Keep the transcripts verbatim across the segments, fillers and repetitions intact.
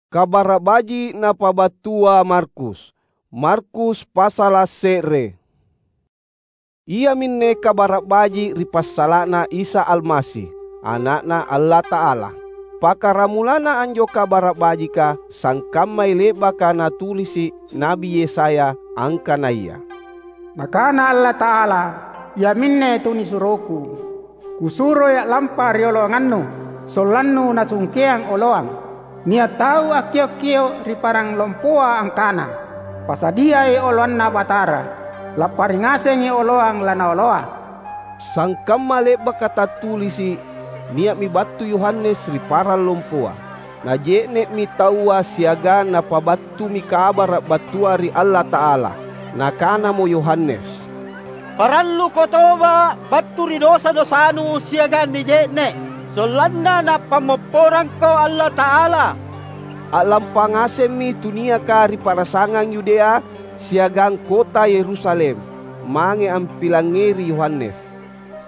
Kabara’ Baji’ napabattua Markus. Markus pasala’ se're. Iaminne Kabara’ Baji’ ri passala'na Isa Almasi, Ana'Na Allata'ala. Pakkaramulana anjo Kabara’ Bajika sangkammai le'baka natulisi’ Na'bi Yesaya angkanaya, "Nakana Allata'ala, iaminne tunisuroKu." Kusuroi a'lampa rioloangannu, sollannu nasungkeang oloang. Nia’ tau akkio’-kio’ ri parang lompoa angkana, "Pasadiai oloanNa Batara, lappari ngasengi oloang laNaoloa." Sangkamma le'baka tattulisi’, nia'mi battu Yohanes ri parang lompoa. Naje'ne'mi taua siagang napabattumi kabara’ battua ri Allata'ala. Nakanamo Yohanes, "Paralluko toba’ battu ri dosa-dosanu siagang nije'ne’, sollanna Napammopporangko Allata'ala." A'lampa ngasemmi tu niaka ri pa'rasangang Yudea siagang kota Yerusalem mange ampilangngeri Yohanes.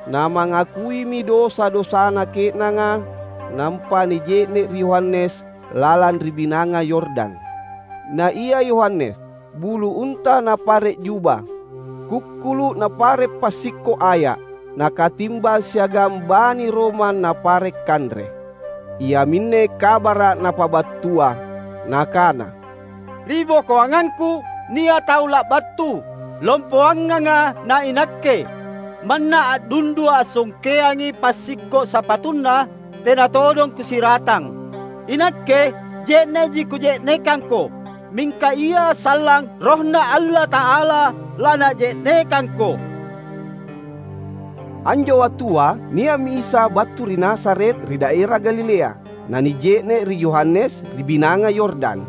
Namangakuimi dosa-dosana ke'nanga, nampa nije'ne’ ri Yohanes lalang ri Binanga Yordan. Na ia Yohanes, bulu unta napare’ juba, kukkulu’ napare’ passikko’ aya’, nakatimbang siagang bani Roma napare’ kanre. Iaminne kabara’ napabattua, nakana, "Ri bokoangangku nia’ tau la'battu, lompoanganga na inakke. Manna a'dundua’ assongkeangi passikko’ sapatunna, tena todong kusiratang. Inakke je'ne'ji kuje'nekangko, mingka ia sallang RohNa Allata'ala laNaje'nekangko." Anjo wattua nia'mi Isa battu ri Nazaret ri daera Galilea. Nanije'ne’ ri Yohanes ri Binanga Yordan.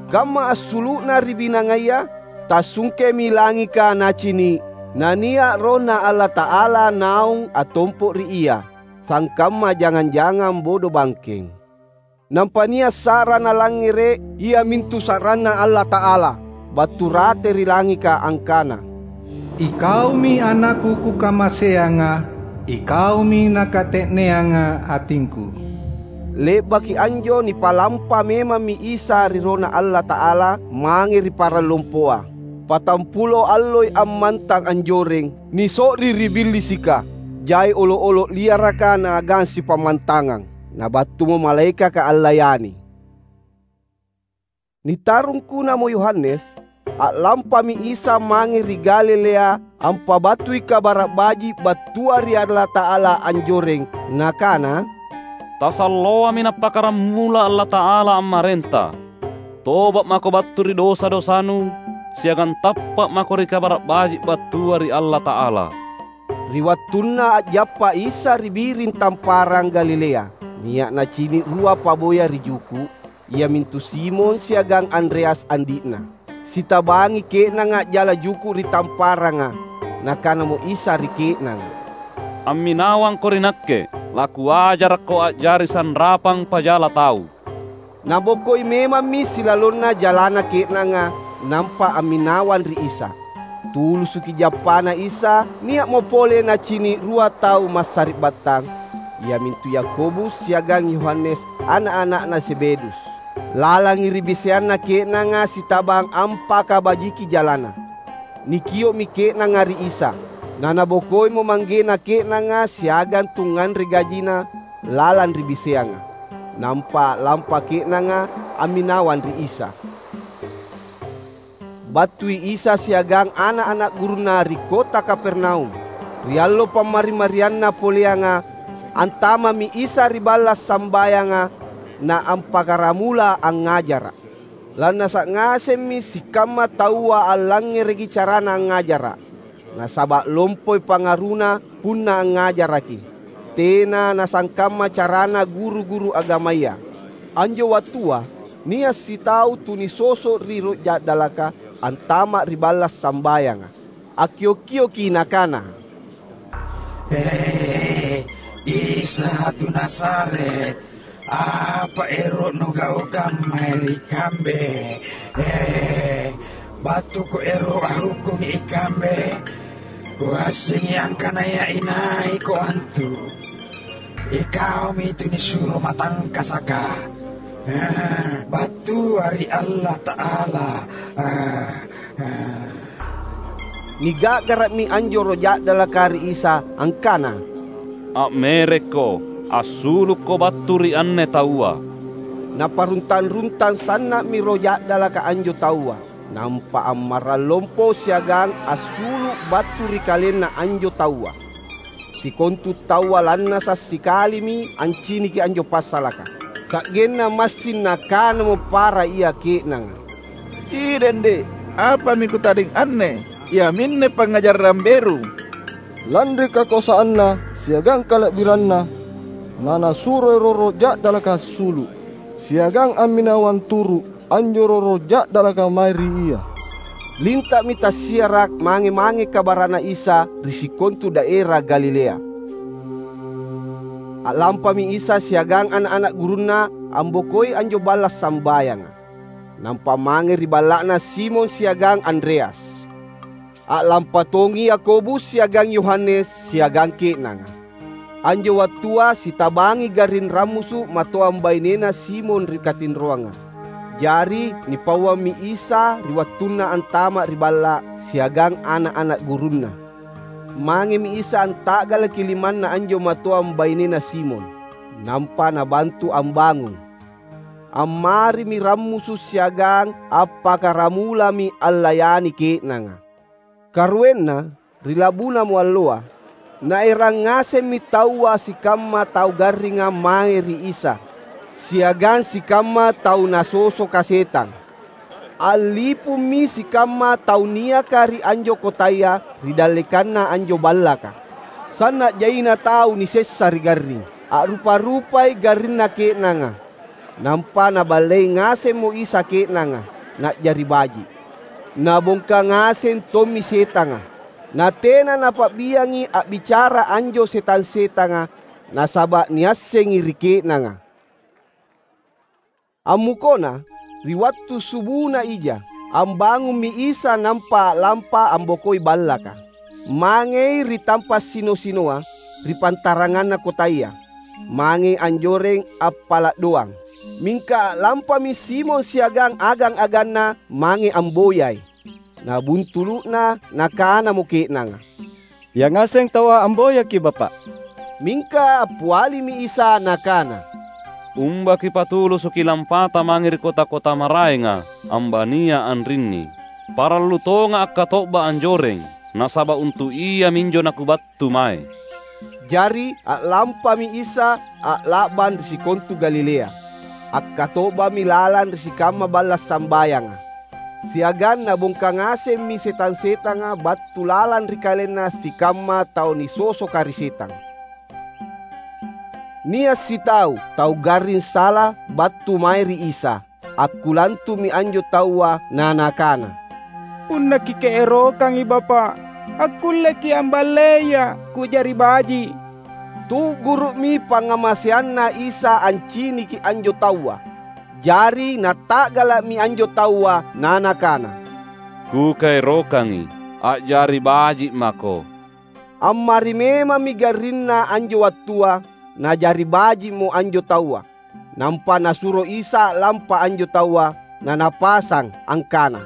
Kamma assulu'na ri binangaya, tassungkemi langika nacini’, nania’ RohNa Allata'ala naung attompo’ ri Ia, sangkamma jangang-jangang bodo bangkeng. Nampa nia’ sa'ra nalangngere’, iamintu sa'ranNa Allata'ala, battu rate ri langika angkana, "IKaumi AnakKu Kukamaseanga, IKaumi Nakate'neanga atingKu." Le'baki anjo nipalampa memammi Isa ri RohNa Allata'ala mange ri parang lompoa. Patampulo alloi ammantang anjoreng, niso'ri ri Billisika, jai olo’-olo’ liaraka naagang sipammantangang. Nabattumo malaekaka allayani. Nitarungkunamo Yohanes, a'lampami Isa mange ri Galilea ampabattui Kabara’ Baji’ battua ri Allata'ala anjoreng, Nakana, "Tasalloami Nappakkaramula Allata'ala ammarenta. Toba’ mako battu ri dosa-dosanu, siagang tappa’ mako ri Kabara’ Baji’ battua ri Allata'ala." Ri wattunna a'jappa Isa ri biring tamparang Galilea, nia’ nacini’ rua paboya ri juku’, iamintu Simon siagang Andreas andi'na. Sitabangi ke'nanga a'jala juku’ ri tamparanga. Nakanamo Isa ri ke'nanga, "Amminawangko ri Nakke, laKuajarakko a'jari sanrapang pajala tau." Nabokoi memammi silalonna jalana ke'nanga, nampa amminawang ri Isa. Tulusuki jappana Isa, nia'mo pole nacini’ rua tau massari'battang, iamintu Yakobus siagang Yohanes, ana’-ana'na Zebedus. Lalangi ri biseanna ke'nanga sitabang ampakabajiki jalana. Nikio'mi ke'nanga ri Isa, nanabokoimo manggena ke'nanga siagang tungnganre gajina lalang ri biseanga. Nampa a'lampa ke'nanga amminawang ri Isa. Battui Isa siagang ana’-ana’ gurunNa ri kota Kapernaum. Ri allo pammari-marianna poleanga, antama'mi Isa ri balla’ sambayanga, na ampakkaramula angngajara’. Lannasa’ ngasemmi sikamma taua allangngereki carana angngajara’, nasaba’ lompoi pangaruna punna angngajaraki. Tena nasangkamma carana guru-guru agamaya. Anjo wattua, nia’ sitau tunisoso’ ri roh ja'dalaka antama’ ri balla’ sambayanga. Akkio’-kioki nakana, "He, Isa tu Nazaret, apa ero’ nugaukang mae ri kambe? He, battuko ero’ ahukkungi ikambe. Kuassengi angkanaya inaiko antu. Ikaumi tu nisuro matangkasaka. "Battua ri Allata'ala." Niga'gara'mi anjo roh ja'dalaka ri Isa angkana, "A'merekko, assulukko battu ri anne taua!" Naparuntang-runtang sanna'mi roh ja'dalaka anjo taua, nampa ammarrang lompo siagang assulu' battu ri kalenna anjo taua. Sikontu taua lannasa' sikalimi anciniki anjo passalaka, sa'genna massing nakanamo para ia ke'nanga, "Idende', apami kutadeng anne? Iaminne pangngajarang beru!" Lanri kakoasanna siagang kala'biranna, nanasuroi roro ja'dalaka assulu', siagang amminawang turu' anjo roro ja'dalaka mae ri ia. Linta'mi tassiara' mange-mange kabara'Na Isa ri sikontu daera Galilea. A'lampami Isa siagang ana'-ana' gurunNa ambokoi anjo balla' sambayanga. Nampa mange ri balla'na Simon siagang Andreas. A'lampa tongi Yakobus siagang Yohanes siagang ke'nanga. Anjo wattua sitabangi garring rammusu' matoang bainena Simon ri katinroanga. Jari, nipauammi Isa ri wattunna antama' ri balla' siagang ana'-ana' gurunNa. Mangemi Isa anta'galaki limanna anjo matoang bainena Simon, nampa Nabantu ambangung. Ammarimi rammusu' siagang appakkaramulami allayani ke'nanga. Karuenna, ri la'bunamo alloa, naerang ngasemmi taua sikamma tau garringa mange ri Isa, siagang sikamma tau nasosoka setang. A'lipummi sikamma tau niaka ri anjo kotaya ri dallekanna anjo ballaka. Sanna' jaina tau nisessa ri garring. A'rupa-rupai garrinna ke'nanga. Nampa Naballei ngasemmo Isa ke'nanga, na'jari baji'. Nabongka ngaseng tommi setanga. Natena Napa'biangi a'bicara anjo setang-setanga, nasaba' niassengi ri ke'nanga. Ammukona, ri wattu subuna ija, ambangummi Isa nampa a'lampa ambokoi ballaka. Mangei ri tampa' sino-sinoa, ri pantaranganna kotaya. Mangei anjoreng appala' doang. Mingka a'lampami Simon siagang agang-aganna mange amboyai. Nabuntulu'na, nakanamo ke'nanga, "Yangaseng taua amboyaki, Bapa'." Mingka appialimi Isa Nakana, "Umba kipatulusuki lampata mange ri kota-kota maraenga ambania anrinni. Parallu tonga' akkato'ba anjoreng, nasaba' untu' iaminjo naKubattu mae." Jari a'lampami Isa a'la'bang ri sikontu Galilea. Akkato'bami lalang ri sikamma balla' sambayanga. Siagang nabongka ngasemmi setang-setanga battu lalang ri kalenna sikamma tau nisosoka ri setang. Nia' sitau tau garring sala battu mae ri Isa. Akkulantumi anjo taua na nakana, "Punna Kikaerokangi, Bapa', akkulleki' amballeia' ku'jari baji'." Tu'guru'mi pangngamaseanNa Isa anciniki anjo taua. Jari nata'gala'mi anjo taua, na nakana, "Kukaerokangi, a'jari baji' mako." Ammari memammi garrinna anjo wattua, na'jari baji'mo anjo taua. Nampa Nasuro Isa a'lampa anjo taua, na Napasang angkana,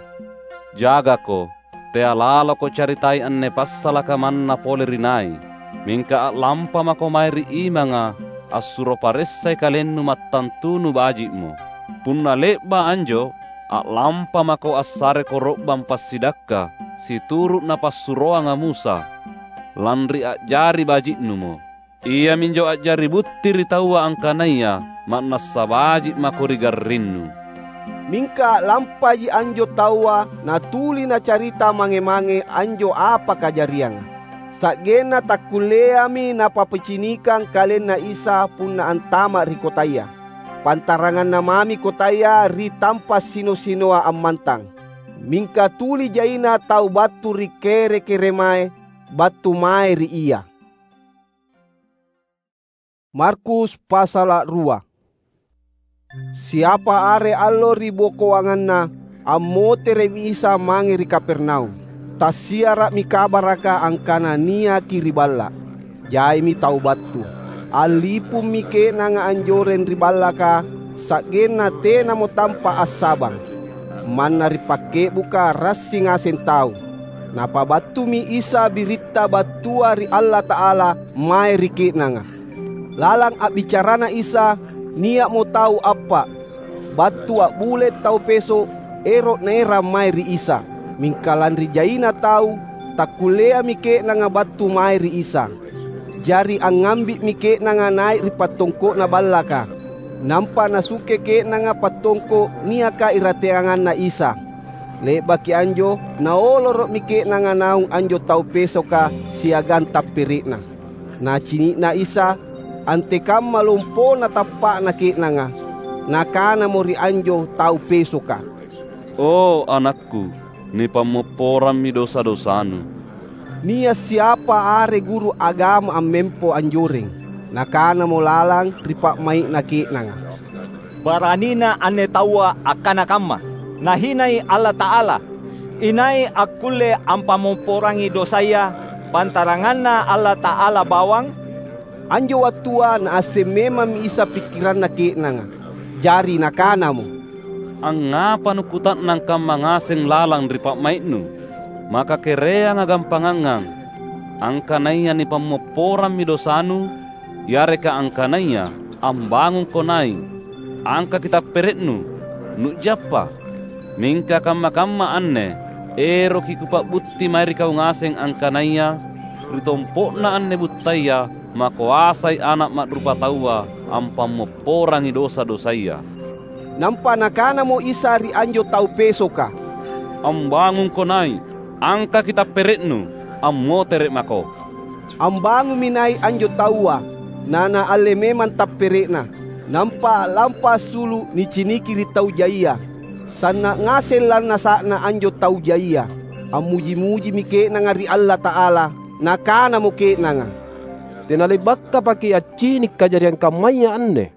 "Jagako! Tea laloko caritai anne passalaka manna pole ri nai, mingka a'lampa mako mae ri imanga assuro paressai kalennu mattantu nubaji'mo. Punna le'ba' anjo, a'lampa mako assare koro'bang passidakka situru' napassuroanga Musa, lanri a'jari baji'numo. Iaminjo a'jari butti ri taua angkanaya ma'nassa baji' mako ri garrinnu." Mingka a'lampaji anjo taua natuli nacarita mange-mange anjo apa kajarianga. Sa'genna takkulleami napapicinikang kalenna Isa punna antama' ri kotaya. Pantaranganna mami kotaya ri tampa' sino-sinoa ammantang. Mingka tuli jaina tau battu ri kere-keremae battu mae ri Ia. Markus pasala' rua. Siapa are allo ribokoanganna, ammotere'mi Isa mange ri Kapernaum. Tassiara'mi kabaraka angkana niaki ri balla'. Jaimi tau battu. Allipummi ke'nanga anjoreng ri ballaka, sa'genna tenamo tampa’ assabang. Manna ri pakke'buka rassi ngaseng tau, Napabattumi Isa biritta battua ri Allata'ala mae ri ke'nanga. Lalang a'bicarana Isa, nia'mo tau appa’, battu a'bule’ tau peso’ ero’ naerang mae ri Isa. Mingka lanri jaina tau, takkulleami ke'nanga battu mae ri Isa. Jari angngambi'mi ke'nanga nai’ ri pattongko'na ballaka, nampa nasukke ke'nanga pattongko’ niaka irateanganna Isa. Le'baki anjo, naoloro'mi ke'nanga naung anjo tau pesoka siagang tappere'na. Nacini'na Isa antekamma lompona tappa'na ke'nanga, Nakanamo ri anjo tau pesoka, "O, anakku, nipammopporammi dosa-dosanu." Nia’ siapa are guru agama ammempo anjoreng, nakanamo lalang ri pa'mai'na ke'nanga, "Baranina anne taua akkana kamma! Nahinai Allata'ala! Inai akkulle ampammopporangi dosaya pantaranganNa Allata'ala bawang?" Anjo wattua Naasseng memammi Isa pikkiranna ke'nanga. Jari Nakanamo, "Angngapa nukuta'nang kamma ngaseng lalang ri pa'mai'nu? Maka kereanga gampangangang: angkanaya nipammopporammi dosanu, yareka angkanaya, 'Ambangungko nai’, angkaki tappere'nu, nu'jappa?' Mingka kamma-kamma anne eroki Kupa'butti mae ri kau ngaseng angkanaya ri tompo'na anne buttaya makoasai Ana’ Ma'rupataua ampammopporangi dosa-dosaya." Nampa Nakanamo Isa ri anjo tau pesoka, "Ambangungko nai’, angkaki tappere'nu, ammotere’ mako." Ambangummi nai’ anjo taua, nanaalle memang tappere'na. Nampa a'lampa assulu’ niciniki ri tau jaia. Sanna’ ngaseng lannasa'na anjo tau jaia. Ammuji-mujimi ke'nanga ri Allata'ala. Nakanamo ke'nanga, "Tena le'bakapaki’ accini’ kajariang kammaya anne."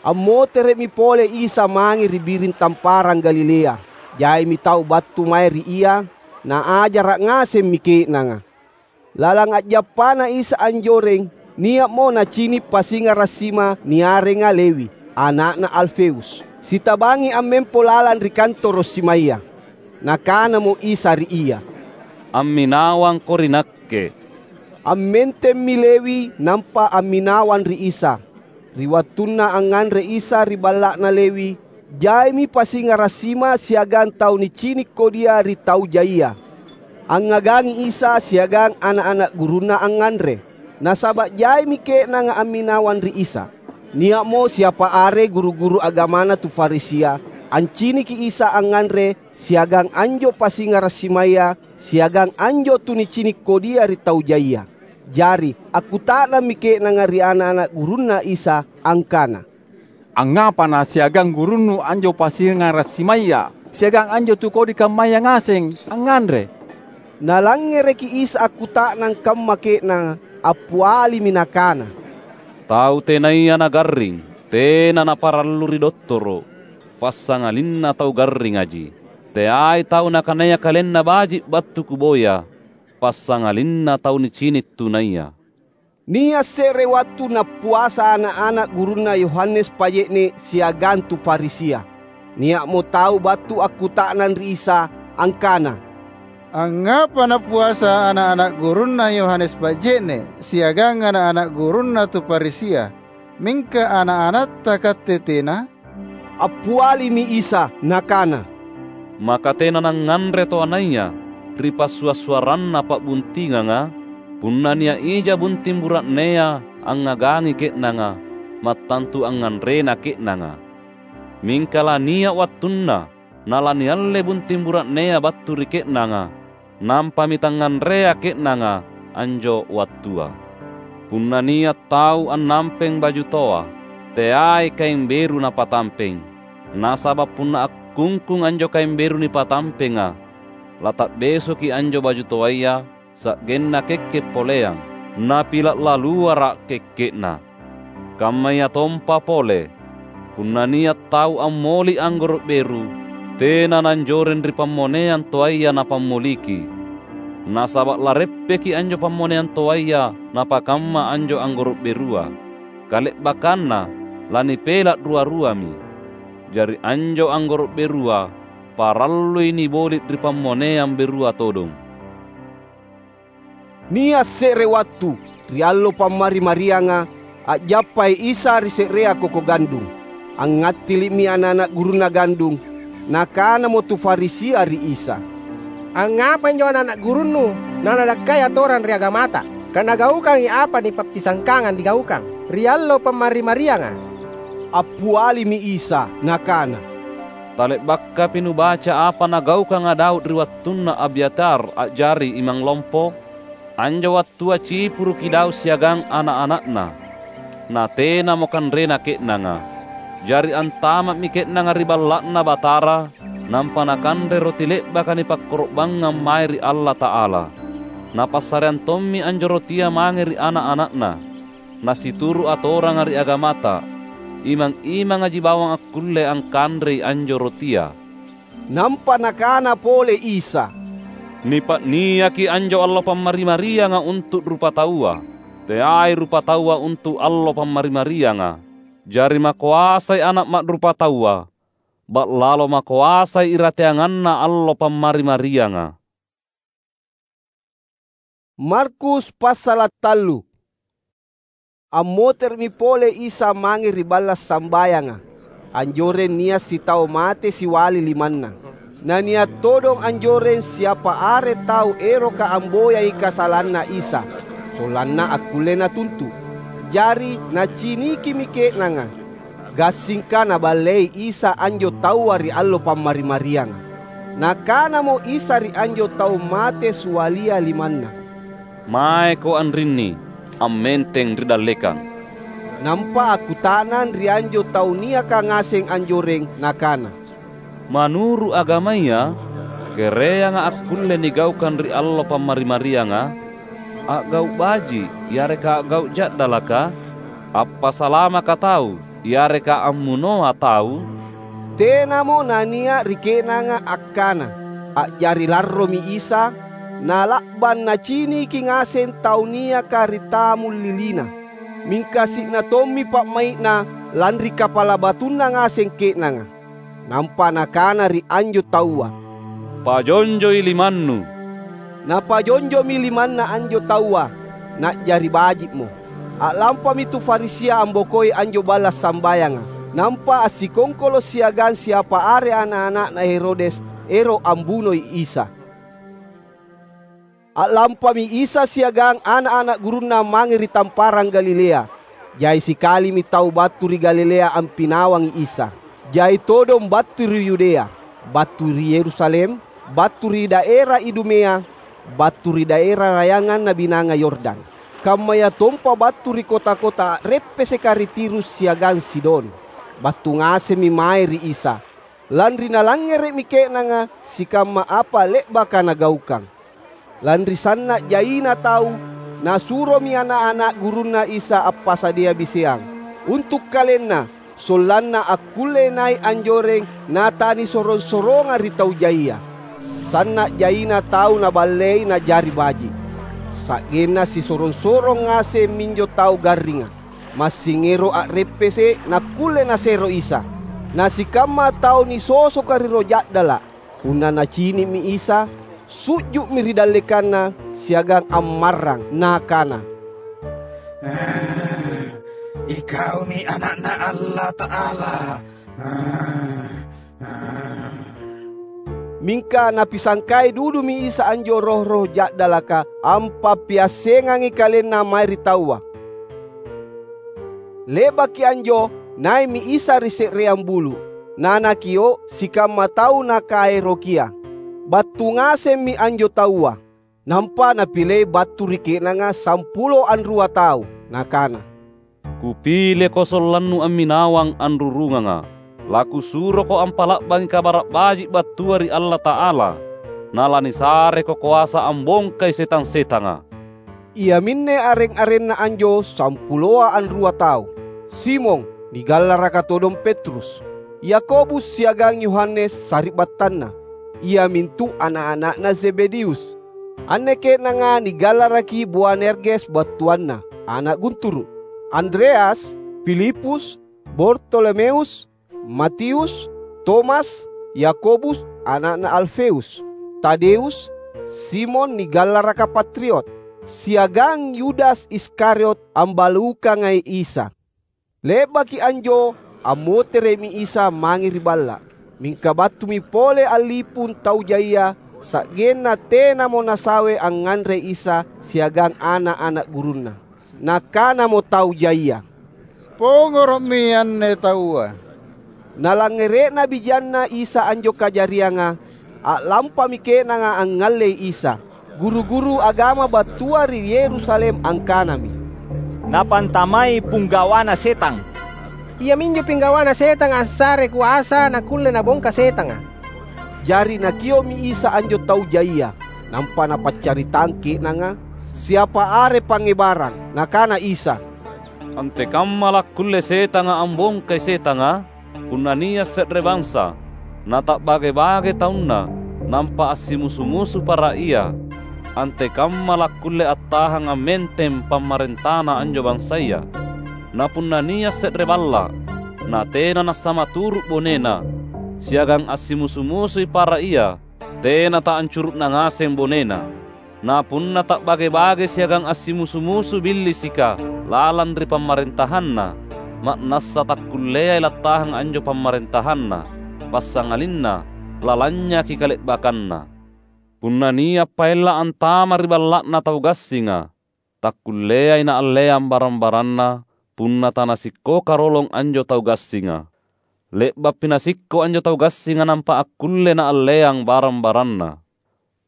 Ammotere'mi pole Isa mange ri biring tamparang Galilea. Jaimi tau battu mae ri Ia, Naajara’ ngasemmi ke'nanga. Lalang a'jappana Isa anjoreng, nia'mo nacini’ pasingara’ sima niarenga Lewi, ana'na Alfeus, sitabangi ammempo lalang ri kantoro’ simaya. Nakanamo Isa ri ia, "Amminawangko ri Nakke." Ammentemmi Lewi nampa amminawang ri Isa. Ri wattunna angnganre Isa ri balla'na Lewi, jaimi pasingara’ sima siagang tau nicini’ kodia ri tau jaia. Angngagangi Isa siagang ana’-ana’ gurunNa angnganre, nasaba’ jaimi ke'nanga amminawang ri Isa. Nia'mo siapa are guru-guru agamana tu Farisia anciniki Isa angnganre siagang anjo pasingara’ simaya siagang anjo tu nicini’ kodia ri tau jaia. Jari akkuta'nammi ke'nanga ri ana’-ana’ gurunNa Isa angkana, "Angngapa nasiagang gurunNu anjo pasingara’ simaya siagang anjo tu kodi kammaya ngaseng angnganre?" Nalangngereki Isa akkuta'nang kamma ke'nanga, appialimi Nakana, "Tau tenaya nagarring, tena naparallu ri dottoro’, passangalinna tau garringaji. Teai tau nakanaya kalenna baji’ battu Kuboya, passangalinna tau nicini’ tunaya." Nia’ se're wattu nappuasa ana’-ana’ gurunna Yohanes Paje'ne’ siagang tu Farisia. Nia'mo tau battu akkuta'nang ri Isa angkana, "Angngapa nappuasa ana’-ana’ gurunna Yohanes Paje'ne’ siagang ana’-ana’ gurunna tu Farisia, mingka ana’-anatta katte tena?" Appialimi Isa Nakana, "Maka tena nangnganre toanaya ri passua’-suarranna pa'buntinganga? Punna nia’ ija bunting bura'nea angngagangi ke'nanga, mattantu angnganrena ke'nanga. Mingka lania’ wattunna nalanialle bunting bura'nea battu ri ke'nanga, nampami tangnganrea ke'nanga anjo wattua. Punna nia’ tau annampeng baju toa, teai kaeng beru napatampeng. Nasaba’ punna akkungkung anjo kaeng beru nipatampenga, lata'besoki anjo baju toaya, sa'genna kekke’ poleang, napila’ laluara’ kekke'na. Kammayatompa pole, punna nia’ tau ammoli’ anggoro’ beru, tena nanjoreng ri pammoneang toaya napammoliki. Nasaba’ lareppeki anjo pammoneang toaya napakamma anjo anggoro’ berua. Kale'bakkanna, lanipela’ rua-ruami. Jari anjo anggoro’ berua parallui niboli’ ri pammoneang berua todong." Nia’ se're wattu, ri allo Pammari-marianga, a'jappai Isa ri se'rea koko gandung. Angngattili'mi ana’-ana’ gurunNa gandung. Nakanamo tu Farisia ri Isa, "Angngapa injo ana’-ana’ gurunNu nanadakkai atorang ri agamata, ka nagaukangi apa nipappisangkanga nigaukang ri allo Pammari-marianga?" Appialimi Isa, Nakana, "Tale'bakapi nubaca apa nagaukanga Daud ri wattunna Abyatar a'jari imang lompo? Anjo wattua cipuruki Daud siagang ana’-ana'na, natenamo kanrena ke'nanga. Jari antama'mi ke'nanga ri Balla'Na Batara, nampa nakanre roti le'baka nipakkoro'bangngang mae ri Allata'ala. Napassareang tommi anjo rotia mange ri ana’-ana'na, nasituru’ atoranga ri agamata. Imang-imangaji bawang akkulle angkanrei anjo rotia." Nampa Nakana pole Isa, "Nipa'niaki anjo allo Pammari-marianga untu’ rupataua, teai rupataua untu’ allo Pammari-marianga. Jari makoasai Ana’ Ma'rupataua, ba'lalo makoasai irateanganna allo Pammari-marianga." Markus passala’ tallu. Ammotere'mi pole Isa mange ri balla’ sambayanga. Anjoreng nia’ sitau mate siwali limanna. Na nia’ todong anjoreng siapa are tau eroka amboyangi kasalanna Isa, sollanna akkulle natuntu’. Jari nacinikimi ke'nanga. Gassingka Naballei Isa anjo taua ri allo Pammari-marianga. Nakanamo Isa ri anjo tau mate siwalia limanna, "Maeko anrinni, ammenteng ri dallekang." Nampa akkuta'nang ri anjo tau niaka ngaseng anjoreng, nakana, "Manuru’ agamaya, kereanga akkulle nigaukang ri allo Pammari-marianga? A'gau’ baji’ yareka a'gau’ ja'dalaka? Appasalamaka tau yareka ammunoa tau?" Tenamo nania’ ri ke'nanga akkana. A'jari larromi Isa, nala'bang naciniki ngaseng tau niaka ri tamung lilina. Mingka si'na tommi pa'mai'na lanri kapala batunna ngaseng ke'nanga. Nampa Nakana ri anjo taua, "Pajonjoi limannu." Napajonjomi limanna anjo taua, na'jari baji'mo. A'lampami tu Farisia ambokoi anjo balla’ sambayanga, nampa assikongkolo’ siagang siapa are ana’-ana'na Herodes ero’ ambunoi Isa. A'lampami Isa siagang ana’-ana’ gurunNa mange ri tamparang Galilea. Jai sikalimi tau battu ri Galilea ampinawangi Isa. Jai todong battu ri Yudea, battu ri Yerusalem, battu ri daera Idumea, battu ri daera rayanganna Binanga Yordan, kammayatompa battu ri kota-kota a'reppeseka ri Tirus siagang Sidon. Battu ngasemmi mae ri Isa. Lanri nalangngere'mi ke'nanga sikamma apa le'baka Nagaukang. Lanri sanna’ jaina tau, Nasuromi ana’-ana’ gurunNa Isa appasadia biseang untu’ KalenNa, sollanna akkullei nai’ anjoreng natanisorong-sorongang ri tau jaia. Sanna’ jaina tau Naballei najari baji’. Sa'genna sisorong-sorong ngaseng minjo tau garringa. Massing ero’ a'reppese’ nakkulle nasero Isa. Na sikamma tau nisosoka ri roh ja'dala’, punna nacini'mi Isa, su'ju'mi ri dallekanNa siagang ammarrang, nakana, "Ikaumi Ana'Na Allata'ala." Mingka napisangkai dudumi Isa anjo roh-roh ja'dalaka ampappiassengangi KalenNa mae ri taua. Le'baki anjo, nai'mi Isa ri se'reang bulu’, na Nakio’ sikamma tau Nakaerokia. Battu ngasemmi anjo taua. Nampa Napilei battu ri ke'nanga sampulo anrua tau, Nakana, "Kupileko sollannu amminawang anrurunganga. LaKusuroko ampa'la'bangi Kabara’ Baji’ battua ri Allata'ala, na lanisareko koasa ambongkai setang-setanga." Iaminne areng-arenna anjo sampuloa anrua tau: Simon, nigallaraka todong Petrus, Yakobus siagang Yohanes sari'battanna, iamintu ana’-ana'na Zebedeus. Anne ke'nanga nigallaraki Boanerges battuanna, ana’ gunturu’, Andreas, Filipus, Bartolomeus, Matius, Tomas, Yakobus ana'na Alfeus, Tadeus, Simon nigallaraka Patriot, siagang Yudas Iskariot ambalukangai Isa. Le'baki anjo, ammotere'mi Isa mange ri balla’. Mingka battumi pole allipung tau jaia, sa'genna tenamo nasawe angnganrei Isa siagang ana’-ana’ gurunNa. Nakanamo tau jaia, "Pongoro'mi anne taua!" Nalangngere'na bijanNa Isa anjo kajarianga, a'lampami ke'nanga angngallei Isa. Guru-guru agama battua ri Yerusalem angkanami, "Napantamai pinggawana setang! Iaminjo pinggawana setanga assare koasa nakkulle nabongka setanga." Jari Nakio'mi Isa anjo tau jaia, nampa Napaccaritang ke'nanga siapa are pangngebarang. Nakana Isa, "Antekamma lakkulle setanga ambongkai setanga? Punna nia’ se're bansa, nata'bage-bage taunna, nampa assimusu-musu para ia, antekamma lakkulle attahang ammenteng pamarentana anjo bansaya? Na punna nia’ se're balla’, natena nassama turu’ bonena, siagang assimusu-musui para ia, tena taancuru'na ngaseng bonena. Na punna ta'bage-bage siagang assimusu-musu Billisika lalang ri pamarentahanna, ma'nassa takkulleai lattahang anjo pamarentahanna, passangalinna lalanynyaki kale'bakkanna. Punna nia’ paella’ antama ri balla'na tau gassinga, takkulleai naalleang barang-baranna punna tanasikkoka rolong anjo tau gassinga. Le'ba'pi nasikko anjo tau gassinga nampa akkulle naalleang barang-baranna.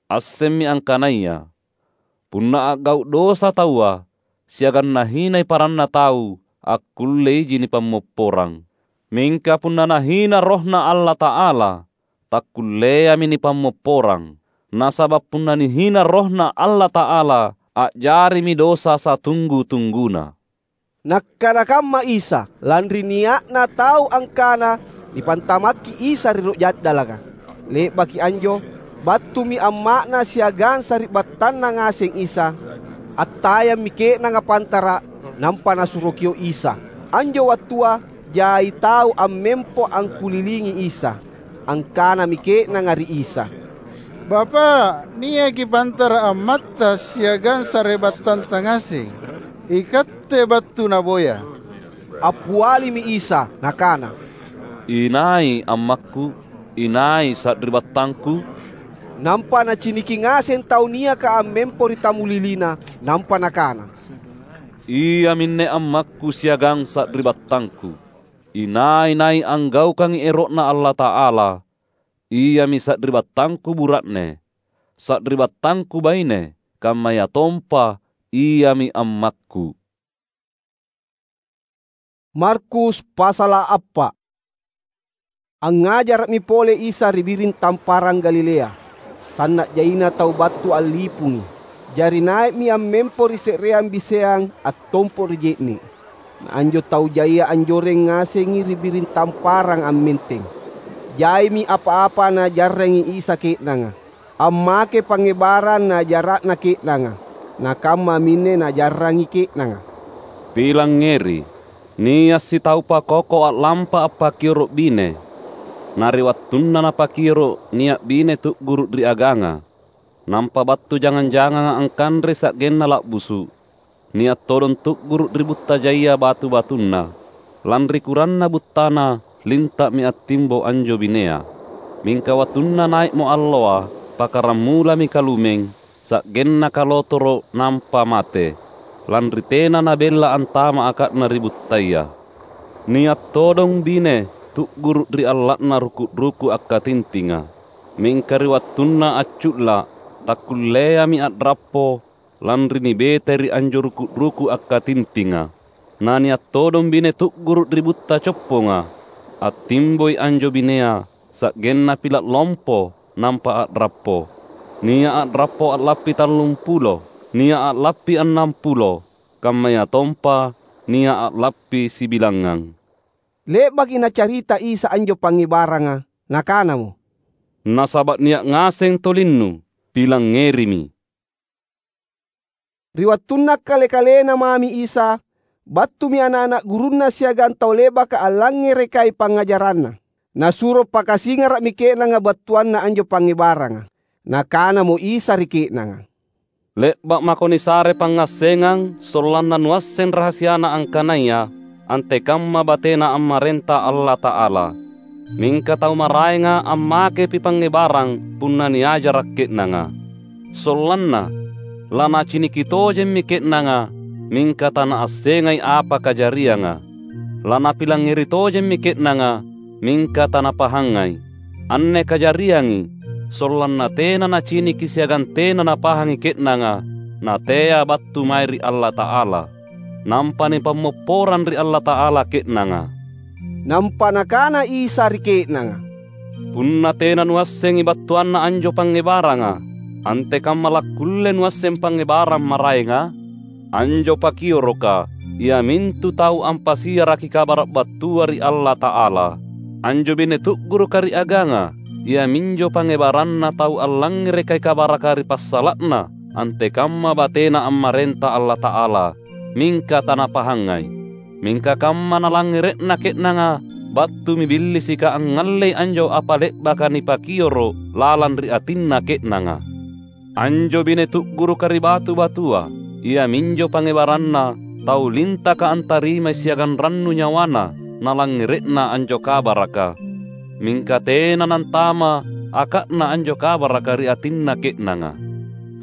Assemmi angkanaya punna a'gau’ dosa taua siagang nahinai paranna tau, akkulleiji nipammopporang. Mingka punna nahina RohNa Allata'ala, takkulleami nipammopporang, nasaba’ punna nihina RohNa Allata'ala, a'jarimi dosa satunggu-tungguna." Nakkana kamma Isa, lanri nia'na tau angkana nipantamakki Isa ri Rok Ja'dalaka. Le'baki anjo, battumi amma'Na siagang sari'battanNa ngaseng Isa. Attayammi ke'nanga pantara’, nampa nasuro kio’ Isa. Anjo wattua jai tau ammempo angkulilingi Isa. Angkanami ke'nanga ri Isa, "Bapa’, niaki pantara’ ammatta siagang sari'battanta ngaseng. Ikatte battu naboya." Appialimi Isa Nakana, "Inai ammakKu? Inai sari'battangKu?" Nampa naciniki ngaseng tau niaka ammempo ri tamulilina, nampa nakana, "Iaminne ammakKu siagang sari'battangKu. Inai-nai anggaukangi ero'Na Allata'ala, iami sari'battangKu bura'ne, sari'battangKu baine, kammayatompa iami ammakKu." Markus pasala’ appa’. Angngajara'mi pole Isa ri biring tamparang Galilea. Sanna’ jaina tau battu allipungi. Jari nai'mi ammempo ri se'reang biseang attompo’ ri je'ne’. Na anjo tau jaia anjoreng ngasengi ri biring tamparang ammenteng. Jaimi apa-apa Najarrangi Isa ke'nanga. Ammake pangngebarang najara'na ke'nanga, nakammaminne najarrangi ke'nanga. "Pilangngeri! Nia’ sitau pakoko a'lampa appakioro’ bine. Na ri wattunna napakioro’, nia’ bine tu'guru’ ri aganga, nampa battu jangang-janganga angkanrei sa'genna la'busu’. Nia’ todong tu'guru’ ri butta jaia batu-batunna. Lanri kuranna buttana, linta'mi attimbo anjo binea. Mingka wattunna nai'mo alloa, pakarammulami kalumeng, sa'genna kalotoro’ nampa mate, lanri tena nabella antama’ aka'na ri buttaya. Nia’ todong bine tu'guru’ ri alla'na ruku’-ruku’ akkatintinga. Mingka ri wattunna accu'la’, takkulleami a'rappo, lanri nibetai ri anjo ruku’-ruku’ akkatintinga. Na nia’ todong bine tu'guru’ ri butta copponga. Attimboi anjo binea, sa'genna pila’ lompo, nampa a'rappo. Nia’ a'rappo a'lappi tallumpulo, nia’ a'lappi annampulo, kammayatompa nia’ a'lappi sibilangngang. Le'baki Nacarita Isa anjo pangngebaranga, Nakanamo, "Nasaba’ nia’ ngaseng tolinnu, pilangngerimi." Ri wattunna kale-kalena mami Isa, Battumi ana’-ana’ gurunNa siagang tau le'baka allangngerekai pangngajaranNa. Nasuro pakasingara'mi ke'nanga battuanna anjo pangngebaranga. Nakanamo Isa ri ke'nanga, "Le'ba’ mako nisare pangngassengang sollanna nuasseng rahasiana angkanaya antekamma bateNa ammarenta Allata'ala. Mingka tau maraenga ammakepi pangngebarang punna niajara’ ke'nanga. Sollanna lanaciniki tojemmi ke'nanga, mingka tanaassengai apa kajarianga. Lanapilangngeri tojemmi ke'nanga, mingka tanapahangai. Anne kajariangi, sollanna tena naciniki siagang tena napahangi ke'nanga natea battu mae ri Allata'ala. Nampa nipammopporang ri Allata'ala ke'nanga." Nampa Nakana Isa ri ke'nanga, "Punna tena nuassengi battuanna anjo pangngebaranga, antekamma lakkulle nuasseng pangngebarang maraenga? Anjo pakioroka, iamintu tau ampasiaraki kabara’ battua ri Allata'ala. Anjo bine tu'guruka ri aganga, iaminjo pangngebaranna tau allangngerekai kabaraka ri passala'na antekamma bateNa ammarenta Allata'ala, mingka tanapahangai. Mingka kamma nalangngere'na ke'nanga, battumi Billisika angngallei anjo apa le'baka nipakioro’ lalang ri atinna ke'nanga. Anjo bine tu'guruka ri batu-batua, iaminjo pangngebaranna tau lintaka antarimai siagang rannu nyawana nalangngere'na anjo kabaraka. Mingka tena nantama aka'na anjo kabaraka ri atinna ke'nanga.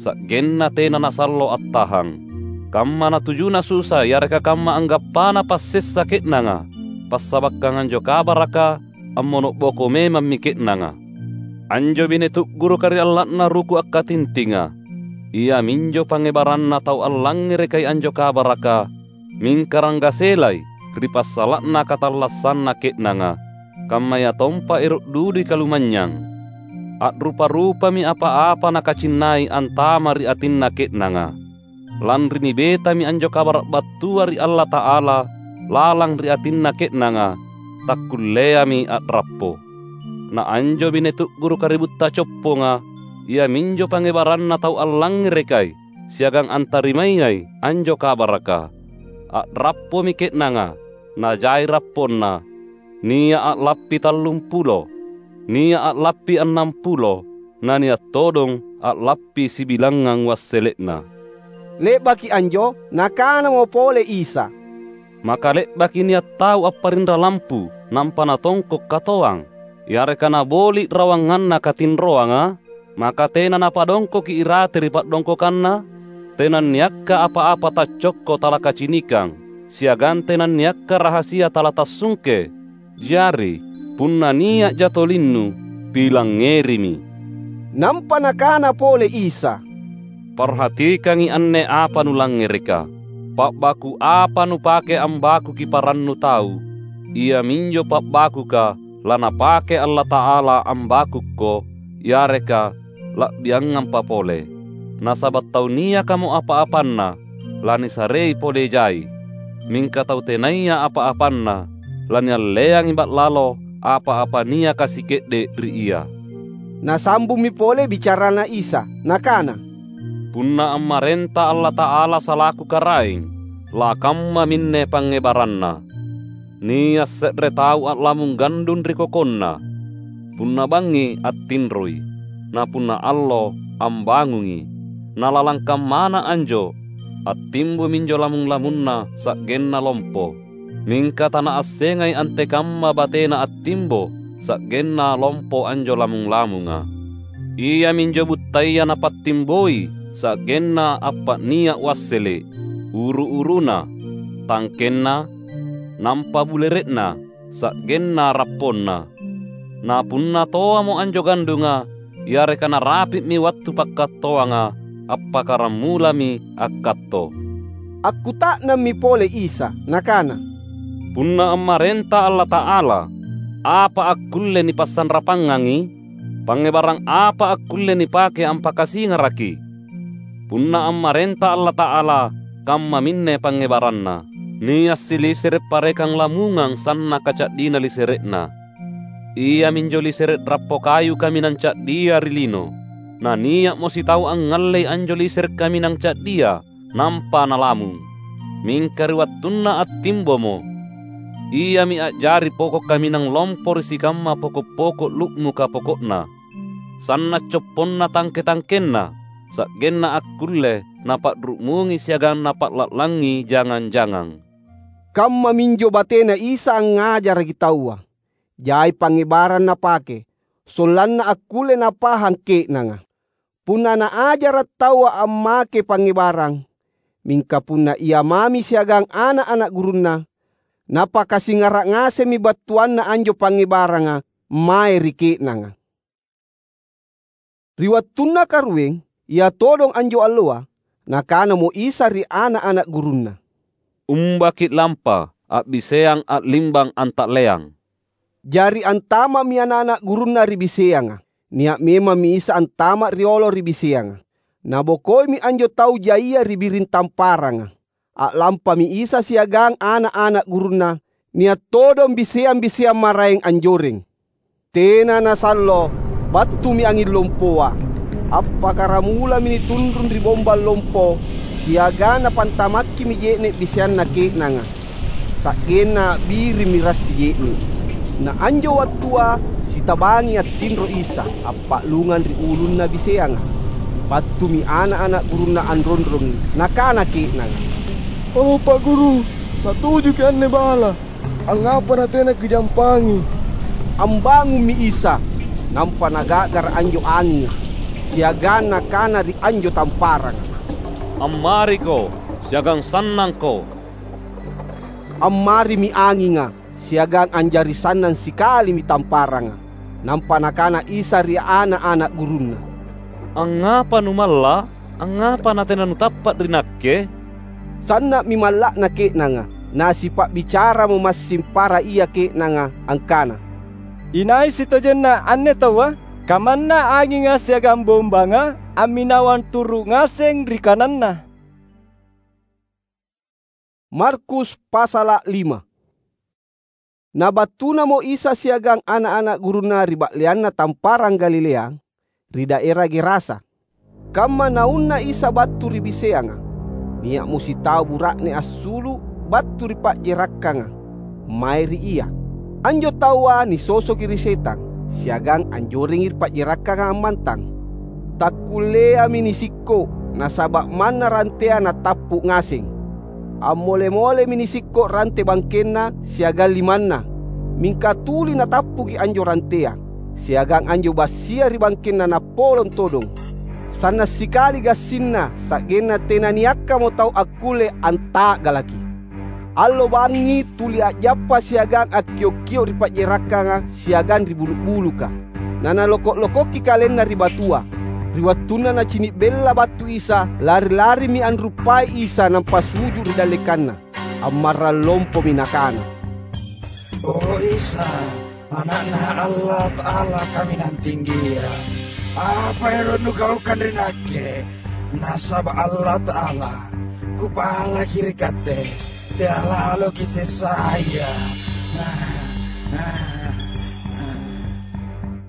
Sa'genna tena nasallo attahang. Kamma natujuna susa yareka kamma anggappana passessa ke'nanga, passabakkang anjo kabaraka ammono'boko memammi ke'nanga. Anjo bine tu'guruka ri alla'na ruku akkatintinga, iaminjo pangngebaranna tau allangngerekai anjo kabaraka, mingka ranggaselai ri passala'na katallassanna ke'nanga, kammayatompa ero’ dudui kalumanynyang. A'rupa-rupami apa-apa nakacinnai antama ri atinna ke'nanga. Lanri nibetami anjo kabara’ battua ri Allata'ala lalang ri atinna ke'nanga, takkulleami a'rappo. Na anjo bine tu'guruka ri butta copponga, iaminjo pangngebaranna tau allangngerekai siagang antarimayai anjo kabaraka. A'rappomi ke'nanga, najai rapponna, nia’ a'lappi tallumpulo, nia’ a'lappi annampulo, na nia’ todong a'lappi sibilangngang wassele'na." Le'baki anjo, Nakanamo pole Isa, "Maka le'baki nia’ tau apparinra lampu nampa natongko’ katoang, yareka naboli’ rawanganna katinroanga? Maka tena napadongkoki irate ri pa'dongkokanna? Tenanniakka apa-apa taccokko talakacinikang, siagang tenanniakka rahasia talatassungke. Jari, punna nia'ja tolinnu, pilangngerimi." Nampa Nakana pole Isa, "Parhatikangi anne apa nulangngereka. Pa'baku apa nupake ambakuki parannu tau, iaminjo pa'bakuka laNapake Allata'ala ambakukko, yareka la'biangampa pole. Nasaba’ tau niakamo apa-apanna, lanisarei pole jai. Mingka tau tenaya apa-apanna, lanialleangi ba'lalo apa-apa niaka sike'de’ ri ia." Nasambummi pole bicarana Isa, Nakana, "Punna ammarenta Allata'ala salaku Karaeng, lakammaminne pangngebaranna. Nia’ se're tau a'lamung gandung ri kokonna. Punna bangngi attinroi, na punna allo ambangungi. Na lalang kammana anjo, attimbominjo lamung-lamunna sa'genna lompo. Mingka tanaassengai antekamma batena attimbo sa'genna lompo anjo lamung-lamunga. Iaminjo buttaya napattimboi sa'genna appa'nia’ wassele’, uru-uruna, tangkenna, nampa bulere'na, sa'genna rapponna. Na punna toamo anjo gandunga, yareka narapi'mi wattu pakkattoanga, appakkaramulami akkatto." Akkuta'nammi pole Isa, Nakana, "Punna ammarenta Allata'ala, apa akkulle nipassanrapangangi? Pangngebarang apa akkulle nipake ampakasingaraki? Punna ammarenta Allata'ala, kammaminne pangngebaranna. Nia’ silisere’ parekang lamungang sannaka ca'dina lisere'na. Iaminjo lisere’ rappo kayu kaminang ca'dia ri lino. Na nia'mo sitau angngallei anjo lisere’ kaminang ca'dia, nampa nalamung. Mingka ri wattunna attimbomo, iami a'jari poko' kaminang lompo ri sikamma poko'-poko' lu'muka poko'na, sanna’ copponna tangke-tangkenna, sa'genna akkulle napa'ru'mungi siagang napa'la'langi jangang-jangang." Kammaminjo batena Isa angngajaraki taua. Jai pangngebarang Napake, sollanna akkulle napahang ke'nanga. Punna naajara’ taua ammake pangngebarang, mingka punna Ia mami siagang ana’-ana’ gurunNa, Napakasingara’ ngasemmi battuanna anjo pangngebaranga mae ri ke'nanga. Ri wattunna karueng, ia todong anjo alloa, Nakanamo Isa ri ana’-ana’ gurunNa, "Umbaki’ lampa, a'biseang a'limbang anta'leang." Jari antama'mi ana’-ana’ gurunNa ri biseanga. Nia’ memammi Isa antama’ riolo ri biseanga. Nabokoimi anjo tau jaia ri biring tamparanga. A'lampami Isa siagang ana’-ana’ gurunNa, nia’ todong biseang-biseang maraeng anjoreng. Tena nasallo, battumi anging lompoa. Appakkaramulami nitunrung ri bombang lompo, siagang napantamakkimi je'ne’ biseanna ke'nanga, sa'genna a'birimmi rassi je'ne’. Na anjo wattua sitabangi attinro Isa, appa'lungang ri ulunna biseanga. Battumi ana’-ana’ gurunNa anronrongi, nakana ke'nanga, "O, Pa’ Guru, natujuki’ anne bala. Angngapa natena Kijampangi?" Ambangummi Isa, nampa Naga'gara’ anjo anginga, siagang Nakana ri anjo tamparanga, "Ammariko, siagang sannangko!" Ammarimi anginga, siagang anjari sannang sikalimi tamparanga. Nampa Nakana Isa ri ana’-ana’ gurunNa, "Angngapa numalla’? Angngapa natena nutappa’ ri Nakke?" Sanna'mi malla'na ke'nanga, nasipa'bicaramo massing para ia ke'nanga angkana, "Inai sitojenna anne taua? Kamanna anginga siagang bombanga amminawang turu’ ngaseng ri kananNa." Markus pasala’ lima. Nabattunamo Isa siagang ana’-ana’ gurunNa ri ba'leanna tamparang Galilea, ri daera Gerasa. Kamma naunna Isa battu ri biseanga, nia'mo sitau bura'ne assulu’ battu ri pa'jerakkanga mae ri Ia. Anjo taua nisosoki ri setang, siagang anjorengi ri pa'jerakkanga ammantang. Takkulleami nisikko’, nasaba’ manna rantea natappu’ ngaseng. Ammole-molemi nisikko’ rante bangkenna siagang limanna, mingka tuli natappuki anjo rantea, siagang anjo bassia ri bangkenna nappolong todong. Sanna’ sikali gassinna, sa'genna tenaniakkamo tau akkulle anta'galaki. Allo bangngi tuli a'jappa siagang akkio’-kio’ ri pa'jerakkanga siagang ri bulu’-buluka. Nanaloko’-lokokki kalenna ri batua. Ri wattunna nacini’ bella battu Isa, lari-larimi anruppai Isa nampa suju’ ri dallekanNa. Ammarrang lompomi nakana, "O Isa, Ana'Na Allata'ala Kaminang Tinggia, apa ero’ Nugaukang ri nakke? Nasaba’ Allata'ala, kupalaki ri Katte, tea’ laloki’ sessaya."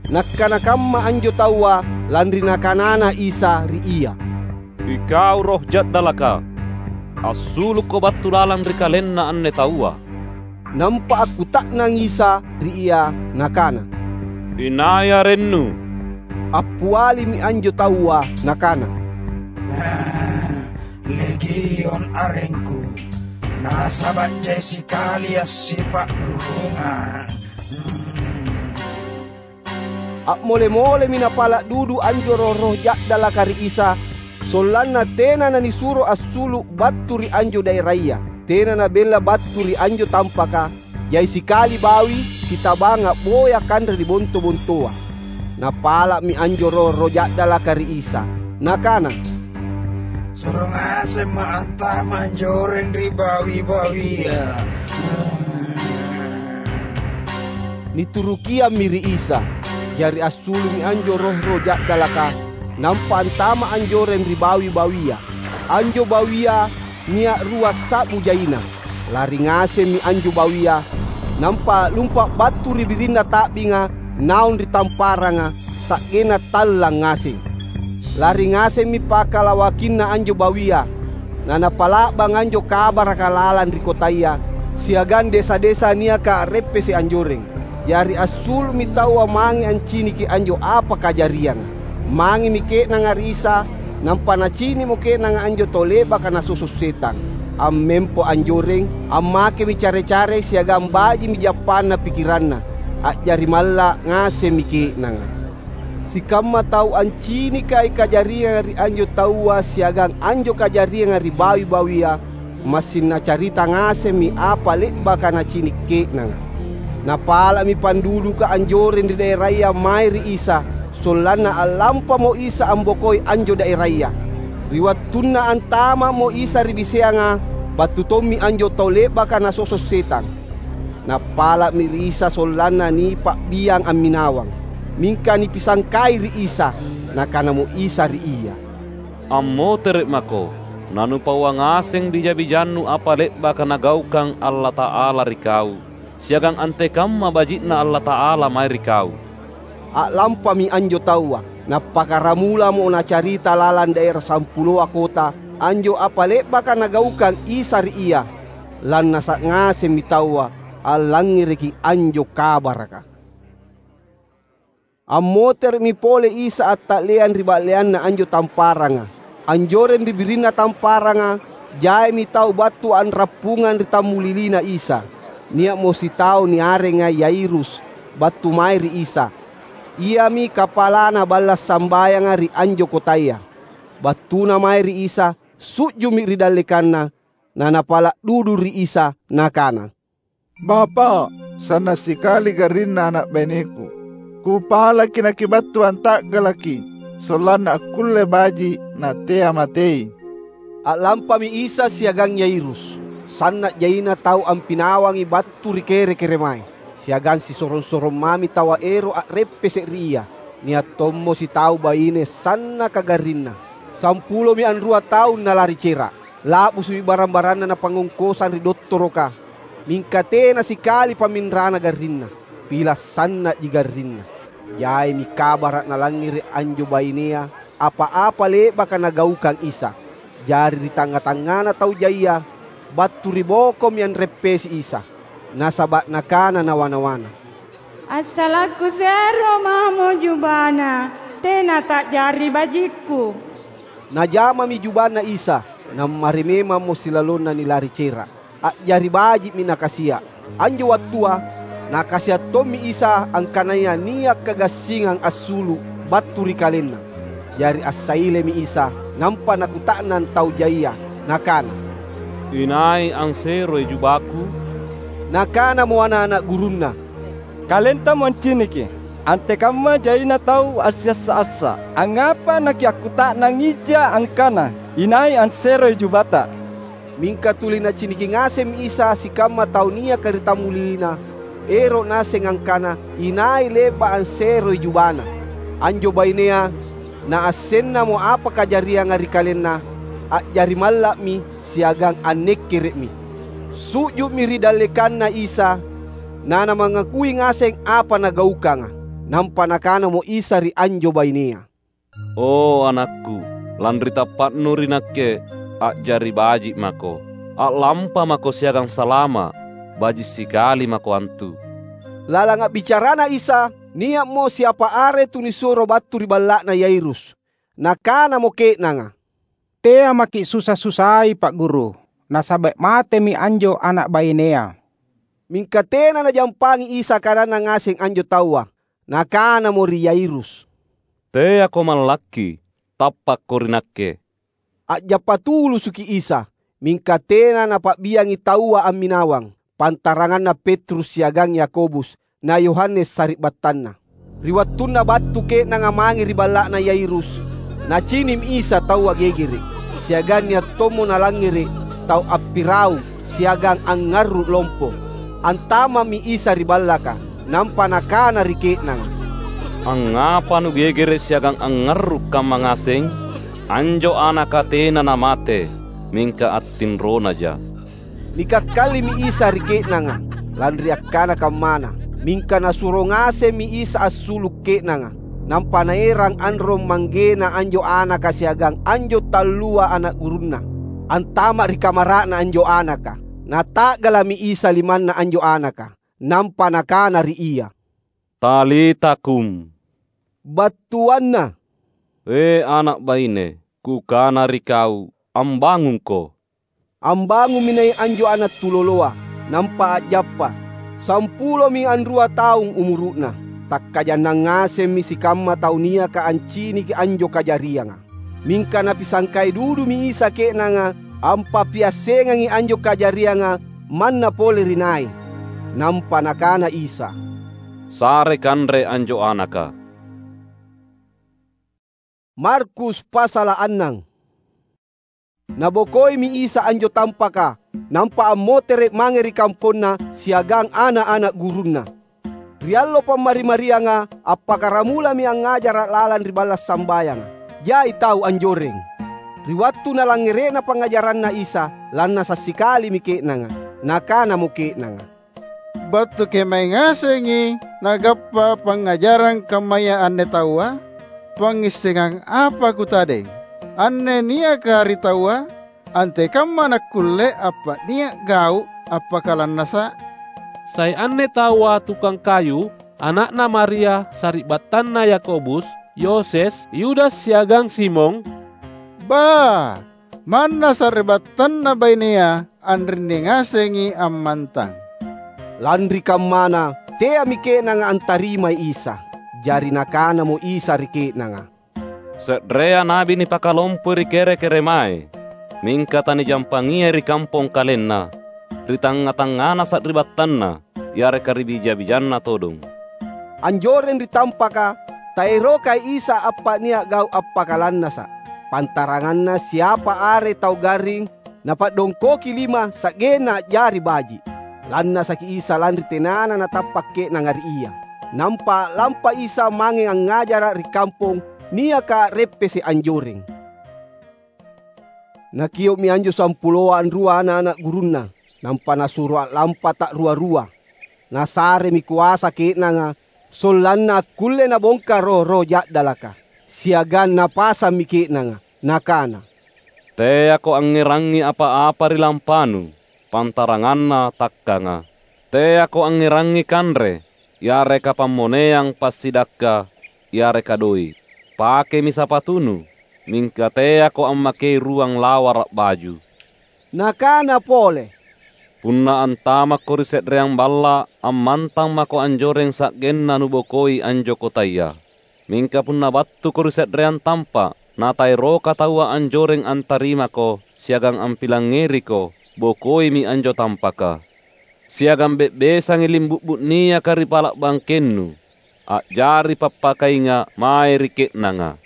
Nakkana kamma anjo taua lanri Nakanana Isa ri ia, "Ikau roh ja'dalaka, assulukko battu lalang ri kalenna anne taua!" Nampa akkuta'nang Isa ri ia, Nakana, "Inai arennu?" Appialimi anjo taua, nakana, "Legion arengku, nasaba’ jai sikali assipa'rurungang." A'mole-molemi napala’ dudu anjo roh-roh ja'dalaka ri Isa, sollanna tena nanisuro assulu’ battu ri anjo daeraya. Tena nabella battu ri anjo tampaka, jai sikali bawi sitabang a'boya kanre ri bonto-bontoa. Napala'mi anjo roh-roh ja'dalaka ri Isa, nakana, "Suro ngasemma’ antama’ anjoreng ri bawi-bawia." Niturukiammi ri Isa. Jari assulu'mi anjo roh-roh ja'dalaka, nampa antama’ anjoreng ri bawi-bawia. Anjo bawia nia’ rua sa'bu jaina. Lari ngasemmi anjo bawia, nampa lumpa’ battu ri birinna ta'binga naung ri tamparanga, sa'genna tallang ngaseng. Lari ngasemmi pakalawakinna anjo bawia, Na napa'la'bang anjo kabaraka lalang ri kotaya siagang desa-desa niaka a'reppese’ anjoreng. Jari assulu'mi taua mange anciniki anjo apa kajarianga. Mangemi ke'nanga ri Isa, nampa nacini'mo ke'nanga anjo tau le'baka nasoso’ setang. Ammempo anjoreng, ammakemi care-care siagang baji'mi jappanna pikiranna. A'jari malla’ ngasemmi ke'nanga. Sikamma tau ancinikai kajarianga ri anjo taua siagang anjo kajarianga ri bawi-bawia, massing nacarita ngasemmi apa le'baka nacini’ ke'nanga. Napala'mi panduduka anjoreng ri daeraya mae ri Isa, sollanna a'lampamo Isa ambokoi anjo daeraya. Ri wattunna antama'mo Isa ri biseanga, battu tommi anjo tau le'baka nasoso’ setang. Nappala'mi ri Isa sollanna nipa'biang amminawang. Mingka nipisangkai ri Isa. Nakanamo Isa ri ia, "Ammotere’ mako, nanupaua ngaseng bija-bijannu apa le'baka Nagaukang Allata'ala ri kau, siagang antekamma baji'Na Allata'ala mae ri kau." A'lampami anjo taua, nappakkaramulamo nacarita lalang daera sampuloa kota anjo apa le'baka Nagaukang Isa ri ia. Lannasa’ ngasemmi taua allangngereki anjo kabaraka. Ammotere'mi pole Isa atta'leang ri ba'leanna anjo tamparanga. Anjoreng ri birinna tamparanga, jaimi tau battu anrappungang ri tammulilina Isa. Nia'mo sitau niarenga Yairus battu mae ri Isa. Iami kapalana balla’ sambayanga ri anjo kotaya. Battuna mae ri Isa, su'ju'mi ri dallekanNa, na napala’ dudu ri Isa, nakana, "Bapa’, sanna’ sikali garrinna ana’ baineku. Kupalaki nakibattu anta'galaki, sollanna akkulle baji’ na tea matei." A'lampami Isa siagang Yairus. Sanna’ jaina tau ampinawangi battu ri kere-keremae, siagang sisorong-sorong mami taua ero’ a'reppese’ ri Ia. Nia’ tommo sitau baine sannaka garrinna. Sampulomi anrua taung nalari cera’. La'busu'mi barang-baranna napangngongkosang ri dottoroka, mingka tena sikali pamminrana garrinna. Pila’ sanna'ji garrinna. Jaimi kabara’ nalangngere’ anjo bainea apa-apa le'baka Nagaukang Isa. Jari ri tangnga-tangngana tau jaia, battu ri bokomi anreppesi Isa. Nasaba’ nakana nawa-nawana, "Assalakku sero mamo jubana, tena ta'jari bajikku." Najamami jubanna Isa, nammari memammo silalonna nilari cera’. A'jari baji'mi nakasia’. Anjo wattua, Nakasia’ tommi Isa angkanaya nia’ kagassingang assulu’ battu ri KalenNa. Jari assailemi Isa, nampa Nakuta'nang tau jaia, Nakana, "Inai anseroi jubaKu?" Nakanamo ana’-ana’ gurunNa, "Kalentamo anciniki, antekamma jaina tau assiassa-assa. Angngapa nakiakkuta'nangija angkana, 'Inai anseroi jubata?'" Mingka tuli Naciniki ngasemmi Isa sikamma tau niaka ri tammulilina, ero’ naseng angkana inai le'ba’ anseroi jubana. Anjo bainea, naassennamo apa kajarianga ri kalenna, a'jari malla'mi siagang annekkere'mi. Su'ju'mi ri dallekanNa Isa, nanamangakui ngaseng apa Nagaukanga. Nampa Nakanamo Isa ri anjo bainea, "O anakku, lanri tappa'nu ri Nakke, a'jari baji’ mako. A'lampa mako siagang salama’. Baji’ sikali mako antu." Lalang a'bicarana Isa, nia'mo siapa are tunisuro battu ri balla'na Yairus. Nakanamo ke'nanga, "Tea maki’ susa-susai, Pa'guru, nasaba’ matemi anjo ana’ bainea." Mingka tena Najampangi Isa kadanNa ngaseng anjo taua. Nakanamo ri Yairus, "Teako mallakki, tappakko ri Nakke." A'jappa tulusuki Isa, mingka tena Napa'biangi taua amminawang, pantaranganna Petrus siagang Yakobus, na Yohanes sari'battanna. Ri wattunna battu ke'nanga mange ri balla'na Yairus, Nacini'mi Isa taua gegere’, siagang nia’ tommo Nalangngere’ tau appiraung siagang angngarru’ lompo. Antama'mi Isa ri ballaka, nampa Nakana ri ke'nanga, "Angngapa nugegere’ siagang angngarru’ kamma ngaseng? Anjo anaka tena namate, mingka attinronaja." Nikakkallimi Isa ri ke'nanga, lanri akkana kammana. Mingka Nasuro ngasemmi Isa assulu’ ke'nanga, nampa Naerang anrong manggena anjo anaka siagang anjo tallua ana’ gurunNa. antama’ ri kamara'na anjo anaka. Nata'gala'mi Isa limanna anjo anaka, nampa Nakana ri ia, "Talita kum!" Battuanna, "E ana’ baine, Kukana ri kau, ambangungko!" Ambangummi nai’ anjo ana’ tuloloa, nampa a'jappa. Sampulomi anrua taung umuru'na. Takkajannang ngasemmi sikamma tau niaka anciniki anjo kajarianga. Mingka Napisangkai dudumi Isa ke'nanga ampapiassengangi anjo kajarianga manna pole ri nai. Nampa Nakana Isa, "Sare kanre anjo anaka." Markus pasala’ annang. Nabokoimi Isa anjo tampaka, nampa ammotere’ mange ri kamponna siagang ana’-ana’ gurunNa. Ri allo Pammari-marianga, appakkaramulami angngajara’ lalang ri balla’ sambayanga. Jai tau anjoreng. Ri wattu nalangngere'na pangngajaranNa Isa, lannasa’ sikalimi ke'nanga. Nakanamo ke'nanga, "Battu kemae ngasengi nagappa pangngajarang kammaya anne taua? Pangngissengang apa kutadeng? Anne niaka ri taua, antekamma nakkulle appa'nia’ gau’ appakalannasa’?" Sai anne taua tukang kayu, ana'na Maria, sari'battanna Yakobus, Yoses, Yudas siagang Simon? Ba! Manna sari'battanna bainea anrinni ngasengi ammantang. Lanri kammana, teami ke'nanga antarimai Isa. Jari Nakanamo Isa ri ke'nanga, "Se'rea nabi nipakalompoi ri kere-keremae, mingka tanijampangiai ri kampong kalenna, ri tangnga-tangngana sari'battanna, yareka ri bija-bijanna todong." Anjoreng ri tampaka, taerokai Isa appa'nia’ gau’ appakalannasa’. Pantaranganna siapa are tau garring, napa'dongkoki lima sa'genna a'jari baji’. Lannasaki Isa lanri tenana natappa’ ke'nanga ri Ia. Nampa a'lampa Isa mange angngajara’ ri kampong niaka a'reppese’ anjoreng. Nakio'mi anjo sampuloa anrua ana’-ana’ gurunNa, nampa Nasuro a'lampa ta'rua-rua. Nasaremi koasa ke'nanga, sollanna akkulle nabongka roh-roh ja'dalaka, siagang napasammi ke'nanga. Nakana, "Teako angngerangi apa-apa ri lampanu, pantaranganna takkanga. Teako angngerangi kanre, yareka pammoneang passidakka, yareka doe’. Pakemi sapatunu, mingka teako ammakei ruang lawara’ baju." Nakana pole, "Punna antamakko ri se'reang balla’, ammantang mako anjoreng sa'genna nubokoi anjo kotaya. Mingka punna battuko ri se'reang tampa’, nataeroka taua anjoreng antarimako siagang ampilangngeriko, bokoimi anjo tampaka. Siagang be'besangi limbu'bu’ niaka ri pala’ bangkennu, a'jari pappakainga’ mae ri ke'nanga."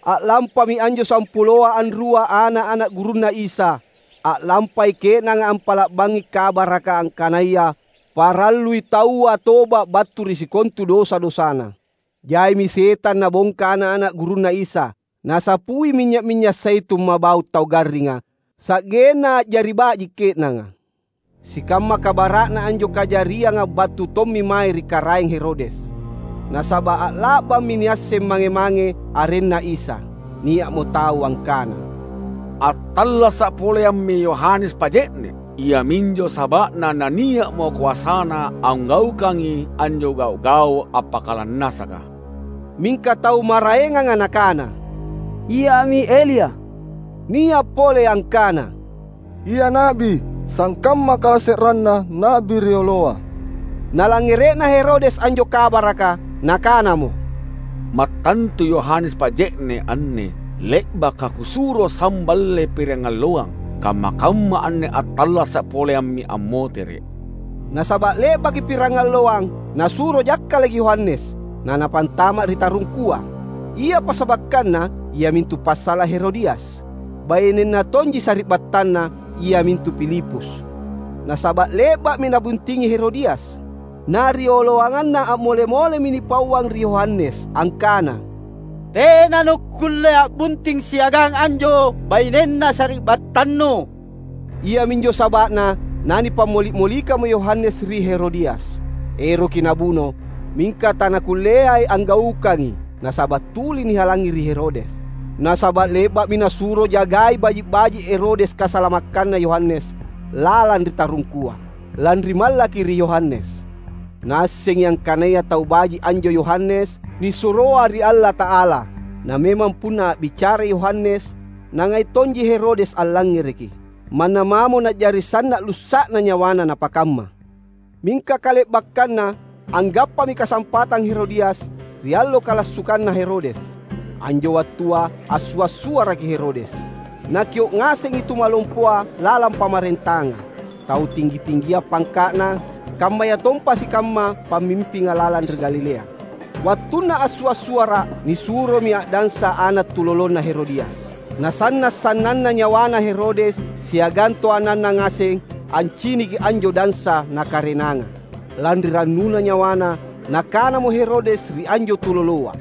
A'lampami anjo sampuloa anrua ana’-ana’ gurunNa Isa. A'lampai ke'nanga ampa'la'bangngi kabaraka angkanaya parallui taua toba’ battu ri sikontu dosa-dosana. Jaimi setang nabongka ana’-ana’ gurunNa Isa, nasapui minynya’-minynya’ zaitun mabau’ tau garringa, sa'genna a'jari baji’ ke'nanga. Sikamma kabara'na anjo kajarianga battu tommi mae ri Karaeng Herodes. Nasaba’ a'la'bammi niasseng mange-mange arenNa Isa. Nia'mo tau angkana, "Attallasa’ poleammi Yohanes Paje'ne’, iaminjo saba'na nania'mo koasana anggaukangi anjo gau’-gau’ appakalannasaka." Mingka tau maraenganga nakana, "Iami Elia." Nia’ pole angkana, "Ia na'bi, sangkamma kalase'renna na'bi rioloa." Nalangngere'na Herodes anjo kabaraka, nakanamo, "Mattantu Yohanes Paje'ne’ anne le'baka kusuro samballe pirangalloang, kamma-kamma anne attallasa’ poleammi ammotere’." Nasaba’ le'baki pirangalloang, nasuro jakkalaki Yohanes, nanapantama’ ri tarungkua. Ia pasabakkanna iamintu passala’ Herodias. Bainenna tonji sari'battanna, iamintu Filipus. Nasaba’ le'ba'mi nabuntingi Herodias. Na rioloanganna a'mole-molemi nipauang ri Yohanes angkana, "Tena nukkulle a'bunting siagang anjo bainenna sari'battannu." Iaminjo saba'na nanipammoli’-molikamo Yohanes ri Herodias. Eroki nabuno, mingka tanakulleai anggaukangi, nasaba’ tuli nihalangi ri Herodes. Nasaba’ le'ba'mi nasuro jagai baji’-baji’ Herodes kasalamakkanna Yohanes lalang ri tarungkua, lanri mallaki ri Yohanes. Naassengi angkanaya tau baji’ anjo Yohanes nisuroa ri Allata'ala. Na memang punna a'bicarai Yohanes, nangai tonji Herodes allangngereki. Manna mamo na'jari sanna’ lussa'na nyawana napakamma. Mingka kale'bakkanna, anggappami kasampatang Herodias ri allo kalassukanna Herodes. Anjo wattua assua’-suaraki Herodes. Nakio’ ngasengi tumalompoa lalang pamarentanga, tau tinggi-tinggia pangka'na, kammayatompa sikamma pammimpinga lalang ri Galilea. Wattunna assua’-suara’, nisuromi a'dansa ana’ tulolonna Herodias. Nasanna’-sannanna nyawana Herodes siagang toananna ngaseng anciniki anjo dansa nakarenanga. Lanri rannuna nyawana, nakanamo Herodes ri anjo tuloloa,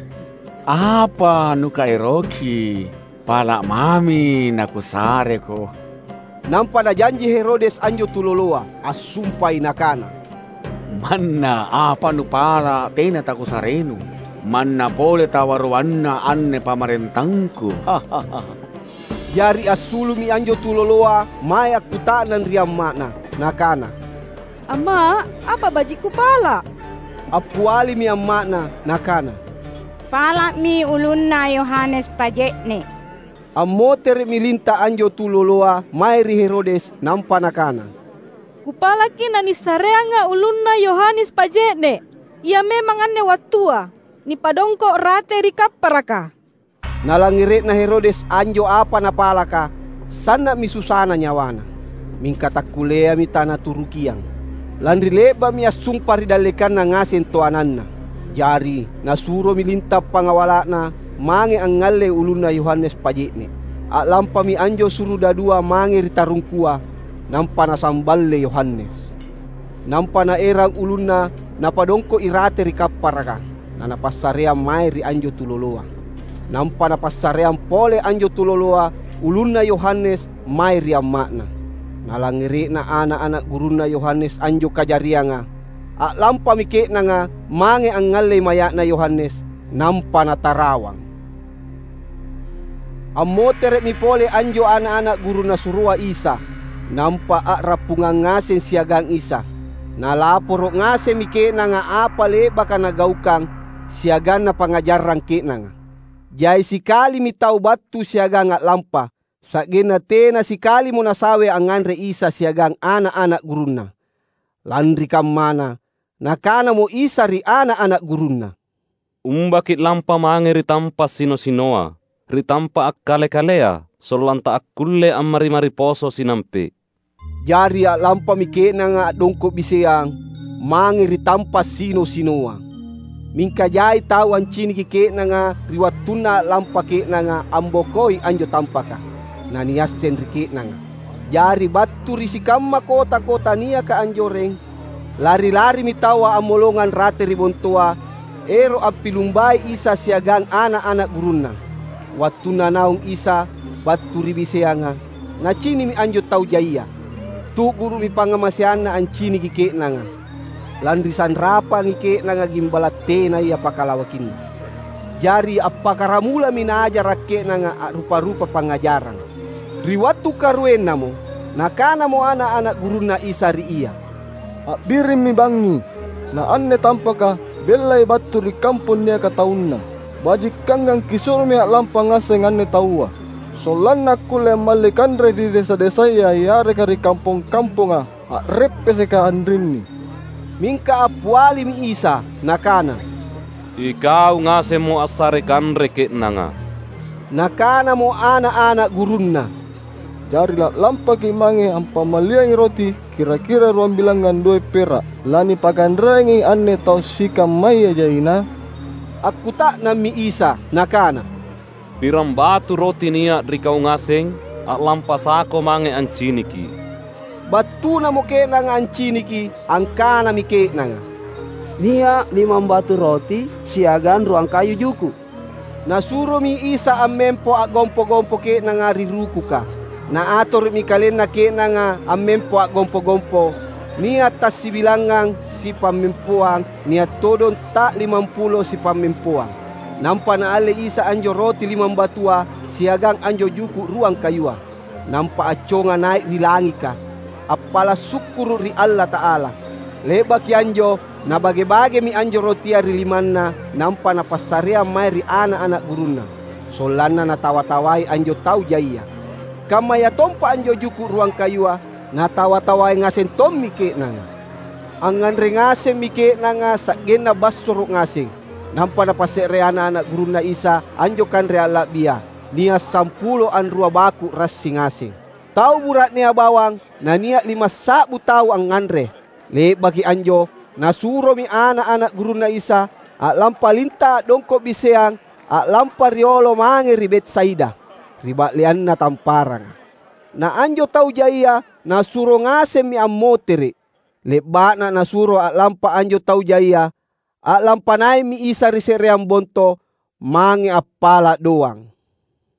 "Apa nukaeroki? Pala’ mami nakusareko." Nampa najanji Herodes anjo tuloloa, assumpai nakana, "Manna apa nupala’ tena takusarenu. Manna pole tawaruanna anne pamarentangku." Jari assulu'mi anjo tuloloa mae akkuta'nang ri amma'na, nakana, "Amma’, apa baji’ kupala’?" Appialimi amma'na, nakana, "Pala'mi ulunna Yohanes Paje'ne’." Ammotere'mi linta’ anjo tuloloa mae ri Herodes, nampa nakana, "Kupalaki nanissareanga ulunna Yohanes Paje'ne’. Ia memang anne wattua nipadongko’ rate ri kapparaka." Nalangngere'na Herodes anjo apa napalaka, sanna'mi susana nyawana. Mingka takkulleami tanaturukiang, lanri le'ba'mi assumpa ri dallekanna ngaseng toananna. Jari nasuromi linta’ pangawala'na mange angngallei ulunna Yohanes Paje'ne’. A'lampami anjo surudadua mange ri tarungkua, nampa nasamballe Yohanes. Nampa naerang ulunna, napadongko'i rate ri kapparaka, nanapassareang mae ri anjo tuloloa. Nampa napassareang pole anjo tuloloa ulunna Yohanes mae ri amma'na. Nalangngere'na ana’-ana’ gurunna Yohanes anjo kajarianga, a'lampami ke'nanga mange angngallei maya'na Yohanes, nampa natarawang. Ammotere'mi pole anjo ana’-ana’ guru Nasuroa Isa, nampa a'rappungang ngaseng siagang Isa. Nalaporo’ ngasemmi ke'nanga apa le'baka Nagaukang siagang Napangngajarang ke'nanga. Jai sikalimi tau battu siagang a'lampa, sa'genna tena sikalimo nasawe angnganre Isa siagang ana’-ana’ gurunNa. Lanri kammana, Nakanamo Isa ri ana’-ana’ gurunNa, "Umbaki’ lampa mange ri tampa’ sino-sinoa, ri tampa’ akkale-kalea, sollanna taakkulle ammari-mari poso sinampe’." Jari a'lampami ke'nanga a'dongko’ biseang mange ri tampa’ sino-sinoa. Mingka jai tau anciniki ke'nanga ri wattunna a'lampa ke'nanga ambokoi anjo tampaka, naniasseng ri ke'nanga. Jari battu ri sikamma kota-kota niaka anjoreng, lari-larimi taua ammolongang rate ri bontoa, ero’ ampilumbai Isa siagang ana’-ana’ gurunNa. Wattunna naung Isa battu ri biseanga, Nacini'mi anjo tau jaia. Tu'guru'mi pangngamaseanNa anciniki ke'nanga, lanri sanrapangi ke'nanga gimbala’ tenaya pakalawakinna. Jari appakkaramulami Naajara’ ke'nanga a'rupa-rupa pangngajarang. Ri wattu karuennamo, Nakanamo ana’-ana’ gurunNa Isa ri Ia, "A'birimmi bangngi! Na anne tampaka bellai battu ri kampong niaka taunna. Bajikangang Kisuromi a'lampa ngaseng anne taua, sollanna akkulle ammalli kanre ri desa-desaya yareka ri kampong-kamponga a'reppeseka anrinni." Mingka appialimi Isa, Nakana, "Ikau ngasemmo assare kanre ke'nanga." Nakanamo ana’-ana’ gurunNa, "Jari la'lampaki’ mange ampammalliangi roti kira-kira ruambilangngang doe’ pera’. Lanipakanreangi anne tau sikammaya jaina?" Akkuta'nammi Isa, Nakana, "Pirang batu roti nia’ ri kau ngaseng, a'lampa sako mange anciniki?" Battunamo ke'nanga anciniki, angkanami ke'nanga, "Nia’ limang batu roti siagang ruang kayu juku’." Nasuromi Isa ammempo a'gompo-gompo ke'nanga ri rukuka. Naatoro'mi kalenna ke'nanga ammempo a'gompo-gompo, nia’ tassibilangngang sipammempoang, nia’ todong ta'limampulo sipammempoang. Nampa Naalle Isa anjo roti limambatua, siagang anjo juku’ ruang kayua, nampa acconga nai’ ri langika, appala’ sukkuru’ ri Allata'ala. Le'baki anjo, nabage-bagemi anjo rotia ri limanNa nampa Napassareang mae ri ana’-ana’ gurunNa, sollanna natawa-tawai anjo tau jaia. Kammayatompa anjo juku’ ruang kayua natawa-tawai ngaseng tommi ke'nanga. Angnganre ngasemmi ke'nanga sa'genna bassoro’ ngaseng. Nampa Napasse're ana’-ana’ gurunNa Isa anjo kanre a'la'bia, nia’ sampulo anrua baku’ rassi ngaseng. Tau bura'nea bawang nania’ limassa'bu tau angnganre. Le'baki anjo, Nasuromi ana’-ana’ gurunNa Isa a'lampa linta’ a'dongko’ biseang a'lampa riolo mange ri Betsaida, ri ba'leanna tamparanga. Na anjo tau jaia Nasuro ngasemmi ammotere’. Le'ba'na Nasuro a'lampa anjo tau jaia, a'lampa nai'mi Isa ri se'reang bonto mange appala’ doang.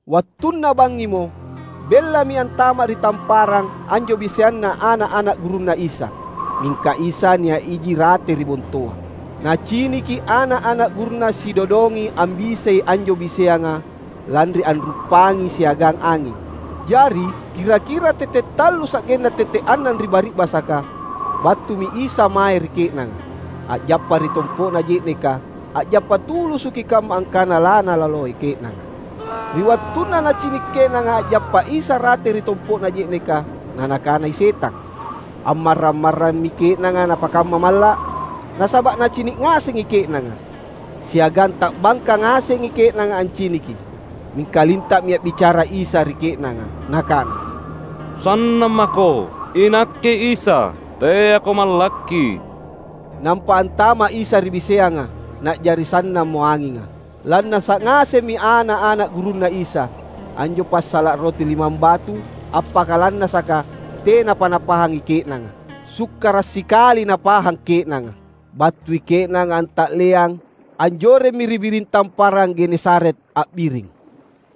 Wattunna bangngimo, bellami antama’ ri tamparang anjo biseanna ana’-ana’ gurunNa Isa. Mingka Isa nia’ iji rate ri bontoa. Naciniki ana’-ana’ gurunNa sidodongi ambisei anjo biseanga, lanri anruppangi siagang anging. Jari, kira-kira tette’ tallu sa'genna tette’ annang ri bari'basaka, battumi Isa mae ri ke'nanga, a'jappa ri tompo'na je'neka, a'jappa tulusuki kamma angkana laNalaloi ke'nanga. Ri wattunna nacini’ ke'nanga a'jappa Isa rate ri tompo'na je'neka, nanakanai setang, "Ammarrang-marrammi ke'nanga napakamma malla’, nasaba’ nacini’ ngasengi ke'nanga." Siagang ta'bangka ngasengi ke'nanga anciniki. Mingka linta'mi a'bicara Isa ri ke'nanga, Nakana, "Sannang mako, iNakke Isa, teako mallakki!" Nampa antama’ Isa ri biseanga, na'jari sannammo anginga. Lannasa’ ngasemmi ana’-ana’ gurunNa Isa, anjo passala’ roti limambatu appakalannasaka tenapa napahangi ke'nanga. Sukkara’ sikali napahang ke'nanga. Battui ke'nanga anta'leang, anjoremmi ri biring tamparang Genesaret a'biring.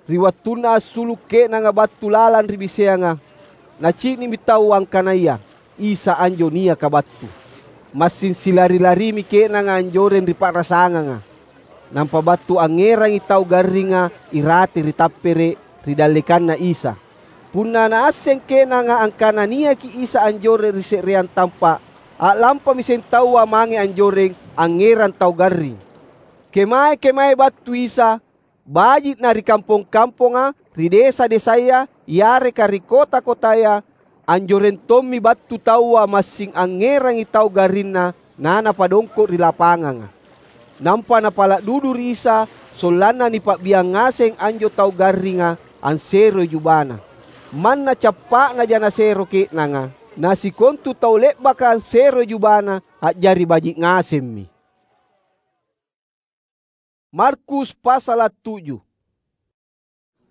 Ri wattunna assulu’ ke'nanga battu lalang ri biseanga, nacini'mi tau angkanaya Isa anjo niaka battu. Massing silari-larimi ke'nanga anjoreng ri pa'rasanganga. Nampa battu angngerangi tau garringa irate ri tappere’ ri dallekanna Isa. Punna naasseng ke'nanga angkana niaki Isa anjoreng ri se'reang tampa’, a'lampami seng taua mange anjoreng angngerang tau garring. Kemae-kemae battu Isa, baji'na ri kampong-kamponga, ri desa-desaya, yareka ri kota-kotaya, anjoreng tommi battu taua massing angngerangi tau garrinna nanapadongko’ ri lapanganga. Nampa napala’ dudu ri Isa, sollanna nipa'biang ngaseng anjo tau garringa anseroi jubana. Manna cappa'naja nasero ke'nanga, na sikontu tau le'baka anseroi jubana a'jari baji’ ngasemmi. Markus pasala’ tuju.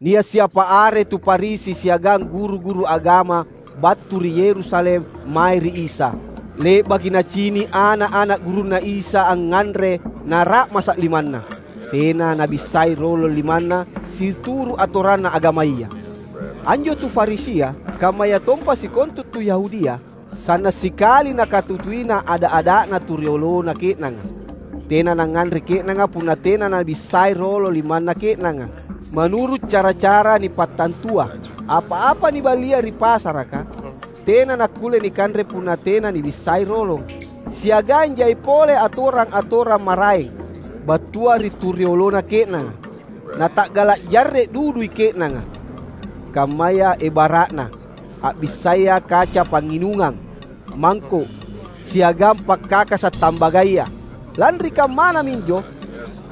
Nia’ siapa are tu Farisi siagang guru-guru agama battu ri Yerusalem mae ri Isa. Le'baki nacini’ ana’-ana’ gurunNa Isa angnganre nara'masa’ limanna. Tena nabissai rolong limanna situru’ atoranna agamaya. Anjo tu Farisia, kammayatompa sikontu tu Yahudia, sanna’ sikali nakatutuina ada’-ada'na tu riolona ke'nanga. Tena nangnganre ke'nanga punna tena nabissai rolong limanna ke'nanga. Manuru’ cara-cara nipattantua, apa-apa nibalia ri pasaraka, tena nakkulle nikanre punna tena nibissai rolong. Siagang jai pole atorang-atorang maraeng battua ri tu riolona ke'nanga. Nata'gala’ jarre’ dudui ke'nanga, kammaya ebara'na a'bissaya kaca pangnginungang, mangko’, siagang pakkakasa’ tambagaya. Lanri kammana minjo,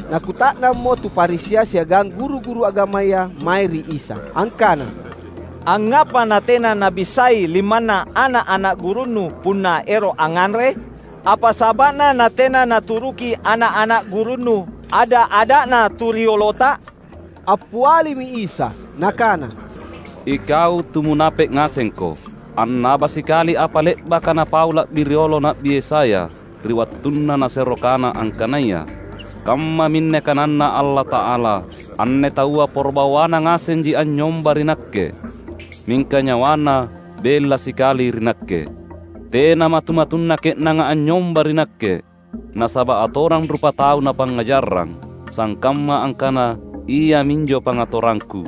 nakuta'nammo tu Farisia siagang guru-guru agamaya mae ri Isa, angkana, "Angngapa natena nabissai limanna ana’-ana’ gurunNu punna ero’ angnganre? Apa saba'na natena naturuki ana’-ana’ gurunNu ada’-ada'na tu riolota?" Appialimi Isa, Nakana, "Ikau tu munape’ ngasengko! Annaba sikali apa le'baka napau la'bi riolo Na'bi Yesaya ri wattunna nasero kana angkanaya, ‘Kammaminne kananNa Allata'ala, anne taua poro bawana ngasenji anynyomba ri Nakke, mingka nyawana bella sikali ri Nakke. Tena matu-matunna ke'nanga anynyomba ri Nakke, nasaba’ atorang rupatau napangngajarrang, sangkamma angkana iaminjo pangatorangKu.’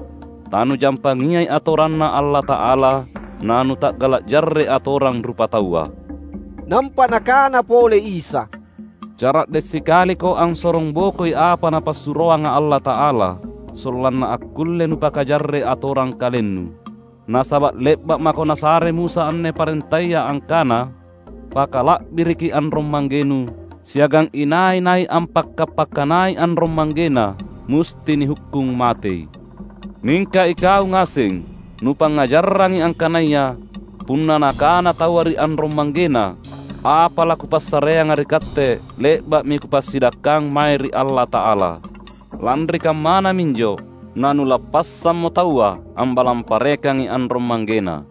Tanujampangiai atoranNa Allata'ala, nanuta'gala’ jarre’ atorang rupataua." Nampa Nakana pole Isa, "Cara'de’ sikaliko ansorong bokoi apa Napassuroanga Allata'ala, sollanna akkulle nupakajarre’ atorang kalennu. Nasaba’ le'ba’ mako nasare Musa anne parentaya angkana, ‘Pakala'biriki anrong-manggenu, siagang inai-nai ampakka-pakkanai anrong-manggena musti nihukkung matei.’ Mingka ikau ngaseng, nupangngajarrangi angkanaya punna nakana taua ri anrong-manggena, ‘Apa laKupassareanga ri katte le'ba'mi Kupassidakkang mae ri Allata'ala.’ Lanri kammana minjo nanulappassammo taua ambalang parekangi anrong-manggena.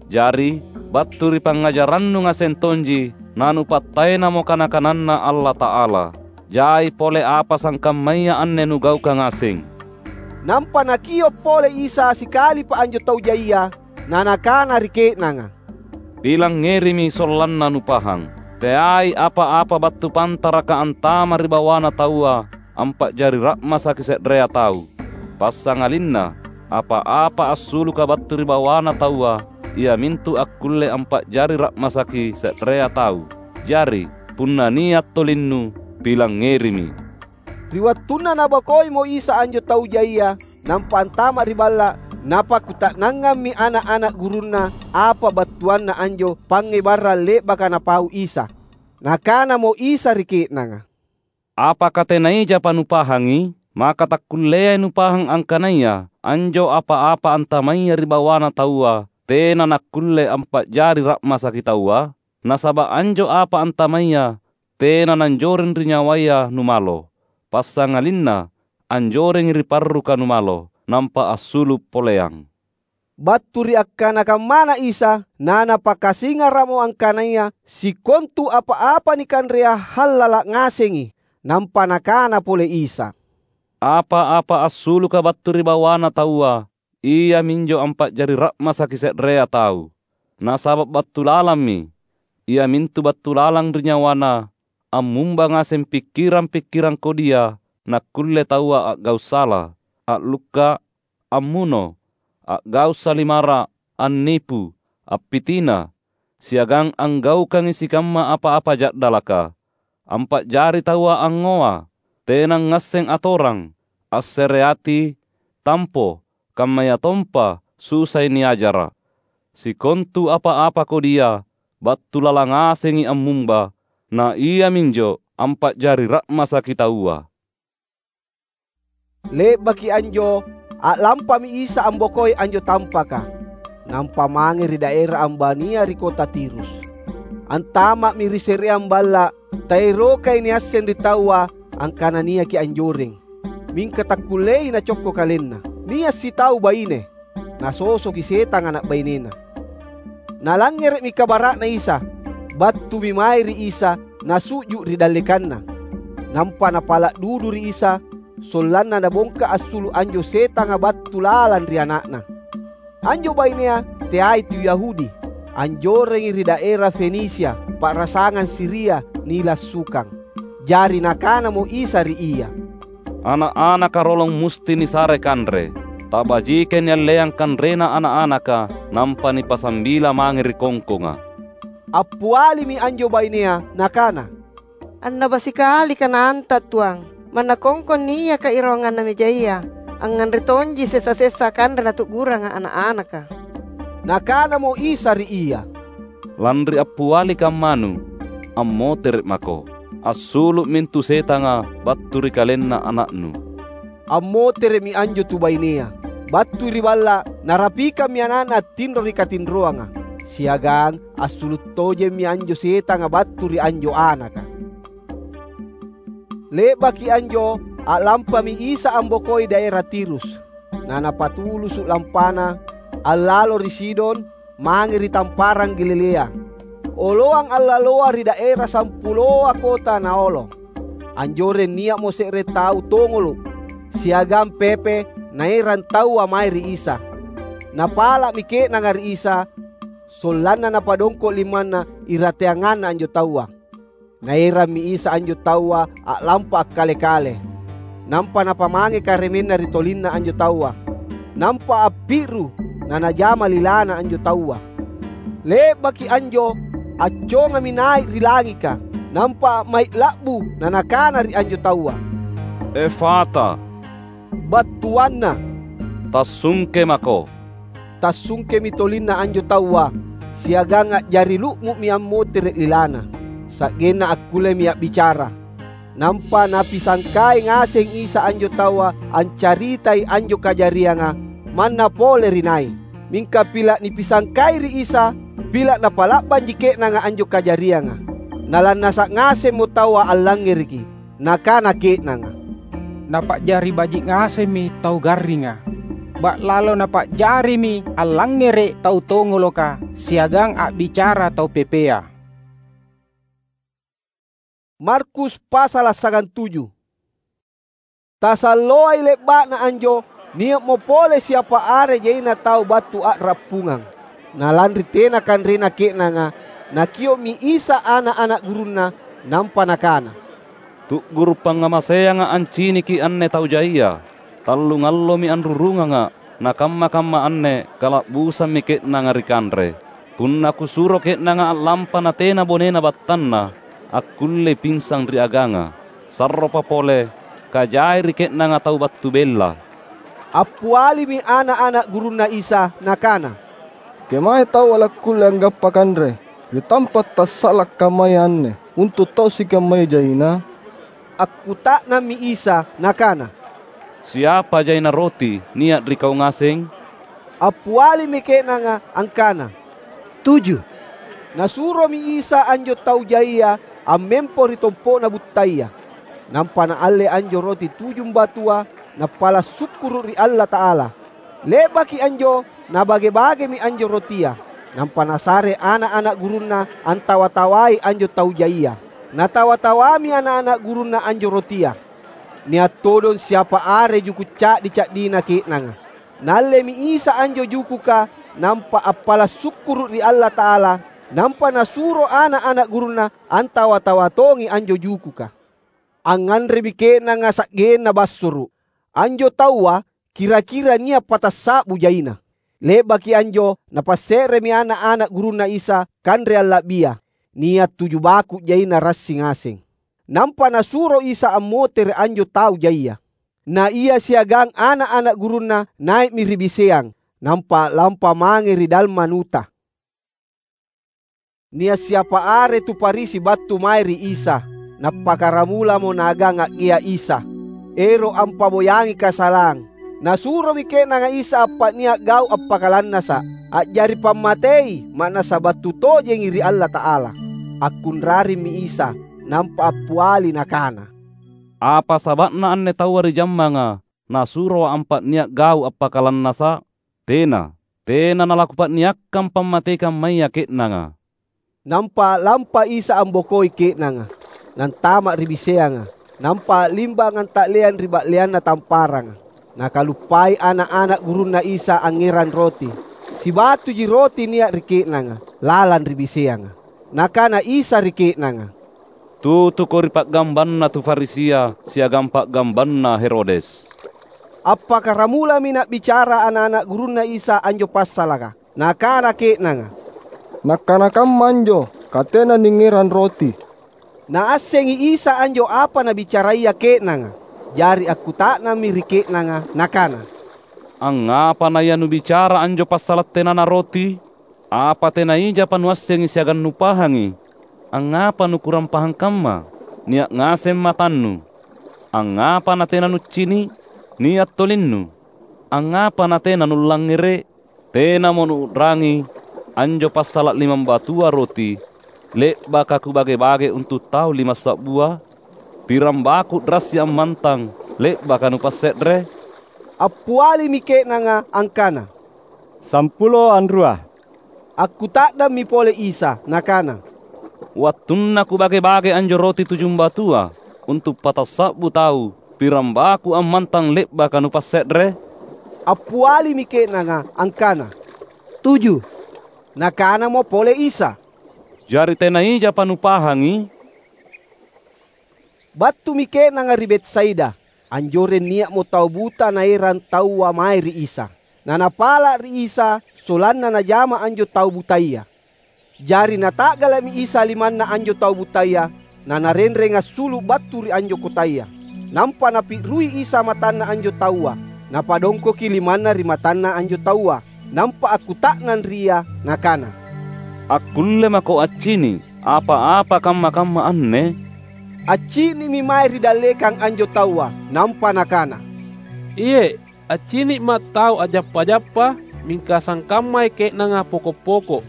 Jari, battu ri pangngajarannu ngaseng tonji nanupattaenamo kana-kananNa Allata'ala. Jai pole apa sangkammaya anne nugaukang ngaseng." Nampa Nakio’ pole Isa sikalipa anjo tau jaia, na Nakana ri ke'nanga, "Pilangngerimi sollanna nupahang. Teai apa-apa battu pantaraka antama ri bawana taua ampa'jari ra'masaki se'rea tau. Passangalinna apa-apa assuluka battu ri bawana taua, iamintu akkulle ampa'jari ra'masaki se'rea tau. Jari, punna nia’ tolinnu, pilangngerimi." Ri wattunna Nabokoimo Isa anjo tau jaia nampa antama’ ri balla’, napakkuta'nangammi ana’-ana’ gurunNa apa battuanna anjo pangngebarang le'baka Napau Isa. Nakanamo Isa ri ke'nanga, "Apaka tenaijapa nupahangi? Maka takkulleai nupahang angkanaya anjo apa-apa antamaya ri bawana taua tena nakkulle ampa'jari ra'masaki taua? Nasaba’ anjo apa antamaya tena nanjoreng ri nyawaya numalo, passangalinna anjorengi ri parruka numalo, nampa assulu’ poleang." Battu ri akkana kammana Isa, naNapakasingara'mo angkanaya sikontu apa-apa nikanrea hallala’ ngasengi. Nampa Nakana pole Isa, "Apa-apa assuluka battu ri bawana taua, iaminjo ampa'jari ra'masaki se'rea tau. Nasaba’ battu lalammi, iamintu battu lalang ri nyawana, ammumba ngaseng pikkirang-pikkirang kodia nakkulle taua a'gau’ sala, a'lukka’, ammuno, a'gau’ salimara’, annipu, appitina, siagang anggaukangi sikamma apa-apa ja'dalaka. Ampa'jari taua angngoa, tena ngasseng atorang, assereati, tampo, kammayatompa susai niajara’. Sikontu apa-apa kodia battu lalang ngasengi ammumba, na iaminjo ampa'jari ra'masaki taua." Le'baki anjo, a'lampami Isa ambokoi anjo tampaka, nampa mange ri daera ambania ri kota Tirus. Antama'mi ri se'reang balla’, taerokai niasseng ri taua angkana niaki anjoreng, mingka takkulleai nacokko kalenna. Nia’ sitau baine, nasosoki setanga ana’ bainena. Nalangngere'mi kabara'na Isa, battumi mae ri Isa, nasu'ju’ ri dallekanNa. Nampa napala’ dudu ri Isa, sollanna nabongka assulu’ anjo setanga battu lalang ri ana'na. Anjo bainea teai tu Yahudi, anjorengi ri daera Fenisia, pa'rasangang Siria nilassukang. Jari Nakanamo Isa ri ia, "Ana’-anaka rolong musti nisare kanre. Tabajikai nialleang kanrena ana’-anaka, nampa nipasambila mange ri kongkonga." Appialimi anjo bainea nakana, "Annaba sikalika naanta’, Tuang. Manna kongkong niaka irawanganna mejaya, angnganre tonji sessa-sessa kanre natu'guranga ana’-anaka." Nakanamo Isa ri ia, "Lanri appiali kammanu, ammotere’ mako. Assulu’ mintu setanga battu ri kalenna ana'nu." Ammotere'mi anjo tu bainea. Battui ri balla’, narapikammi ana'na attinro ri katinroanga, siagang assulu’ tojemmi anjo setanga battu ri anjo anaka. Le'baki anjo, a'lampami Isa ambokoi daera Tirus. Na Napatulusu’ lampana, allalo ri Sidon, mange ri tamparang Galilea. Oloang allaloa ri daera sampuloa kota Naolo. Anjoreng nia'mo se're tau tongolo’ siagang pepe naerang taua mae ri Isa. Napala'mi ke'nanga ri Isa, sollanna napadongko’ limanna irateanganna anjo taua. Naerammi Isa anjo taua a'lampa akkale-kale, nampa Napamange karemenna ri tolinna anjo taua. nampa appi'ru, nanajama lilana anjo taua. Le'baki anjo, accongami nai’ ri langika, nampa a'mai’ la'bu, nanakana ri anjo taua, "Efata!" battuanna, "Tassungke mako!" Tassungkemi tolinna anjo taua, siagang a'jari lu'mu'mi ammotere’ lilana, sa'genna akkullemi a'bicara. Nampa Napisangkai ngaseng Isa anjo taua ancaritai anjo kajarianga manna pole ri nai. Mingka pila’ nipisangkai ri Isa, pila’ napa'la'banji ke'nanga anjo kajarianga. Nalannasa’ ngasemmo taua allangngereki. Nakana ke'nanga, "Napa'jari baji’ ngasemmi tau garringa. Ba'lalo napa'jarimi allangngere’ tau tongoloka siagang a'bicara tau pepea." Markus pasala’ sagantuju. Tasalloai le'ba'na anjo, nia'mo pole siapa are jaina tau battu a'rappungang. Na lanri tena kanrena ke'nanga, Nakio'mi Isa ana’-ana’ gurunNa, nampa Nakana, "Tu'guru’ pangngamaseanga’ anciniki anne tau jaia. Tallungallomi anrurungangA’, na kamma-kamma anne kala'busammi ke'nanga ri kanre. Punna Kusuro ke'nanga a'lampa natena bonena battanna, akkullei pinsang ri aganga. Sarropa pole, kajai ri ke'nanga tau battu bella." Appialimi ana’-ana’ gurunNa Isa, Nakana, "Kemae taua lakkulle anggappa kanre ri tampa’ tassa'la’ kammaya anne untu’ tau sikammaya jaina?" Akkuta'nammi Isa, Nakana, "Siapa jaina roti nia’ ri kau ngaseng?" Appialimi ke'nanga angkana, "Tuju." Nasuromi Isa anjo tau jaia ammempo ri tompo'na buttaya. Nampa Naalle anjo roti tujumbatua, Nappala’ sukkuru’ ri Allata'ala. Le'baki anjo, Nabage-bagemi anjo rotia, nampa Nasare ana’-ana’ gurunNa antawa-tawai anjo tau jaia. Natawa-tawami ana’-ana’ gurunNa anjo rotia. Nia’ todong siapa are juku’ ca'di-ca'dina ke'nanga. Naallemi Isa anjo jukuka, nampa appala’ sukkuru’ ri Allata'ala, nampa Nasuro ana’-ana’ gurunNa antawa-tawa tongi anjo jukuka. Angnganremi ke'nanga sa'genna bassuru’. Anjo taua kira-kira nia’ patassa'bu jaina. Le'baki anjo Napasse'remi ana’-ana’ gurunNa Isa kanre alla'bia, nia’ tuju baku’ jaina rassi ngaseng. Nampa Nasuro Isa ammotere’ anjo tau jaia. Na Ia siagang ana’-ana’ gurunNa nai'mi ri biseang, nampa a'lampa mange ri Dalmanuta. Nia’ siapa are tu Farisi battu mae ri Isa, nappakaramulamo naagang a'gea Isa, ero’ ampaboyangi kasalang. Nasuromi ke'nanga Isa appa'nia’ gau’ appakalannasa’, a'jari pammatei, ma'nassa battu tojengi ri Allata'ala. Akkunrarimmi Isa, nampa appiali Nakana, "Apa saba'na anne taua ri jammanga Nasuroa’ ampa'nia’ gau’ appakalannasa’? Tena, tena nalakupa'niakkang pammatei kammaya ke'nanga." Nampa a'lampa Isa ambokoi ke'nanga, nantama’ ri biseanga, nampa a'limbang anta'leang ri ba'leanna tamparanga. Nakaluppai ana’-ana’ gurunNa Isa angngerang roti. Sibatuji roti nia’ ri ke'nanga, lalang ri biseanga. Nakana Isa ri ke'nanga, "Tutuko ri pa'gambanna tu Farisia siagang pa'gambanna Herodes." Appakaramulami na'bicara ana’-ana’ gurunNa Isa anjo passalaka. Nakana ke'nanga, "Nakkana kamma anjo, ka tena ningngerang roti." Naassengi Isa anjo apa nabicaraya ke'nanga. Jari akkuta'nammi ri ke'nanga Nakana, "Angngapa naianubicara anjo passala’ tenana roti? Apa tena ijapa nuassengi siagang nupahangi? Angngapa nukurang pahang kamma? Nia’ ngaseng matannu. Angngapa natena nuccini’? Nia’ tolinnu. Angngapa natena nullangngere’? Tenamo nuu'rangi anjo passala’ limambatua roti le'baka Kubage-bage untu’ tau limassa'bua? Pirang baku’ rassi ammantang le'baka nupasse're?" Appialimi ke'nanga angkana, "Sampulo anrua." Akkuta'nammi pole Isa, Nakana, "Wattunna Kubage-bage anjo roti tujumbatua untu’ patassa'bu tau, pirang baku ammantang le'baka nupasse're?" Appialimi ke'nanga angkana, "Tuju." Nakanamo pole Isa, "Jari tena ijapa nupahangi?" Battumi ke'nanga ri Betsaida. Anjoreng nia'mo tau buta naerang taua mae ri Isa. na napala’ ri Isa sollanna najama anjo tau butaya. Jari nata'gala'mi Isa limanna anjo tau butaya, na Narenreng assulu’ battu ri anjo kotaya. Nampa Napi'rui Isa matanna anjo taua, Napadongkoki limanna ri matanna anjo taua, nampa akkuta'nang ri ia, Nakana, "Akkulle mako accini’ apa-apa kamma-kamma anne?" Accini'mi mae ri dallekang anjo taua, nampa nakana, "Iye’, accini'Ma’ tau a'jappa-jappa, mingka sangkammai ke'nanga poko’-poko’."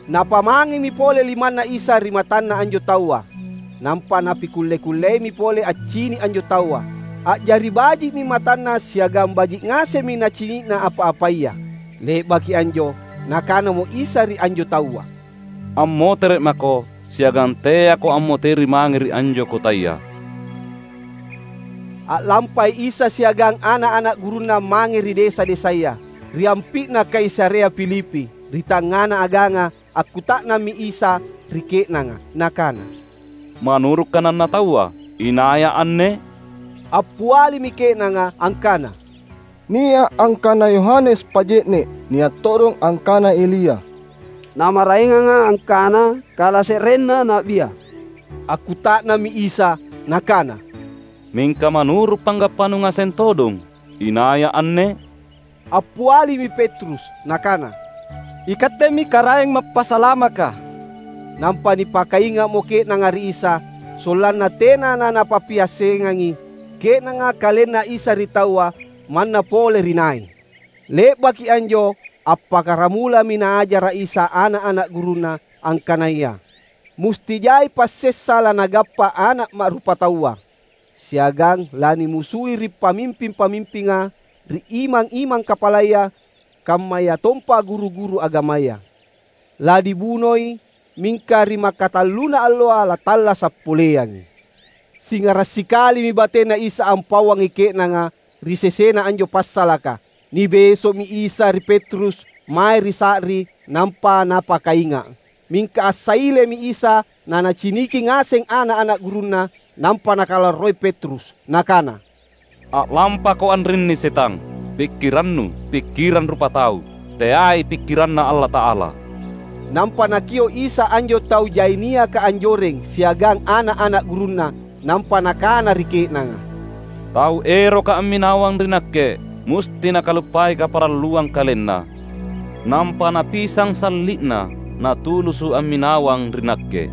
Napamangemi pole limanNa Isa ri matanna anjo taua, nampa Napikulle-kulleimi pole accini’ anjo taua. A'jari baji'mi matanna siagang baji’ ngasemmi nacini'na apa-apaya. Le'baki anjo, Nakanamo Isa ri anjo taua, "Ammotere’ mako, siagang teako ammoteri mange ri anjo kotaya." A'lampai Isa siagang ana’-ana’ gurunNa mange ri desa-desaya, ri ampi'na Kaisarea Filipi, ri tangngana aganga. Akkuta'nammi Isa ri ke'nanga, Nakana, "Manuru’ kananna taua, inaiya anne?" Appialimi ke'nanga angkana, "Nia’ angkana Yohanes Paje'ne’, nia’ todong angkana Elia, na maraenganga angkana kalase'renna na'bia." Akkuta'nammi Isa Nakana, "Mingka manuru’ panggappanu ngaseng todong, inaiya anne?" Appialimi Petrus nakana, "Ikattemi Karaeng Mappasalamaka." Nampa nipakainga'mo ke'nanga ri Isa, sollanna tena nanapappiassengangi ke'nanga KalenNa Isa ri taua manna pole ri nai. Le'baki anjo, appakkaramulami Naajara’ Isa ana’-ana’ gurunNa angkanaya musti jai passessa lanagappa Ana’ Ma'rupataua, siagang lanimusui ri pamimping-pamimpinga, ri imang-imang kapalaya, kammayatompa guru-guru agamaya. Lanibunoi, mingka ri makkatalluna alloa latallasa’ poleangi. Singara’ sikalimi bateNa Isa ampauangi ke'nanga ri sesena anjo passalaka. Nibeso'mi Isa ri Petrus mae ri sa'ri, nampa Napakainga’. Mingka assailemi Isa, na Naciniki ngaseng ana’-ana’ gurunNa, nampa Nakalarroi Petrus, Nakana, "A'lampako anrinni setang! Pikkirannu pikkirang rupatau, teai pikkiranNa Allata'ala." Nampa Nakio’ Isa anjo tau jai niaka anjoreng siagang ana’-ana’ gurunNa, nampa Nakana ri ke'nanga, "Tau eroka amminawang ri Nakke, musti nakaluppai kaparalluang kalenna, nampa napisang salli'na natulusu’ amminawang ri Nakke.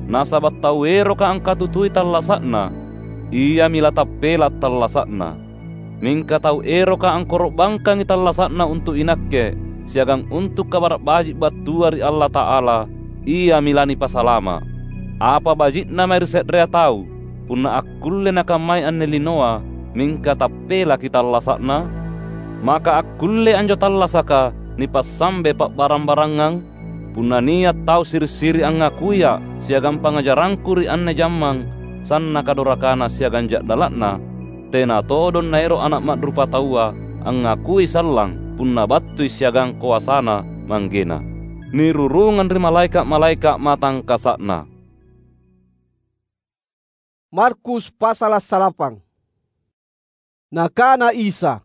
Nasaba’ tau eroka angkatutui tallasa'na, iami latappela’ tallasa'na. Mingka tau eroka angkoro'bangkangi tallasa'na untu’ iNakke siagang untu’ Kabara’ Baji’ battua ri Allata'ala, iami lanipasalama’. Apa baji'na mae ri se'rea tau, punna akkulle nakammai anne linoa, mingka tappelaki tallasa'na? Maka akkullei anjo tallasaka nipassambe pa'barang-barangang? Punna nia’ tau siri’-siri’ angngakuiA’ siagang pangngajarangKu ri anne jammang sannaka dorakana siagang ja'dala'na, tena todong naero’ Ana’ Ma'rupataua angngakui sallang punna battui siagang koasaNa Manggena, nirurungang ri malaeka’-malaeka’ matangkasa'Na. Markus passala’ salapang. Nakana Isa,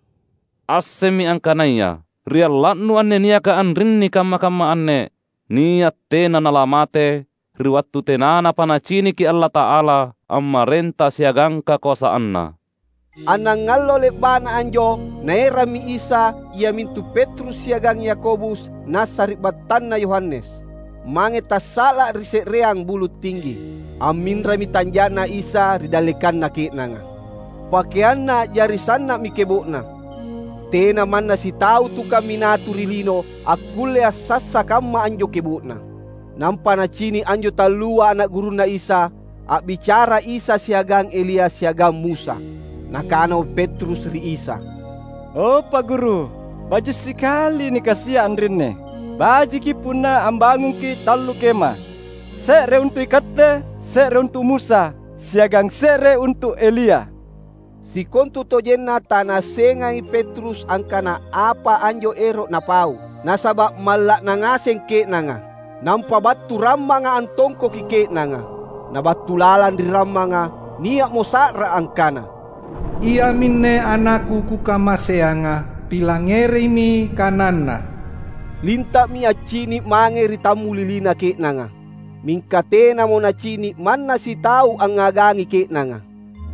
"Assemmi angkanaya ri alla'nu anne niaka anrinni kamma-kamma anne, nia’ tena nalamate ri wattu tenanapa naciniki Allata'ala ammarenta siagang kakoasanNa." Annangallo le'ba'na anjo, Naerammi Isa, iamintu Petrus siagang Yakobus na sari'battanna Yohanes, mange tassa'la’ ri se'reang bulu’ tinggi. Amminrami tanja'na Isa ri dallekanna ke'nanga. PakeanNa a'jari sanna'mi kebo'na. Tena manna sitau tu kaminatu ri lino akkulle assassa kamma anjo kebo'na. Nampa Nacini’ anjo tallua ana’ gurunNa Isa, a'bicara Isa siagang Elia siagang Musa. Nakanamo Petrus ri Isa, "O, Pa’ Guru, baji’ sikali nikasia’ anrinni. Bajiki punna ambangungki’ tallu kema, se're untu’ ikatte, se're untu’ Musa, siagang se're untu’ Elia." Sikontutojenna tanaassengangi Petrus angkana apa anjo ero’ napau, nasaba’ malla'na ngaseng ke'nanga. Nampa battu rammanga antongkoki ke'nanga. Na battu lalang ri rammanga nia'mo sa'ra angkana, "Iaminne AnakKu Kukamaseanga, Pilangngerimi kananNa, "Linta'mi accini’ mange ri tammulilina ke'nanga." Mingka tenamo nacini’ manna sitau angngagangi ke'nanga,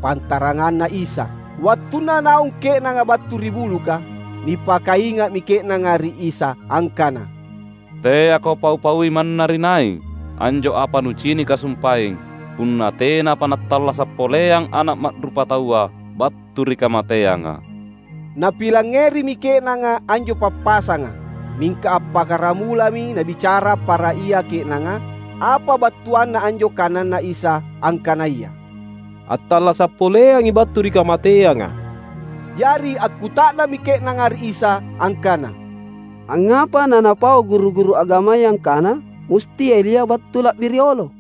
pantaranganna Isa. Wattunna naung ke'nanga battu ri buluka, nipakainga'mi ke'nanga ri Isa angkana, "Teako pau-paui manna ri nai anjo apa nucinika sumpaeng, punna tenapa nattallasa’ poleang Ana’ Ma'rupataua battu ri kamateanga." Napilangngerimi ke'nanga anjo pappasanga, mingka appakkaramulami nabicara para ia ke'nanga apa battuanna anjo kananNa Isa angkanaya, "Attallasa’ poleangi battu ri kamateanga." Jari akkuta'nammi ke'nanga ri Isa angkana, "Angngapa nanapau guru-guru agamaya angkana, musti Elia battu la'bi riolo?"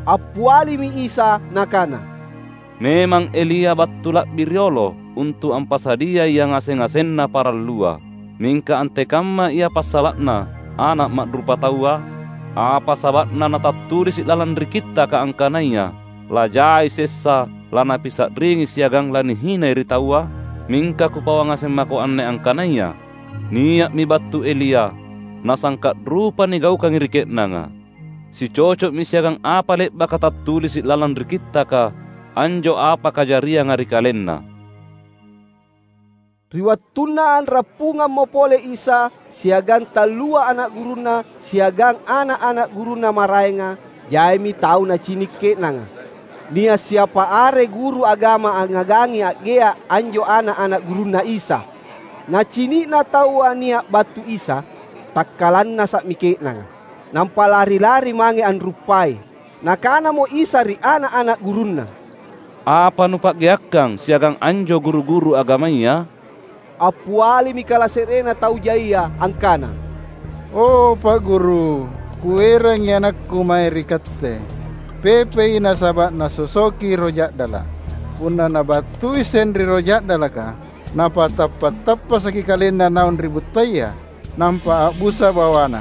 Appialimi Isa Nakana, "Memang Elia battu la'bi riolo untu’ ampasadiai yangaseng-ngasenna parallua. Mingka antekamma ia passala'na Ana’ Ma'rupataua? Apa saba'na natattulisi’ lalang ri Kittaka angkanaya, ‘Lajai sessa, lanapisa'ringi siagang lanihinai ri taua?’ Mingka Kupauang ngaseng mako anne angkanaya: Nia'mi battu Elia, nasangka’ rupa nigaukangi ri ke'nanga. Sicoco'mi siagang apa le'baka tattulisi’ lalang ri Kittaka anjo apa kajarianga ri kalenna." Ri wattunna anrappungammo pole Isa siagang tallua ana’ gurunNa siagang ana’-ana’ gurunNa maraenga, jaimi tau nacini’ ke'nanga. Nia’ siapa are guru agama angngagangi a'gea’ anjo ana’-ana’ gurunNa Isa. Nacini'na taua nia’ battu Isa, takkalannasa'mi ke'nanga, nampa lari-lari mange anruppai. Nakanamo Isa ri ana’-ana’ gurunNa, "Apa nupa'geakkang siagang anjo guru-guru agamaya?" Appialimi kalase'renna tau jaia angkana, "O, Pa’ Guru, kuerangi anakku mae ri Katte. Pepei nasaba’ nasosoki roh ja'dala’. Punna nabattui senri roh ja'dalaka, napatappa’-tappasaki kalenna naung ri buttaya, nampa a'busa bawana.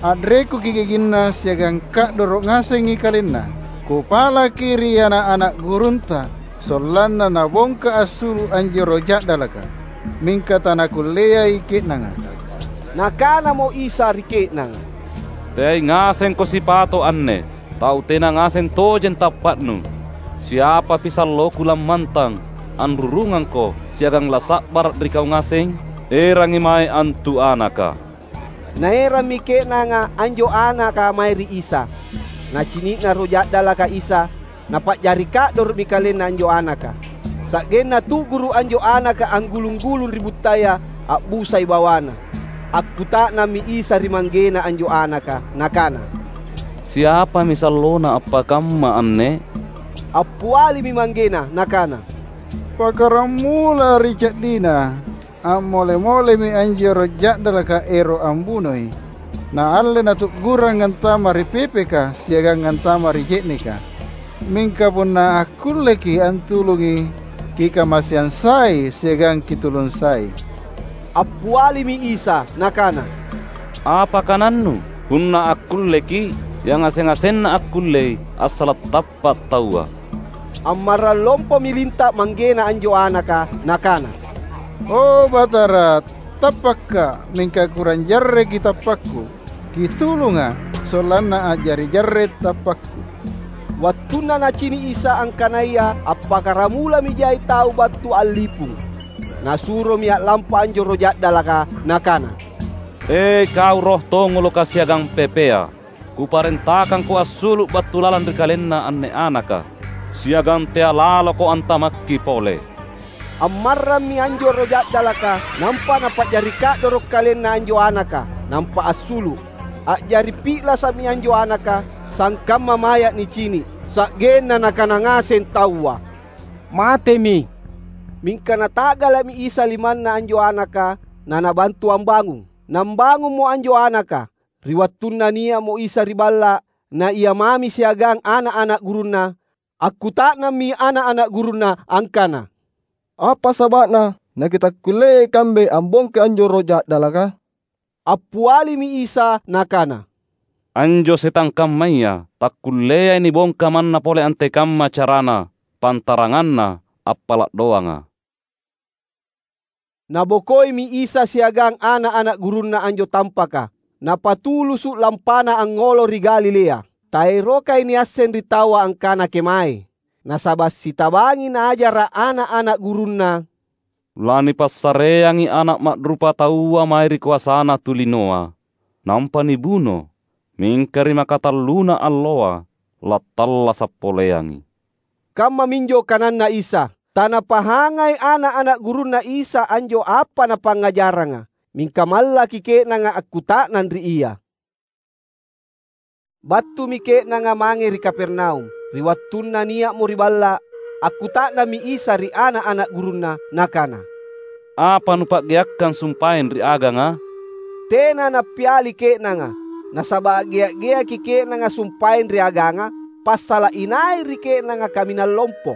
A'rekuki giginna siagang ka'doro’ ngasengi kalenna. Kupalaki ri ana’-ana’ gurunta, sollanna nabongka assulu’ anjo roh ja'dalaka, mingka tanakulleai ke'nanga." Nakanamo Isa ri ke'nanga, "Teai ngasengko sipato’ anne. Tau tena ngaseng tojeng tappa'nu. Siapapi salloKu lammantang, anrurungangko, siagang lasa'bara’ ri kau ngaseng? Erangi mae antu anaka." Naerammi ke'nanga anjo anaka mae ri Isa. Nacini'na roh ja'dalaka Isa, napa'jari ka'doro'mi kalenna anjo anaka. Sa'genna tu'guru’ anjo anaka anggulung-gulung ri buttaya, a'busai bawana. Akkuta'nammi Isa ri manggena anjo anaka, Nakana, "Siapami sallona appakamma anne?" Appialimi manggena, nakana, "Pakkaramula ri ca'dina. Ammole-molemi anjo roh ja'dalaka ero’ ambunoi. Naalle natu'gurang antama’ ri pepeka siagang antama’ ri je'neka. Mingka punna akkulleki’ antulungi, kikamaseang sai siagang kitulung sai." Appialimi Isa, Nakana, "Apa kanannu? Punna akkulleki’, yangaseng-ngasenna akkullei, assala’ tappa’ taua." Ammarrang lompomi linta’ manggena anjo anaka, nakana, "O, Batara, tappakka’, mingka kurang jarreki’ tappakku. Kitulunga’, sollanna a'jari jarre’ tappakku." Wattunna nacini’ Isa angkanaya appakkaramulami jai tau battu a'lipung, Nasuromi a'lampa anjo roh ja'dalaka, Nakana, "E, kau roh tongoloka siagang pepea! Kuparentakangko assulu’ battu lalang ri kalenna anne anaka, siagang tea’ laloko antamakki pole." Ammarrammi anjo roh ja'dalaka, nampa napa'jari ka'doro’ kalenna anjo anaka, nampa assulu’. A'jari pi'lasa'mi anjo anaka, sangkamma maya’ nicini’, sa'genna nakana ngaseng taua, "Matemi!" Mingka Nata'gala'mi Isa limanna anjo anaka, na Nabantu ambangung. Nambangummo anjo anaka. Ri wattunna nia'mo Isa ri balla’, na Ia mami siagang ana’-ana’ gurunNa, akkuta'nammi ana’-ana’ gurunNa angkana, "Apa saba'na nakitakkulleai ikambe ambongkai anjo roh ja'dalaka?" Appialimi Isa Nakana, "Anjo setang kammaya takkulleai nibongka manna pole antekamma carana, pantaranganna appala’ doanga." Nabokoimi Isa siagang ana’-ana’ gurunNa anjo tampaka, Napatulusu’ lampana angngolo ri Galilea. Taerokai niasseng ri taua angkana kemae, nasaba’ sitabangi Naajara’ ana’-ana’ gurunNa, "Lanipassareangi Ana’ Ma'rupataua mae ri koasana tulinoa, nampa nibuno, mingka ri makatalluna alloa lattallasa’ poleangi." Kammaminjo kananNa Isa. Tanapahangai ana’-ana’ gurunNa Isa anjo apa Napangngajaranga, mingka mallaki ke'nanga akkuta'nang ri Ia. Battumi ke'nanga mange ri Kapernaum. Ri wattunna nia'mo ri balla’, akkuta'nammi Isa ri ana’-ana’ gurunNa, Nakana, "Apa nupa'geakkang sumpaeng ri aganga?" Tena nappiali ke'nanga, nasaba’ a'gea’-geaki ke'nanga sumpaeng ri aganga, passala’ inai ri ke'nanga kaminang lompo.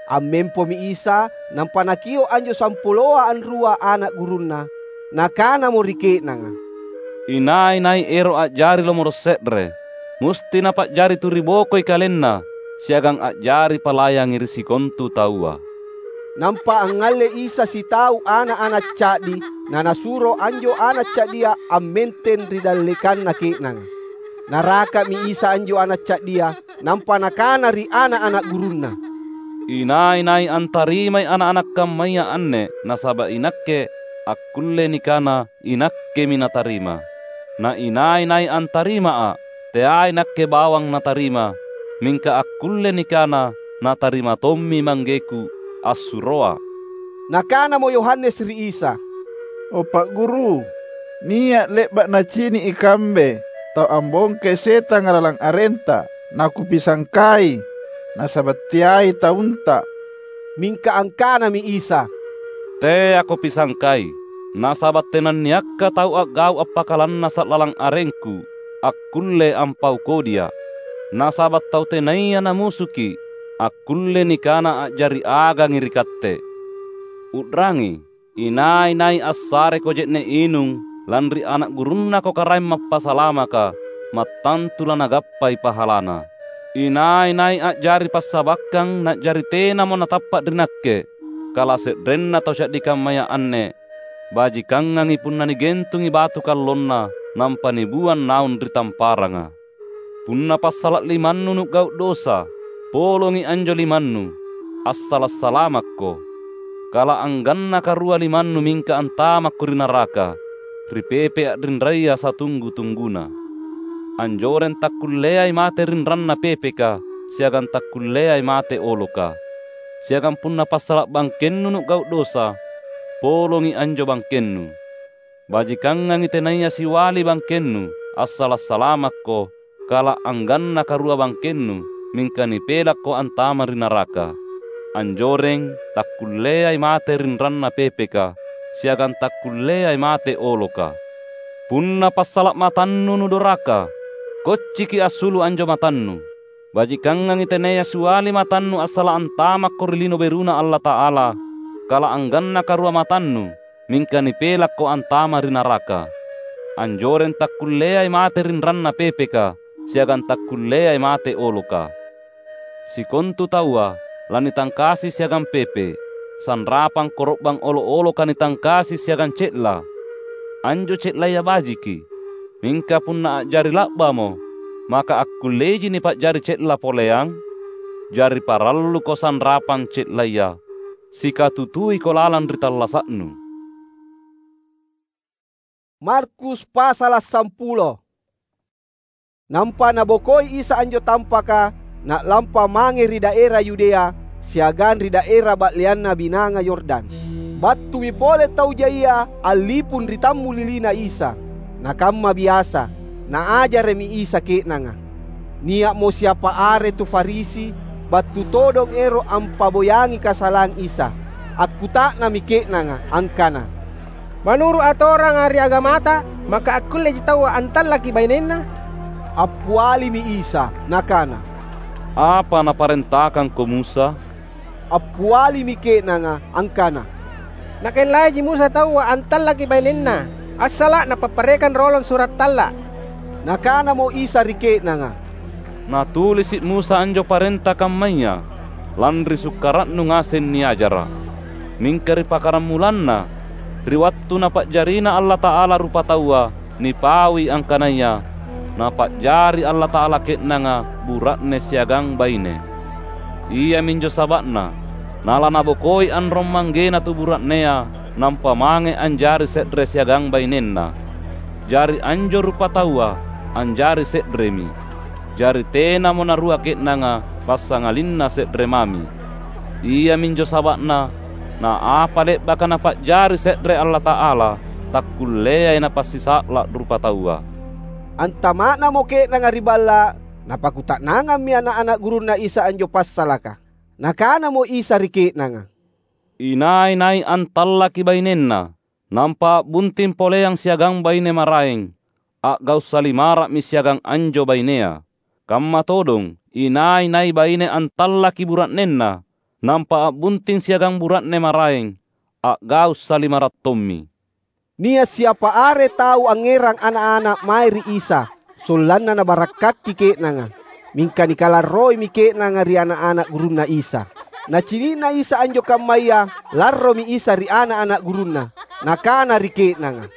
Ammempomi Isa, nampa Nakio’ anjo sampuloa anrua ana’ gurunNa, Nakanamo ri ke'nanga, "Inai-nai ero’ a'jari lomoro’ se're, musti napa'jari tu ribokoi kalenna siagang a'jari palayangi ri sikontu taua." Nampa angngalle Isa sitau ana’-ana’ ca'di, na Nasuro anjo ana’ ca'dia ammenteng ri dallekanna ke'nanga. Naraka'mi Isa anjo ana’ ca'dia, nampa Nakana ri ana’-ana’ gurunNa, "Inai-nai antarimai ana’-ana’ kammaya anne nasaba’ iNakke, akkulle nikana iNakkemi natarima. Na inai-nai antarimaA’, teai Nakke bawang natarima, mingka akkulle nikana natarima tommi ManggeKu assuroA’." Nakanamo Yohanes ri Isa, "O Pa’ Guru, nia’ le'ba’ nacini’ ikambe tau ambongkai setanga lalang arenta, nakupisangkai, nasaba’ teai taunta." Mingka angkanami Isa, "Teako pisangkai, nasaba’ tenanniakka tau a'gau’ appakalannasa’ lalang arengKu akkulle ampau kodia’. Nasaba’ tau tenaya namusuki’ akkulle nikana a'jari agangi ri Katte. U'rangi, inai-nai assareko je'ne’ inung lanri ana’ gurunnako Karaeng Mappasalamaka, mattantu lanagappai pahalana. Inai-nai a'jari passabakkang na'jari tenamo natappa’ ri Nakke, kalase'renna tau ca'di kammaya anne, bajikangangi punna nigentungi batu kallonna nampa nibuang naung ri tamparanga. Punna passala’ limannu nu'gau’ dosa, polongi anjo limannu, assala’-salamakko. Kala angganna karua limannu mingka antamakko ri naraka, ri pepe a'rinraya satunggu-tungguna. Anjoreng takkulleai mate rinranna pepeka siagang takkulleai mate oloka. Siagang punna passala’ bangkennu nu'gau’ dosa, polongi anjo bangkennu. Bajikangangi tenaya siwali bangkennu, assala’-salamakko, kala angganna karua bangkennu, mingka nipelakko antama’ ri naraka. Anjoreng takkulleai mate rinranna pepeka, siagang takkulleai mate oloka. Punna passala’ matannu nudoraka, kocciki assulu’ anjo matannu. Bajikangangi tenaya siwali matannu assala’ antamakko ri lino beruNa Allata'ala, kala angganna karua matannu, mingka nipelakko antama’ ri naraka. Anjoreng takkulleai mate rinranna pepeka siagang takkulleai mate oloka. Sikontu taua lanitangkasi siagang pepe, sanrapang koro'bang olo’-oloka nitangkasi siagang ce'la. Anjo ce'laya bajiki. Mingka punna a'jari la'bamo, maka akkulleji nipa'jari ce'la poleang? Jari paralluko sanrapang ce'laya, sikatutuiko lalang ri tallasa'nu. Markus pasala’ sampulo. Nampa Nabokoi Isa anjo tampaka, Na'lampa mange ri daera Yudea siagang ri daera ba'leanna Binanga Yordan. Battumi pole tau jaia allipung ri tammulilina Isa. Nakamma biasa, Naajara'mi Isa ke'nanga. Nia'mo siapa are tu Farisi battu todong ero’ ampaboyangi kasalang Isa. Akkuta'nammi ke'nanga angkana, "Manuru’ atoranga ri agamata, maka akkulleji taua antallaki bainenna?" Appialimi Isa, Nakana, "Apa naparentakangko Musa?" Appialimi ke'nanga angkana, "Nakellaiji Musa taua antallaki bainenna, assala’ napapparekang rolong sura’ talla’." Nakanamo Isa ri ke'nanga, "Natulisi’ Musa anjo parenta kammaya lanri sukkara'nu ngaseng niajara’. Mingka ri pakkarammulanna, Ri wattu Napa'jarina Allata'ala rupataua, nipaui angkanaya Napa'jari Allata'ala ke'nanga bura'ne siagang baine. Iaminjo saba'na nalanabokoi anrong manggena tu bura'nea, nampa mange anjari se're siagang bainenna. Jari anjo rupataua anjari se'remi. Jari tenamo narua ke'nanga passangalinna se're mami. Iaminjo saba'na, na apa le'baka Napa'jari se're Allata'ala, takkulleai napassisa'la' rupataua." Antama'namo ke'nanga ri balla', napakuta'nangammi ana'-ana' gurunNa Isa anjo passalaka. Nakanamo Isa ri ke'nanga, "Inai-nai antallaki bainenna, nampa a'bunting poleang siagang baine maraeng, a'gau’ salimara'mi siagang anjo bainea. Kamma todong inai-nai baine antallaki bura'nenna, nampa a'bunting siagang bura'ne maraeng, a'gau’ salimara’ tommi." Nia’ siapa are tau angngerang ana’-ana’ mae ri Isa, sollanna nabarakkaki ke'nanga. Mingka nikalarroimi ke'nanga ri ana’-ana’ gurunNa Isa. Nacini'na Isa anjo kammaya, larromi Isa ri ana’-ana’ gurunNa. Nakana ri ke'nanga,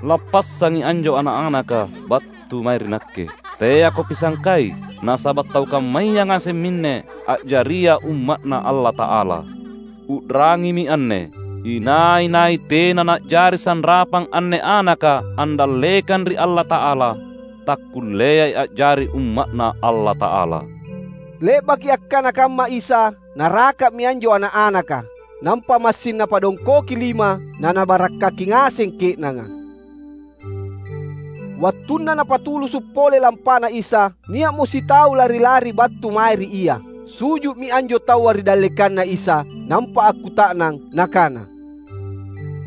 "Lappassangi anjo ana’-anaka battu mae ri Nakke. Teako pisangkai, nasaba’ tau kammaya ngaseng minne a'jaria umma'Na Allata'ala. U'rangimi anne: inai-nai tena na'jari sanrapang anne anaka andallekang ri Allata'ala, takkulleai a'jari umma'Na Allata'ala." Le'baki akkana kamma Isa, naraka'mi anjo ana’-anaka. Nampa massing Napadongkoki lima, na Nabarakkaki ngaseng ke'nanga. Wattunna Napatulusu’ pole lampana Isa, nia'mo sitau lari-lari battu mae ri Ia. Suju'mi anjo taua ri dallekanNa Isa, nampa akkuta'nang, nakana,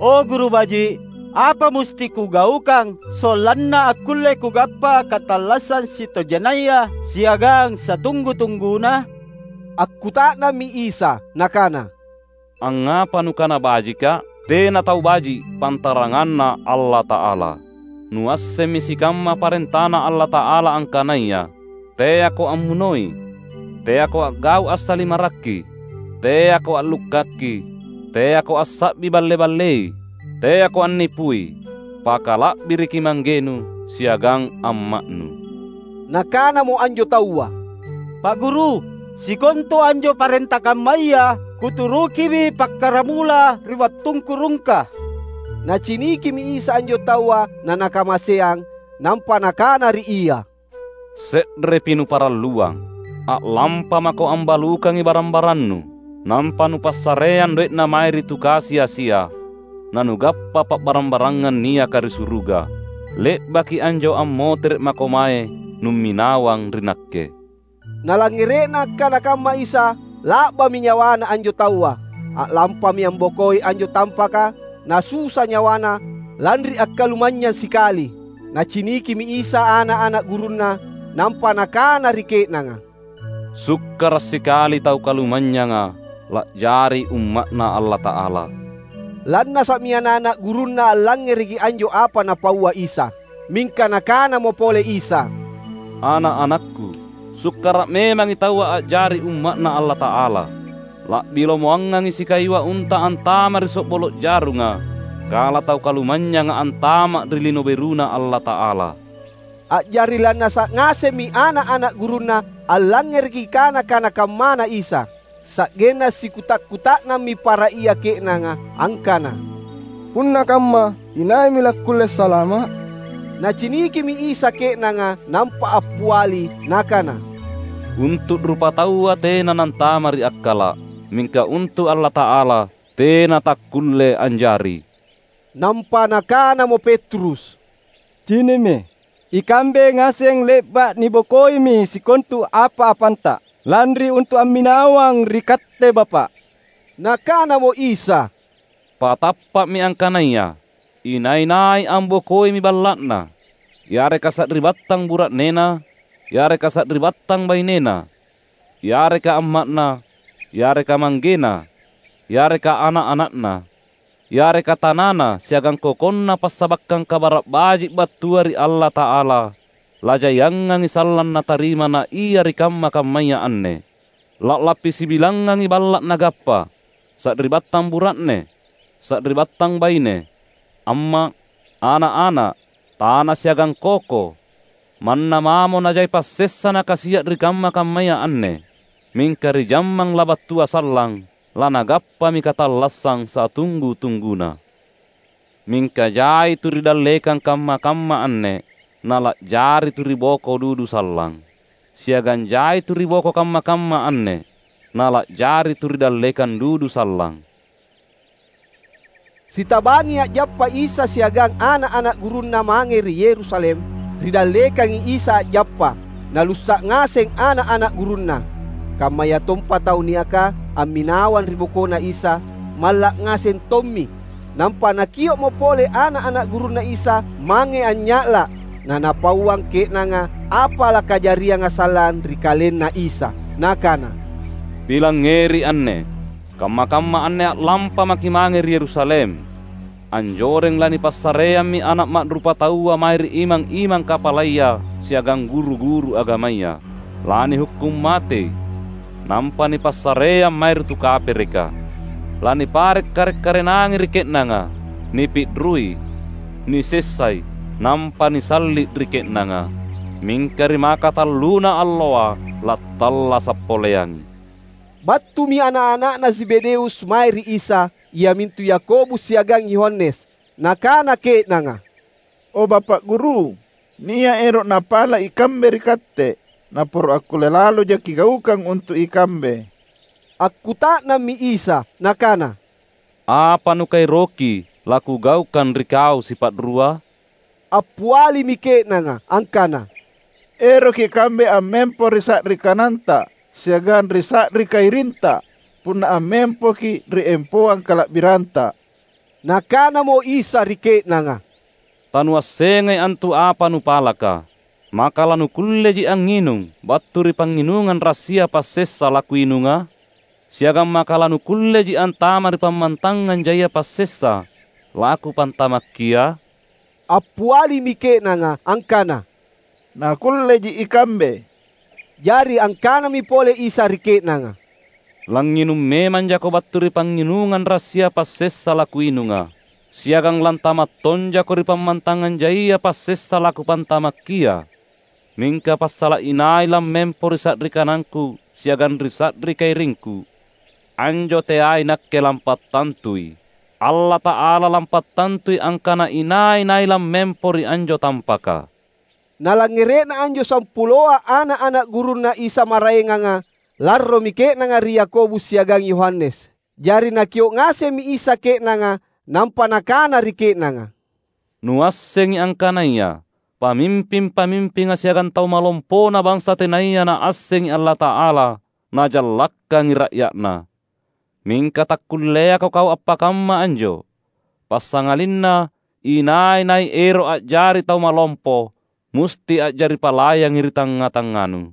"O Guru Baji’, apa musti kugaukang sollanna akkulle kugappa katallassang sitojenaya siagang satunggu-tungguna?" Akkuta'nammi Isa, Nakana, "Angngapa nukana bajikKa’? Tena tau baji’ pantaranganNa Allata'ala. Nuassemmi sikamma parentaNa Allata'ala angkanaya, ‘Teako ammunoi, teako a'gau’ assalimarakki, teako a'lukkakki, teako assa'bi balle-ballei, teako annipui, pakala'biriki manggenu siagang amma'nu.’" Nakanamo anjo taua, "Pa’ Guru, sikontu anjo parenta kammaya kuturukimi pakkaramula ri wattungku rungka." Nacinikimi Isa anjo taua na Nakamaseang, nampa Nakana ri ia, "Se'repi nuparalluang. A'lampa mako ambalukangi barang-barannu, nampa nupassareang doe'na mae ri tu kasi-asia, nanugappa pa'barang-barangang niaka ri suruga. Le'baki anjo ammotere’ mako mae numminawang ri Nakke." Nalangngere'na akkana kamma Isa, la'bami nyawana anjo taua. A'lampami ambokoi anjo tampaka, nasusa nyawana, lanri akkalumanynyang sikali. Nacinikimi Isa ana’-ana’ gurunNa, nampa Nakana ri ke'nanga, "Sukkara’ sikali tau kalumanynyanga la'jari umma'Na Allata'ala." Lannasa'mi ana’-ana’ gurunNa allangngereki anjo apa Napaua Isa. Mingka Nakanamo pole Isa, "Ana’-anakku, sukkara’ memangi taua a'jari umma'Na Allata'ala. La'bi lomoangangi sikayua unta antama’ ri so'bolo’ jarunga, kala tau kalumanynyanga antama’ ri Lino BeruNa Allata'ala." A'jari lannasa’ ngasemmi ana’-ana’ gurunNa allangngereki kana-kana kammana Isa. Sa'genna sikuta’-kuta'nammi para ia ke'nanga angkana, "Punna kamma, inaimi lakkulle salama’?" Nacinikimi Isa ke'nanga, nampa appiali, Nakana, "Untu’ rupataua tena nantama ri akkala’, mingka untu’ Allata'ala tena takkulle anjari." Nampa nakanamo Petrus, "Cinimmi, ikambe ngaseng le'ba’ nibokoimi sikontu apa-apanta, lanri untu’ amminawang ri Katte, Bapa’." Nakanamo Isa, "Patappa'mi angkanaya inai-nai ambokoimi balla'na, yareka sari'battang bura'nena, yareka sari'battang bainena, yareka amma'na, yareka manggena, yareka ana’-ana'na, yareka tanana siagang kokonna passabakkang Kabara’ Baji’ battua ri Allata'ala, lajaiangangi sallang natarima na ia ri kamma-kammaya anne. La'lappi sibilangngangi balla’ nagappa, sari'battang bura'ne, sari'battang baine, amma', ana'-ana', tana siagang koko. Manna mamo najai passessa nakasia' ri kamma-kammaya anne, mingka ri jammang labattua sallang, lanagappami katallassang satunggu-tungguna. Mingka jai tu ri dallekang kamma-kamma anne, nala'jari tu ri boko dudu sallang. Siagang jai tu ri boko kamma-kamma anne, nala'jari tu ri dallekang dudu sallang." Sitabangi a'jappa Isa siagang ana'-ana' gurunNa mange ri Yerusalem, ridallekangi Isa a'jappa, nalussa' ngaseng ana'-ana' gurunNa. Kammayatompa tau niaka amminawang ri bokoNa Isa, malla' ngaseng tommi. Nampa nakio'mo pole ana'-ana' gurunNa Isa mange anynya'la', nanapauang ke'nanga apa lakajarianga sallang ri KalenNa Isa. Nakana, "Pilangngeri anne! Kamma-kamma anne a'lampa maki' mange ri Yerusalem. Anjoreng lanipassareammi Ana' Ma'rupataua mae ri imang-imang kapalaya siagang guru-guru agamaya. Lanihukkung matei, nampa nipassareang mae ri tu kapereka. Lanipare'-kare'-karenangi ri ke'nanga, nipi'rui, nisessai, nampa nisalli' ri ke'nanga. Mingka ri makatalluna alloa lattallasa' poleangi." Battumi ana'-ana'na Zebedeus mae ri Isa, iamintu Yakobus siagang Yohanes. Nakana ke'nanga, "O Bapa' Guru, nia' ero' napala' ikambe ri Katte, naporo' akkulle laloja kigaukang untu' ikambe." Akkuta'nammi Isa, Nakana, "Apa nukaeroki laKugaukang ri kau sipa'rua?" Appialimi ke'nanga angkana, "Eroki' ikambe ammempo ri sa'ri kananta siagang ri sa'ri kairinta, punna ammempoki' ri empoang kala'biranta." Nakanamo Isa ri ke'nanga, "Tanuassengai antu apa nupalaka. Maka lanukulleji angnginung battu ri pangnginungang rassia passessa laKuinunga? Siagang maka lanukulleji antama' ri pammantangang jaia passessa laKupantamakkia?" Appialimi ke'nanga angkana, "Nakulleji ikambe." Jari angkanami pole Isa ri ke'nanga, "Langnginung memang jako battu ri pangnginungang rassia passessa laKuinunga, siagang lantama' tonjako ri pammantangang jaia passessa laKupantamakkia. Mingka passala' inai lammempo ri sa'ri kanangKu siagang ri sa'ri kairingKu, anjo teai Nakke lampattantui. Allata'ala lampattantui angkana inai-nai lammempo ri anjo tampaka." Nalangngere'na anjo sampuloa ana'-ana' gurunNa Isa maraenganga, larromi ke'nanga ri Yakobus siagang Yohanes. Jari Nakio' ngasemmi Isa ke'nanga, nampa Nakana ri ke'nanga, "Nuassengi angkanaya pamimping-pamimpinga siagang tau malompona bansa tenaya Naassengi Allata'ala najallakkangi ra'ya'Na. Mingka takkulleako kau appakamma anjo, passangalinna inai-nai ero' a'jari tau malompo, musti a'jari palayangi ri tangnga-tangnganu.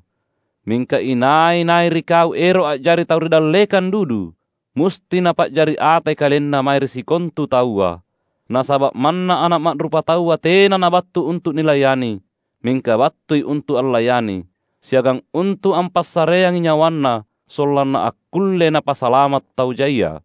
Mingka inai-nai ri kau ero' a'jari tau ri dallekang dudu, musti napa'jari atai kalenna mae ri sikontu taua. Nasaba' manna Ana' Ma'rupataua tena nabattu untu' nilayani, mingka battui untu' allayani, siagang untu' ampassareangi nyawanNa sollanna akkulle Napasalama' tau jaia."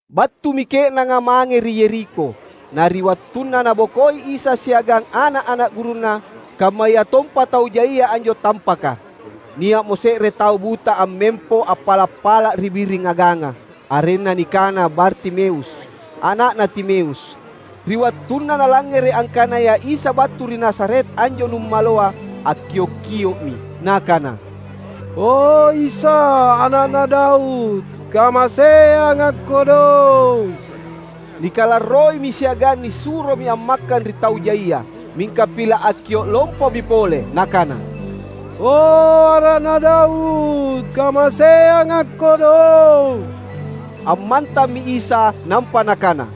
Battumi ke'nanga mange ri Yerikho. Na ri wattunna Nabokoi Isa siagang ana'-ana' gurunNa, kammayatompa tau jaia anjo tampaka, nia'mo se're tau buta ammempo appala'-pala' ri biring aganga, arenna nikana Bartimeus, ana'na Timeus. Ri wattunna nalangngere' angkanaya Isa battu ri Nazaret anjo nummaloa, akkio'-kio'mi, nakana, "O Isa, Ana'na Daud, kamaseangakko dong!" Nikalarroimi siagang nisuromi ammakkang ri tau jaia, mingka pila' akkio' lompomi pole, nakana, "O Ana'na Daud, kamaseangakko dong!" Ammantammi Isa nampa Nakana,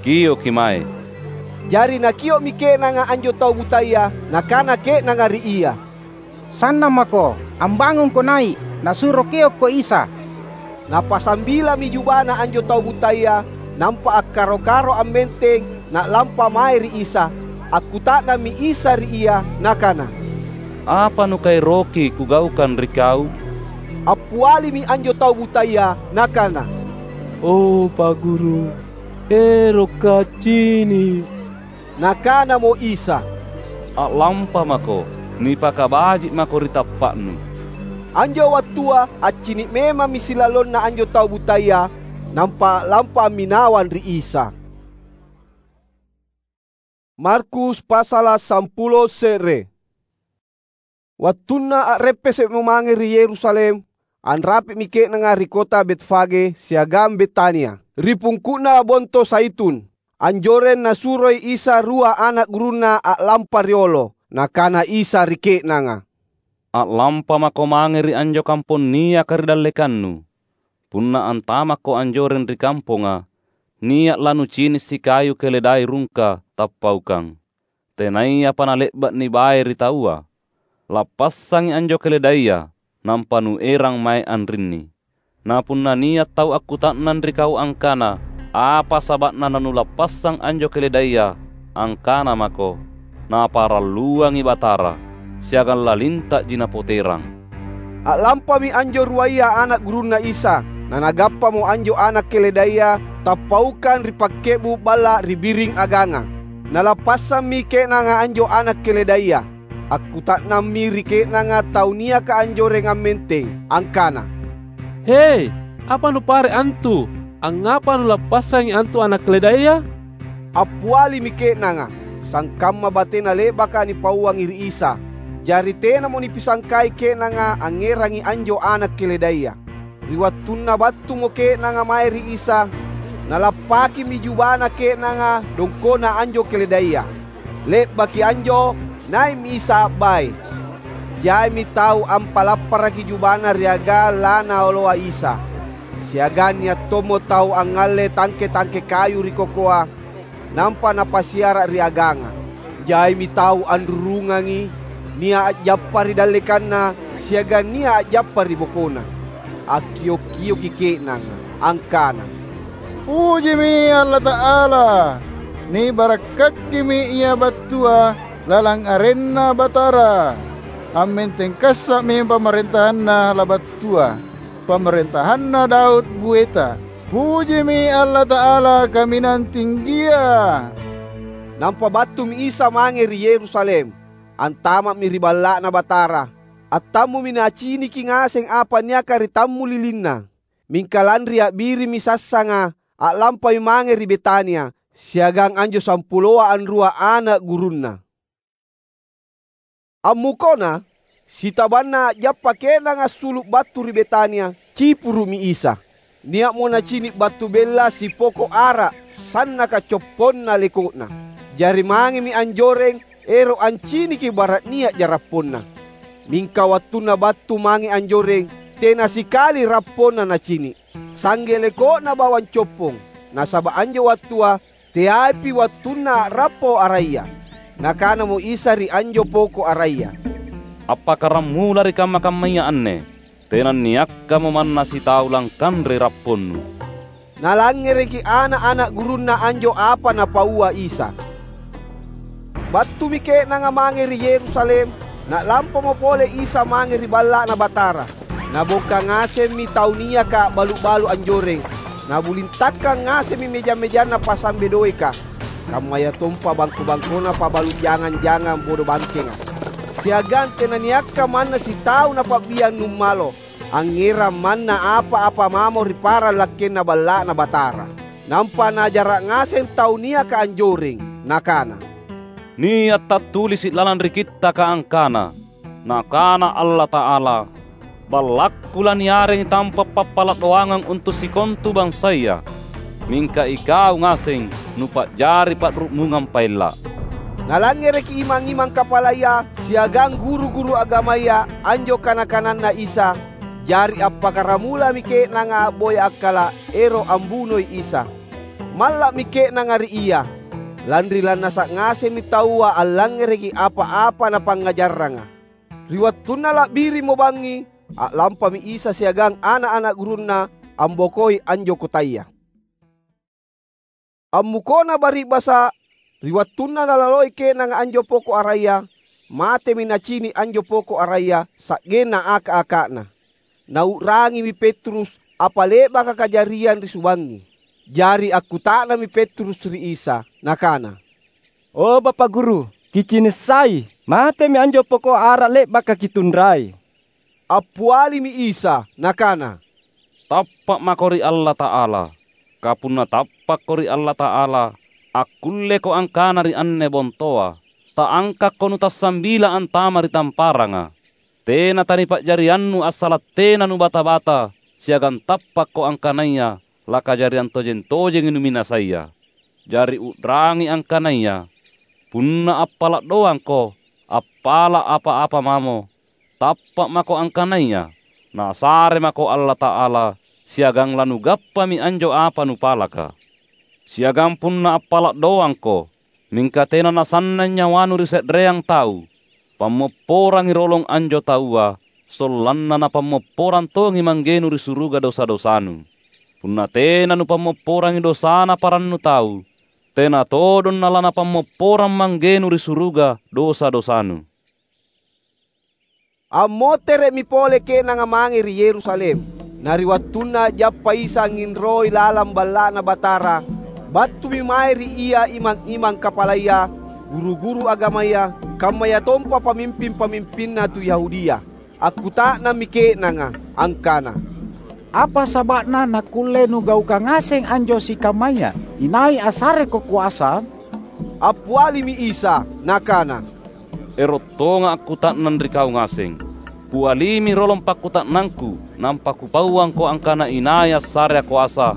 "Kioki mae." Jari nakio'mi ke'nanga anjo tau butaya, nakana ke'nanga ri ia, "Sannang mako, ambangungko nai', nasuro kiokko Isa." Napasambilami jubana anjo tau butaya, nampa akkaro-karo ammenteng, na'lampa mae ri Isa. Akkuta'nammi Isa ri ia, Nakana, "Apa nukaeroki Kugaukang ri kau?" Appialimi anjo tau butaya, nakana, "O Pa' Guru, erokka' accini'." Nakanamo Isa, "A'lampa mako, nipakabaji' mako ri tappa'nu." Anjo wattua accini' memammi silalonna anjo tau butaya, nampa a'lampa amminawang ri Isa. Markus pasala' sampulo se're. Wattunna a'reppese'mo mange ri Yerusalem, anrapi'mi ke'nanga ri kota Betfage siagang Betania, ri pungku'na Bonto Zaitun. Anjoreng Nasuroi Isa rua ana' gurunNa a'lampa riolo. Nakana Isa ri ke'nanga, "A'lampa mako mange ri anjo kampong niaka ri dallekannu. Punna antamakko anjoreng ri kamponga, nia' lanucini' sikayu keledai rungka tappaukang, tenayapa nale'ba' nibae ri taua. Lappassangi anjo keledaia, nampa nuerang mae anrinni. Na punna nia' tau akkuta'nang ri kau angkana, 'Apa saba'na nanulappassang anjo keledaia?' angkana mako, 'Naparalluangi Batara, siagang lalinta'ji Napoterang.'" A'lampami anjo ruaya ana' gurunNa Isa, nanagappamo anjo ana' keledaia tappaukang ri pakke'bu' balla' ri biring aganga. Nalappassammi ke'nanga anjo ana' keledaia. Akkuta'nammi ri ke'nanga tau niaka anjoreng ammenteng angkana, "He, apa nupare' antu? Angngapa nulappassangi antu ana' keledaia?" Appialimi ke'nanga, sangkamma batena le'baka nipauangi ri Isa. Jari tenamo nipisangkai ke'nanga angngerangi anjo ana' keledaia. Ri wattunna battumo ke'nanga mae ri Isa, nalappakimi jubana ke'nanga dongkona anjo keledaia. Le'baki anjo, nai'mi Isa a'bai. Jaimi tau ampalapparaki jubana ri aga lanaoloa Isa. Siagang nia' tommo tau angngalle tangke-tangke kayu ri kokoa, nampa napasiara' ri aganga. Jaimi tau anrurungangi, nia' a'jappa ri dallekanna siagang nia' a'jappa ri bokona. Akkio'-kio'ki ke'nanga angkana, "Pujimi Allata'ala! Nibarakkakimi Ia battua lalang arenNa Batara! Ammenteng kassa'mi pamarentahanna labattua, pamarentahanna Daud bueta! Pujimi Allata'ala Kaminang Tinggia!" Nampa battumi Isa mange ri Yerusalem, antama'mi ri Balla'Na Batara. Attammumi Naciniki ngaseng apa niaka ri tammulilinna. Mingka lanri a'birimmi sassanga, a'lampai mange ri Betania siagang anjo sampuloa anrua ana' gurunNa. Ammukona, sitabanna a'jappa ke'nanga assulu' battu ri Betania, cipuru'mi Isa. Nia'mo nacini' battu bella sipoko' ara', sannaka copponna leko'na. Jari mangemi anjoreng ero' anciniki bara' nia'ja rapponna. Mingka wattunna battu mange anjoreng, tena sikali rapponna nacini', sangge leko'na bawang coppong, nasaba' anjo wattua teaipi wattunna a'rappo araya. Nakanamo Isa ri anjo poko' araya, "Appakkaramula ri kamma-kammaya anne, tenanniakkamo manna sitau langkanrei rapponnu." Nalangngereki ana'-ana' gurunNa anjo apa Napaua Isa. Battumi ke'nanga mange ri Yerusalem, na'lampamo pole Isa mange ri Balla'Na Batara. Nabongka ngasemmi tau niaka a'balu'-balu' anjoreng, nabulintakkang ngasemmi meja-mejanna pasambe doeka, kammayatompa bangko-bangkona pa'balu' jangang-jangang bodo bangkenga. Siagang tenaniakka manna sitau napa'biang nummalo, angngerang manna apa-apa mamo ri parang lakkenna Balla'Na Batara. Nampa najara' ngaseng tau niaka anjoreng, nakana, "Nia' tattulisi' lalang ri Kittaka angkana, Nakana Allata'ala, 'Ballakku laniarengi tampa' pappala' doangang untu' sikontu bansaya.' Mingka ikau ngaseng nupa'jari pa'ru'mungang paella'." Nalangngereki imang-imang kapalaya siagang guru-guru agamaya anjo kana-kananNa Isa, jari appakkaramulami ke'nanga a'boya akkala' ero' ambunoi Isa. Malla'mi ke'nanga ri Ia, lanri lannasa' ngasemmi taua allangngereki apa-apa Napangngajarranga. Ri wattunna la'birimmo bangngi, a'lampami Isa siagang ana'-ana' gurunNa ambokoi anjo kotaya. Ammukona bari'basa', ri wattunna nalaloi ke'nanga anjo poko' araya, matemi nacini' anjo poko' araya sa'genna aka-aka'na. Nau'rangimi Petrus, apa le'baka kajariang ri subangngi. Jari akkuta'nammi Petrus ri Isa, nakana, "O Bapa Guru, Kicini’ sai, matemi anjo poko’ ara’ le'baka Kitunrai." Appialimi Isa, Nakana, "Tappa’ mako ri Allata'ala. Ka punna tappakko ri Allata'ala, akkulleko angkana ri anne bontoa, 'Taangkakko nutassambila antama’ ri tamparanga.' Tena tanipa'jariannu assala’ tena nubata-bata, siagang tappakko angkanaya lakajariang tojeng-tojengi numinasaya. Jari u'rangi angkanaya, punna appala’ doangko, appala’ apa-apa mamo, tappa’ mako angkanaya Nasare mako Allata'ala, siagang lanugappami anjo apa nupalaka. Siagang punna appala’ doangko, mingka tena nasannang nyawanu ri se'reang tau, pammopporangi rolong anjo taua, sollanna napammopporang tongi Manggenu ri suruga dosa-dosanu. Punna tena nupammopporangi dosana parannu tau, tena todong nalanapammopporang Manggenu ri suruga dosa-dosanu." Ammotere'mi pole ke'nanga mange ri Yerusalem. Na ri wattunna a'jappa Isa angnginroi lalang Balla'Na Batara, battumi mae ri Ia imang-imang kapalaya, guru-guru agamaya, kammayatompa pamimping-pamimpinna tu Yahudia. Akkuta'nammi ke'nanga angkana, "Apa saba'na nakkulle nugaukang ngaseng anjo sikammaya? Inai assareko koasa?" Appialimi Isa, Nakana, "Ero’ tonga’ akkuta'nang ri kau ngaseng. Kualimi rolong pakkuta'nangKu, nampa Kupauangko angkana inai assarea koasa,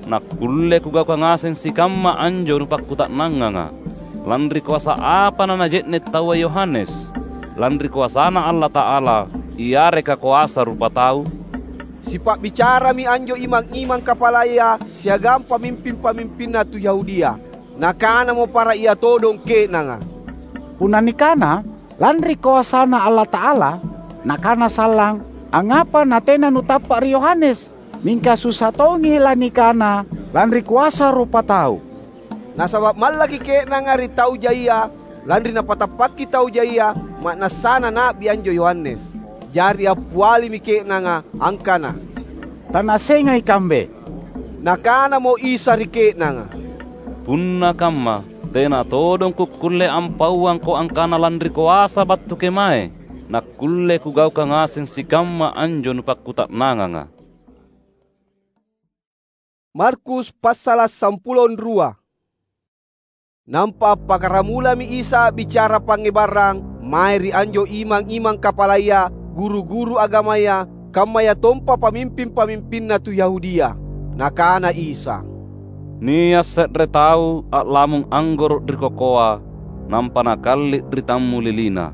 nakkulle Kugaukang ngaseng sikamma anjo nupakkuta'nanganga. Lanri koasa apa nanaje'ne’ taua Yohanes? Lanri koasaNa Allata'ala, yareka koasa rupatau?" Sipa'bicarami anjo imang-imang kapalaya siagang pamimping-pamimpinna tu Yahudia. Nakanamo para ia todong ke'nanga, "Punna nikana, 'Lanri koasaNa Allata'ala,' nakana sallang, angngapa natena nutappa’ ri Yohanes? Mingka susa tongi lanikana, 'Lanri koasa rupatau.'" Nasaba’ mallaki ke'nanga ri tau jaia, lanri napatappakki tau jaia ma'nassana na'bi anjo Yohanes. Jari appialimi ke'nanga angkana, "Tanaassengai kambe?" Nakanamo Isa ri ke'nanga, "Punna kamma, tena todong Kukkulle ampauangko angkana lanri koasa battu kemae, nakkulle Kugaukang ngaseng sikamma anjo nupakkuta'nanganga." Markus passala’ sampulo rua. Nampa appakkaramulami Isa a'bicara pangngebarang mae ri anjo imang-imang kapalaya, guru-guru agamaya, kammayatompa pamimping-pamimpinna tu Yahudia. Nakana Isa, "Nia’ se're tau a'lamung anggoro’ ri kokoa, nampa nakalli’ ri tammulilina.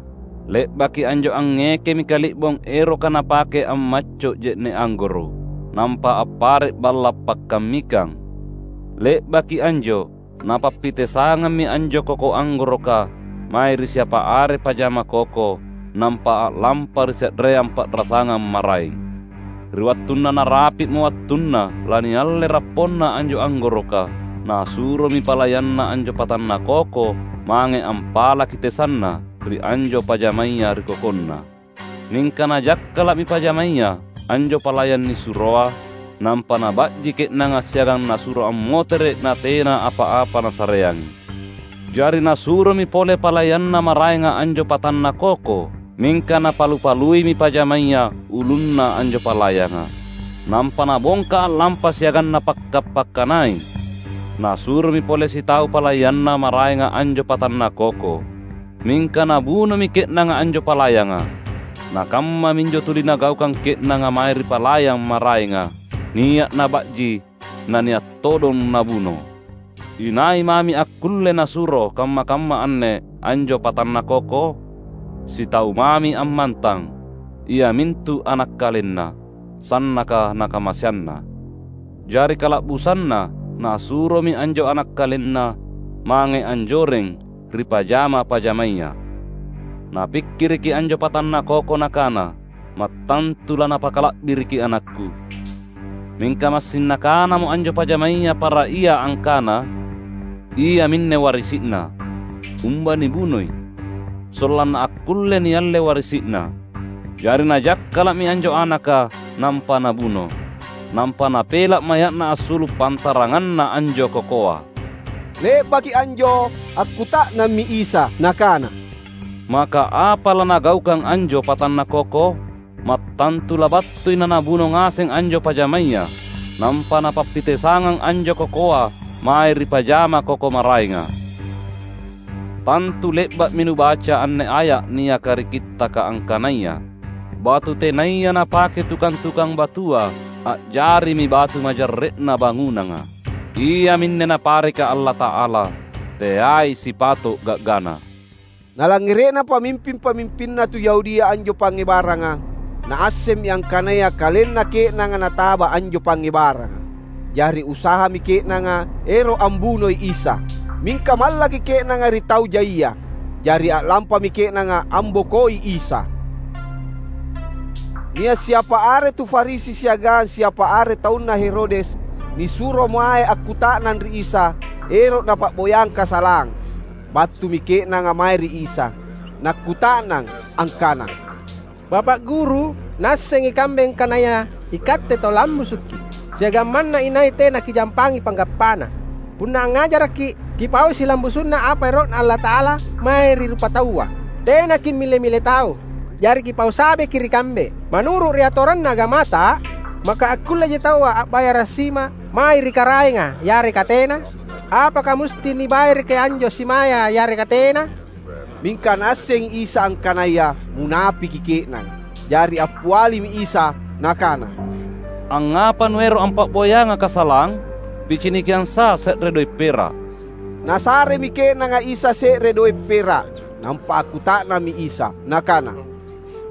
Le'baki anjo angngekemi kali'bong eroka napake ammacco’ je'ne’ anggoro’, nampa appare’ balla’ pakkammikang. Le'baki anjo, napappitesangammi anjo koko anggoroka mae ri siapa are pajama koko, nampa a'lampa ri se'reang pa'rasangang maraeng. Ri wattunna narapi'mo wattunna lanialle rapponna anjo anggoroka, nasuromi palayanna anjo patanna koko mange ampalaki tesanna ri anjo pajamaya ri kokonna. Mingka najakkala'mi pajamaya anjo palayan nisuroa, nampa naba'ji ke'nanga siagang nasuro ammotere’ natena apa-apa nasareangi. Jari nasuromi pole palayanna maraenga anjo patanna koko, mingka napalu-paluimi pajamaya ulunna anjo palayanga. Nampa nabongka a'lampa siagang napakka’-pakkanai. Nasuromi pole sitau palayanna maraenga anjo patanna koko. Mingka nabunomi ke'nanga anjo palayanga. Nakammaminjo tuli nagaukang ke'nanga mae ri palayang maraenga, nia’ naba'ji, na nia’ todong nabuno. Inai mami akkulle nasuro kamma-kamma anne anjo patanna koko? Sitau mami ammantang, iamintu ana’ kalenna, sannaka nakamaseanna. Jari kala'busanna nasuromi anjo ana’ kalenna mange anjoreng ri pajama-pajamaya. Napikkiriki anjo patanna koko nakana, "Mattantu lanapakala'biriki anakku." Mingka massing nakanamo anjo pajamaya para ia angkana, "Iaminne warisi'na. Umba nibunoi, sollanna akkulle nialle warisi'na." Jari najakkala'mi anjo anaka nampa nabuno. nampa napela’ maya'na assulu’ pantaranganna anjo kokoa. Le'baki anjo, akkuta'nammi Isa, Nakana, "Maka apa lanagaukang anjo patanna koko? Mattantu labattui nanabuno ngaseng anjo pajamaya, nampa napappitesangang anjo kokoa mae ri pajama koko maraenga. Tantu le'ba'mi nubaca anne aya’ niaka ri Kittaka angkanaya, ‘Batu tenaya napake tukang-tukang batua, a'jarimi batu majarre'na bangunanga. Iaminne Napareka Allata'ala, teai sipato’ ga'gana.’" Nalangngere'na pamimping-pamimpinna tu Yahudia anjo pangngebaranga, naassemmi angkanaya kalenna ke'nanga nataba anjo pangngebaranga. Jari usahami ke'nanga ero’ ambunoi Isa. Mingka mallaki ke'nanga ri tau jaia, jari a'lampami ke'nanga ambokoi Isa. Nia’ siapa are tu Farisi siagang siapa are taunna Herodes nisuro mae akkuta'nang ri Isa ero’ napa'boyang kasalang. Battumi ke'nanga mae ri Isa, nakkuta'nang angkana, "Bapa’ Guru, naasseng ikambe angkanaya iKatte tau lammusuki’, siagang manna inai tena Kijampangi panggappana. Punna angngajarakki’, kipau silambusu'na apa ero'Na Allata'ala mae ri rupataua. Tena kimmile-mile tau, jari kipau sabeki ri kambe. Manuru’ ri atoranna agamata, maka akkulleji taua a'bayara’ sima mae ri karaenga yareka tena? Apaka musti nibayaraki anjo simaya yareka tena?" Mingka naassengi Isa angkanaya munapiki ke'nanga. Jari appialimi Isa Nakana, "Angngapa nuero’ ampa'boyanga kasalang? Picinikiang sa se're doe’ pera’." Nasaremi ke'nanga Isa se're doe’ pera’, nampa akkuta'nammi Isa, Nakana,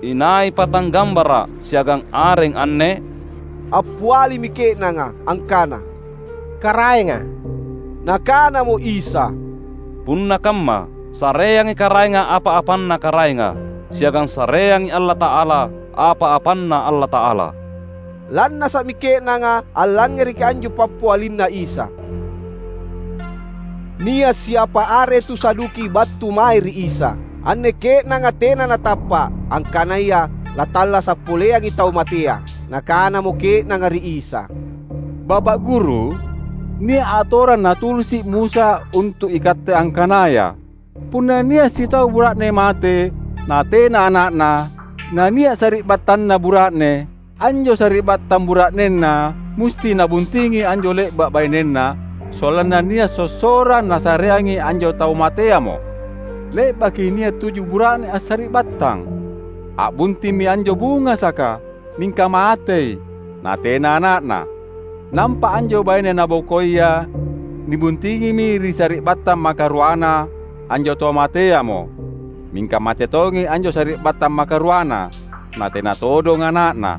"Inai patang gambara’ siagang areng anne?" Appialimi ke'nanga angkana, "Karaenga." Nakanamo Isa, "Punna kamma, sareangi karaenga apa-apanna karaenga, siagang sareangi Allata'ala apa-apanNa Allata'ala." Lannasa'mi ke'nanga allangngereki anjo pappialinNa Isa. Nia’ siapa are tu Saduki battu mae ri Isa. Anne ke'nanga tena natappa’, angkanaya latallasa’ poleangi tau matea. Nakanamo ke'nanga ri Isa, "Bapa’ Guru, nia’ atorang natulisi’ Musa untu’ ikatte angkanaya, punna nia’ sitau bura'ne mate, natena ana'na, nania’ sari'battanna bura'ne, anjo sari'battang bura'nenna musti nabuntingi anjo le'ba’ bainenna, sollanna nia’ sossorang nasareangi anjo tau mateamo. Le'baki nia’ tuju bura'ne assari'battang. A'buntingmi anjo bungasaka, mingka matei, natena ana'na. Nampa anjo baine nabokoia nibuntingimi ri sari'battang makaruana anjo tau mateamo. Mingka mate tongi anjo sari'battang makaruana, natena todong ana'na.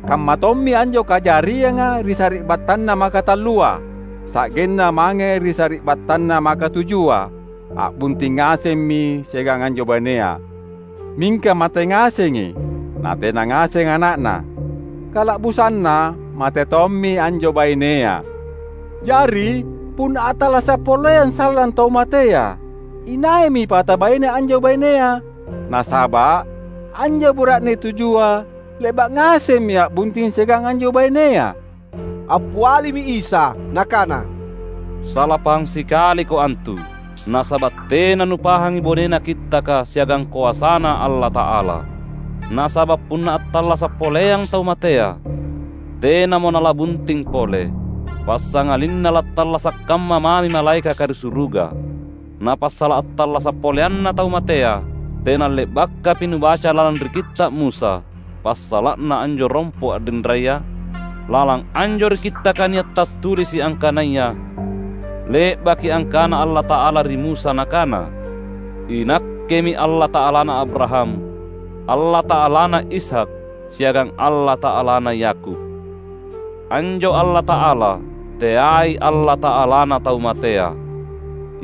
Kamma tommi anjo kajarianga ri sari'battanna makatallua, sa'genna mange ri sari'battanna makatujua. A'bunting ngasemmi siagang anjo bainea. Mingka mate ngasengi, natena ngaseng ana'na. Kala'busanna mate tommi anjo bainea. Jari, punna attallasa’ poleang sallang tau matea, inaimi pata baine anjo bainea? Nasaba’ anjo bura'ne tujua le'ba’ ngasemmi a'bunting siagang anjo bainea." Appialimi Isa Nakana, "Sala pahang sikaliko antu, nasaba’ tena nupahangi bonena Kittaka siagang koasaNa Allata'ala. Nasaba’ punna attallasa’ poleang tau matea, tenamo nalabunting pole, passangalinna lattallasa’ kamma mami malaekaka ri suruga. Na passala’ attallasa’ poleanna tau matea, tena le'bakapi nubaca lalang ri Kitta’ Musa, passala'na anjo rompo a'rinraya? Lalang anjo ri Kittaka nia’ tattulisi’ angkanaya, 'Le'baki angkana Allata'ala ri Musa Nakana, "INakkemi Allata'alana Abraham, Allata'alana Ishak, siagang Allata'alana Yakub.' Anjo Allata'ala, teai Allata'alana tau matea.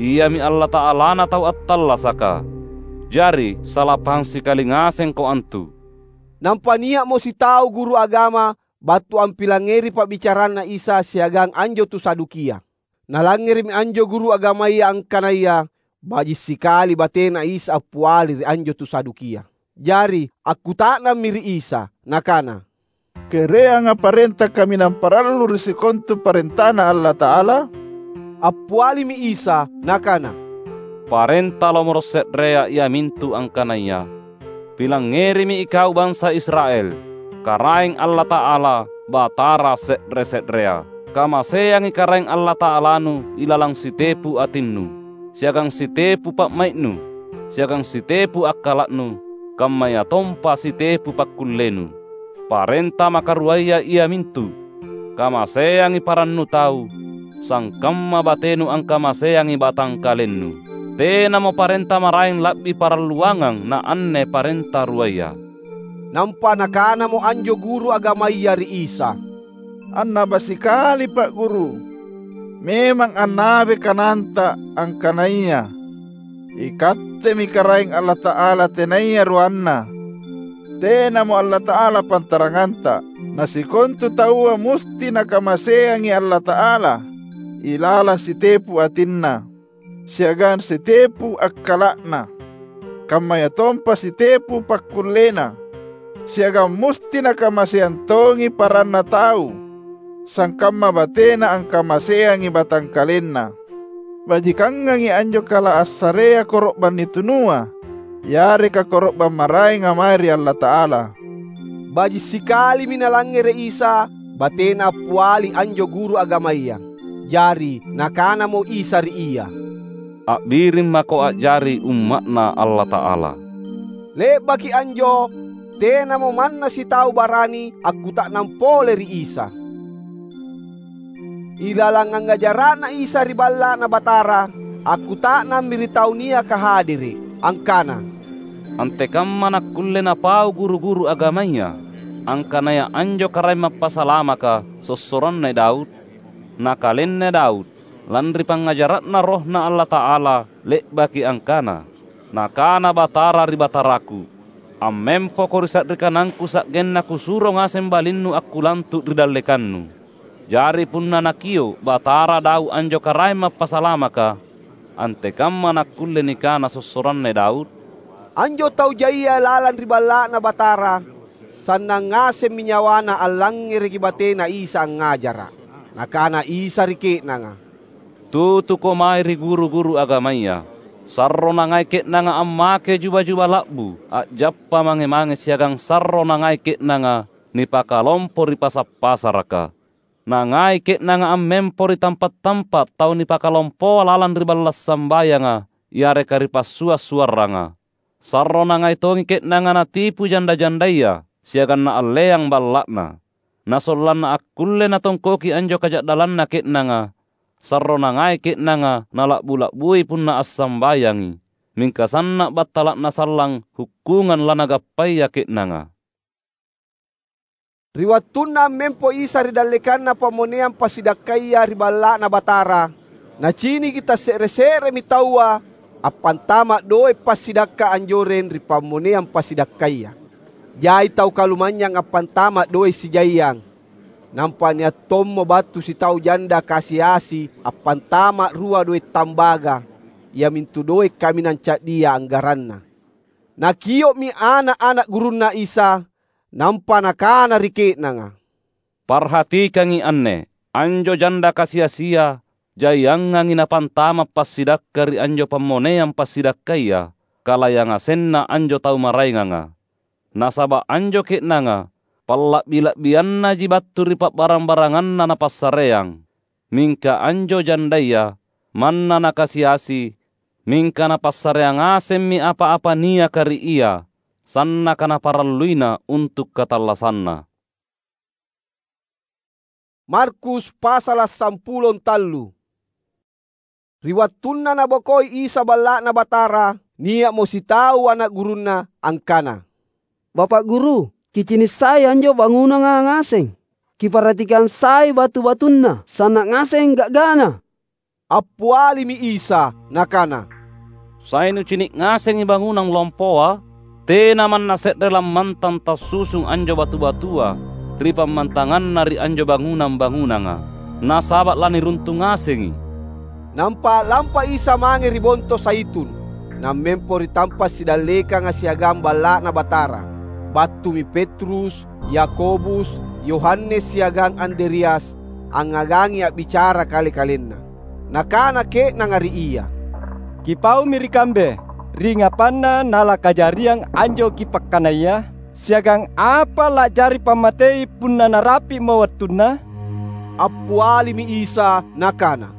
Iami Allata'alana tau attallasaka. Jari, sala pahang sikali ngasengko antu." Nampa nia'mo sitau guru agama battu ampilangngeri pa'bicaranNa Isa siagang anjo tu Sadukia. Nalangngeremi anjo guru agamaya angkanaya baji’ sikali batena Isa appiali ri anjo tu Sadukia. Jari, akkuta'nammi ri Isa, nakana, "Kereanga parenta kaminang parallu ri sikontu parentaNa Allata'ala?" Appialimi Isa Nakana, "Parenta lomoro’ se'rea iamintu angkanaya: Pilangngerimi ikau bansa Israel, Karaeng Allata'ala, Batara se're-se'rea. Kamaseangi Karaeng Allata'alanu ilalang sitepu atinnu, siagang sitepu pa'mai'nu, siagang sitepu akkala'nu, kammayatompa sitepu pakkullenu. Parenta makaruaya iamintu: Kamaseangi parannu tau, sangkamma batenu angkamaseangi batangkalennu. Tenamo parenta maraeng la'bi paralluangang na anne parenta ruaya." Nampa nakanamo anjo guru agamaya ri Isa, "Annaba sikali, Pa’ Guru! Memang annabai kananta angkanaya IKattemi Karaeng Allata'ala tenaya ruanna, tenamo Allata'ala pantaranganta. Na sikontu taua musti nakamaseangi Allata'ala ilalang sitepu atinna, siagang sitepu akkala'na, kammayatompa sitepu pakkullena, siagang musti nakamaseang tongi paranna tau, sangkamma batena angkamaseangi batangkalenna. Bajikangangi anjo kala assarea koro'bang nitunua, yareka koro'bang maraenga mae ri Allata'ala." Baji’ sikalimi nalangngere’ Isa batena appiali anjo guru agamaya. Jari Nakanamo Isa ri ia, "A'biring mako a'jari umma'Na Allata'ala." Le'baki anjo, tenamo manna sitau barani akkuta'nang pole ri Isa. Ilalang angngajara'Na Isa ri Balla'Na Batara, akkuta'nammi ri tau niaka hadere’, angkana, "Antekamma nakkulle napau guru-guru agamaya, angkanaya anjo Karaeng Mappasalamaka sossoranna Daud? Na kalenna Daud, lanri pangngajara'na RohNa Allata'ala, le'baki angkana, 'Nakana Batara ri Bataraku: Ammempoko ri sa'ri kanangKu sa'genna Kusuro ngaseng balinnu akkulantu’ ri dallekannu.' Jari punna nakio’ Batara Daud anjo Karaeng Mappasalamaka, antekamma nakkulle nikana sossoranna Daud?" Anjo tau jaia lalang ri Balla'Na Batara, sannang ngasemmi nyawana allangngereki batena Isa angngajara’. Nakana Isa ri ke'nanga, "Tutuko mae ri guru-guru agamaya. Sarro nangai ke'nanga ammake juba-juba la'bu, a'jappa mange-mange siagang sarro nangai ke'nanga nipakalompo ri pasa’-pasaraka. Nangai ke'nanga ammempo ri tampa’-tampa’ tau nipakalompoa lalang ri balla’ sambayanga yareka ri passua’-suarranga. Sarro nangai tongi ke'nanga natipu janda-jandaya siagang naalleang balla'na. Na sollanna akkulle natongkoki anjo kaja'dallanna ke'nanga, sarro nangai ke'nanga nala'bu-la'bui punna assambayangi, mingka sanna’ battala'na sallang hukkungang lanagappaya ke'nanga." Ri wattunna ammempo Isa ri dallekanna pammoneang passidakkaya ri Balla'Na Batara, naciniki tasse're-se'remi taua appantama’ doe’ passidakka anjoreng ri pammoneang passidakkaya. Jai tau kalumanynyang appantama’ doe’ sijaiang. Nampa nia’ tommo battu sitau janda kasi-asi appantama’ rua doe’ tambaga, iamintu doe’ kaminang ca'dia anggaranna. Nakio'mi ana’-ana’ gurunNa Isa, nampa Nakana ri ke'nanga, "Parhatikangi anne! Anjo janda kasi-asia jaiangangi napantama’ passidakka ri anjo pammoneang passidakkaya, kalayang ngasenna anjo tau maraenganga. Nasaba’ anjo ke'nanga palla'bi-la'biannaji battu ri pa'barang-baranganna napassareang. Mingka anjo jandaya manna nakasi-asi, mingka napassareang ngasemmi apa-apa niaka ri ia, sannaka naparalluina untu’ katallassanna." Markus pasala’ sampulo tallu. Ri wattunna Nabokoi Isa Balla'Na Batara, nia'mo sitau ana’ gurunNa angkana, "Bapa’ Guru, kicini’ sai anjo bangunanga ngaseng. Kiparhatikang sai batu-batunna, sanna’ ngaseng ga'gana." Appialimi Isa Nakana, "Sai nucini’ ngasengi bangunang lompoa? Tena manna se're lammantang tassusung anjo batu-batua ri pammantanganna ri anjo bangunang-bangunanga, nasaba’ laniruntu ngasengi." Nampa a'lampa Isa mange ri Bonto Zaitun, nammempo ri tampa’ sidallekanga siagang Balla'Na Batara. Battumi Petrus, Yakobus, Yohanes siagang Andreas angngagangi a'bicara kale-kalenna. Nakana ke'nanga ri ia, "Kipaumi ri kambe, ri ngapanna nalakajariang anjo kipakkanaya, siagang apa la'jari pammatei punna narapi'mo wattunna?" Appialimi Isa Nakana,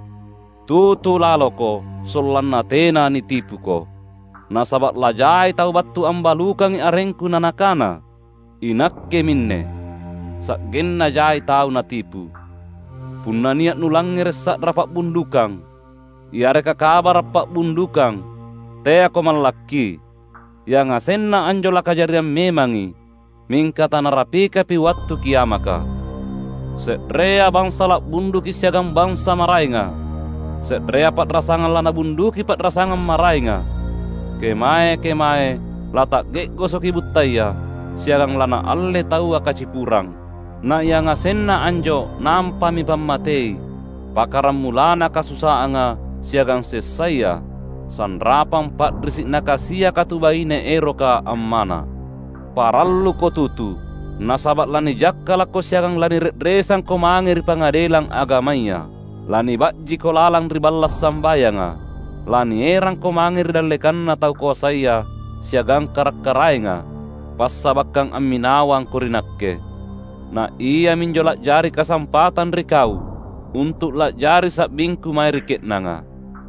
"Tutu laloko, sollanna tena nitipuko. Nasaba’ lajai tau battu ambalukangi arengKu na nakana, 'INakke minne,' sa'genna jai tau natipu. Punna nia’ nulangngere’ sa'ra pa'bundukang, yareka kabara’ pa'bundukang, teako mallakki. Yangasenna anjo lakajariang memangi, mingka tanarapikapi wattu kiamaka. Se'rea bangsa la'bunduki siagang bangsa maraenga. Se'rea pa'rasangang lanabunduki pa'rasangang maraenga. Kemae-kemae lata'ge'gosoki buttaya, siagang lanaalle taua kacipurang. Na yangasenna anjo nampami pammatei, pakkaramulana kasusaanga siagang sessaya, sanrapang pa'risi’ nakasiaka tu baine eroka ammana. Paralluko tutu, nasaba’ lanijakkalakko siagang lanire'resangko mange ri pangadelang agamaya. Laniba'jiko lalang ri balla’ sambayanga. Lanierangko mange ri dallekanna tau koasaya siagang kara’-karaenga, passabakkang amminawangko ri Nakke. Na iaminjo la'jari kasampatang ri kau untu’ la'jari sa'bingKu mae ri ke'nanga.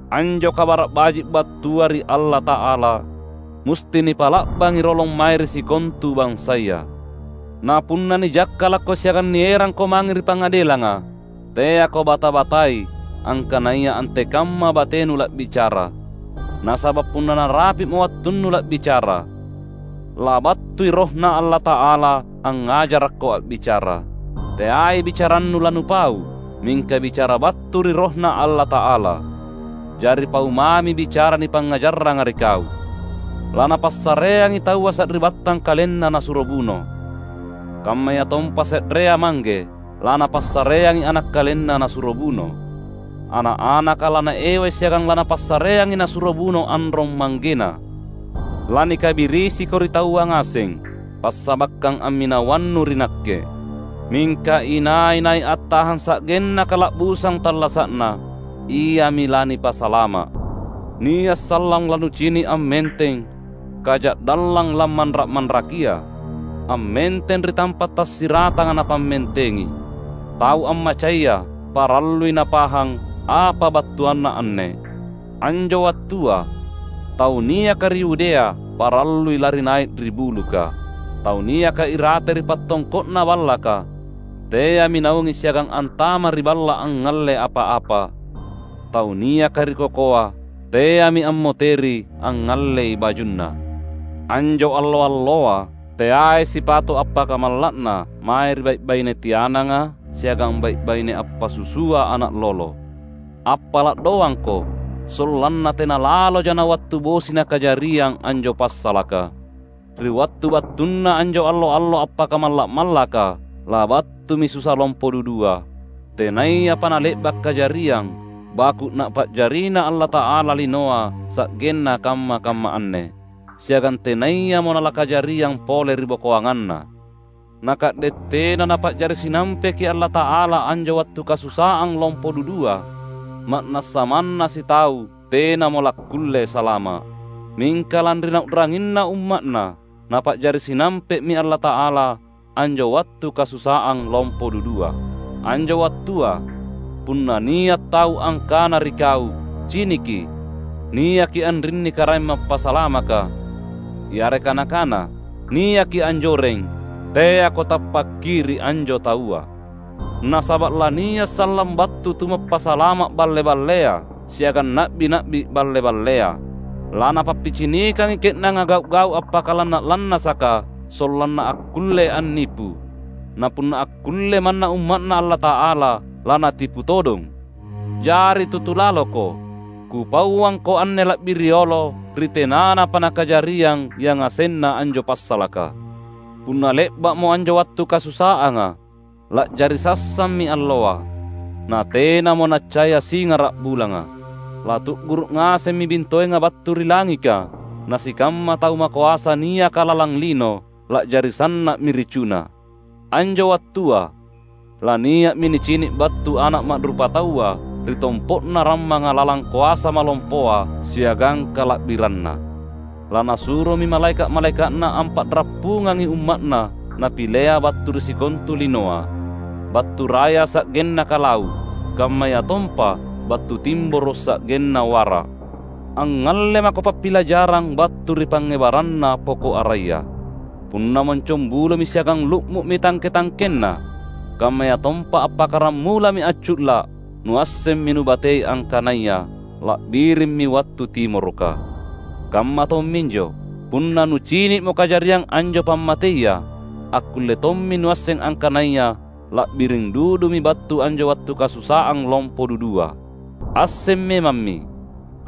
Anjo Kabara’ Baji’ battua ri Allata'ala musti nipa'la'bangi rolong mae ri sikontu bansaya. Na punna nijakkalakko siagang nierangko mange ri pangadelanga, teako bata-batai angkanaya antekamma batenu la'bicara. Nasaba’ punna narapi'mo wattunnu la'bicara, labattui RohNa Allata'ala angngajarakko a'bicara. Teai bicarannu lanupau, mingka bicara battu ri RohNa Allata'ala. Jari pau mami bicara nipangngajarranga ri kau. Lanapassareangi taua sari'battang kalenna nasuro buno. Kammayatompa se'rea mangge lanapassareangi ana’ kalenna nasuro buno. Ana’-anaka lanaewai siagang lanapassareangi nasuro buno anrong manggena. Lanikabirisiko ri taua ngaseng, passabakkang amminawannu ri Nakke. Mingka inai-nai attahang sa'genna kala'busang tallasa'na, iami lanipasalama’. Nia’ sallang lanucini’ ammenteng, kaja'dallang lammanra’-manrakia. Ammenteng ri tampa’ tassiratanga napammentengi. Tau ammacaya parallui napahang apa battuanna anne. Anjo wattua, tau niaka ri Yudea parallui lari nai’ ri buluka. Tau niaka irate ri pattongko'na ballaka, teami naungi siagang antama’ ri balla’ angngalle apa-apa. Tau niaka ri kokoa, teami ammoteri angngallei bajunna. Anjo allo-alloa teai sipato’ appakamalla'na mae ri bai’-baine tiananga siagang bai’-baine appasusua ana’ lolo. Appala’ doangko, sollanna tena laloja nawattu bosi nakajariang anjo passalaka. Ri wattu battunna anjo allo-allo appakamalla’-mallaka, labattumi susa lompo dudua, tenayapa nale'ba’ kajariang, baku’ Napa'jarina Allata'ala linoa sa'genna kamma-kamma anne, siagang tenayamo nalakajariang pole ri bokoanganna. Na ka'de’ tena Napa'jari sinampeki Allata'ala anjo wattu kasusaang lompo dudua, ma'nassa manna sitau tenamo lakkulle salama’. Mingka lanri nau'ranginna umma'Na, Napa'jari sinampe'mi Allata'ala anjo wattu kasusaang lompo dudua. Anjo wattua, punna nia’ tau angkana ri kau, "Ciniki, niaki anrinni Karaeng Mappasalamaka," yareka nakana, "Niaki anjoreng," teako tappakki ri anjo taua. Nasaba’ lania’ sallang battu Tumappasalama’ balle-ballea siagang na'bi-na'bi balle-ballea. Lanapappicinikangi ke'nanga gau’-gau’ appakalanna’-lannasaka sollanna akkulle annipu. Na punna akkulle manna umma'Na Allata'ala, lanatipu todong. Jari tutu laloko, Kupauangko anne la'bi riolo ri tenanapa nakajariang yangasenna anjo passalaka. Punna le'ba'mo anjo wattu kasusaanga, la'jari sassammi alloa, natenamo naccaya singara’ bulanga. Latu'guru’ ngasemmi bintoenga battu ri langika, na sikamma tau makoasa niaka lalang lino la'jari sanna'mi ricuna. Anjo wattua, lania'mi nicini’ battu Ana’ Ma'rupataua ri tompo'na rammanga lalang koasa malompoa siagang kala'biranNa. Lanasuromi malaeka’-malaeka'Na ampa'rappungangi umma'Na Napilea battu ri sikontu linoa, battu raya sa'genna kalau’, kammayatompa battu timboro’ sa'genna wara’. Angngalle mako pappilajarang battu ri pangngebaranna poko’ araya. Punna moncong bulomi siagang lu'mu'mi tangke-tangkenna, kammayatompa appakkaramulami accu'la’, nuassemmi nubatei angkanaya la'birimmi wattu timoroka. Kamma tomminjo, punna nucini'mo kajariang anjo pammateia, akkulle tommi nuasseng angkanaya la'biring dudumi battu anjo wattu kasusaang lompo dudua. Asseng memammi,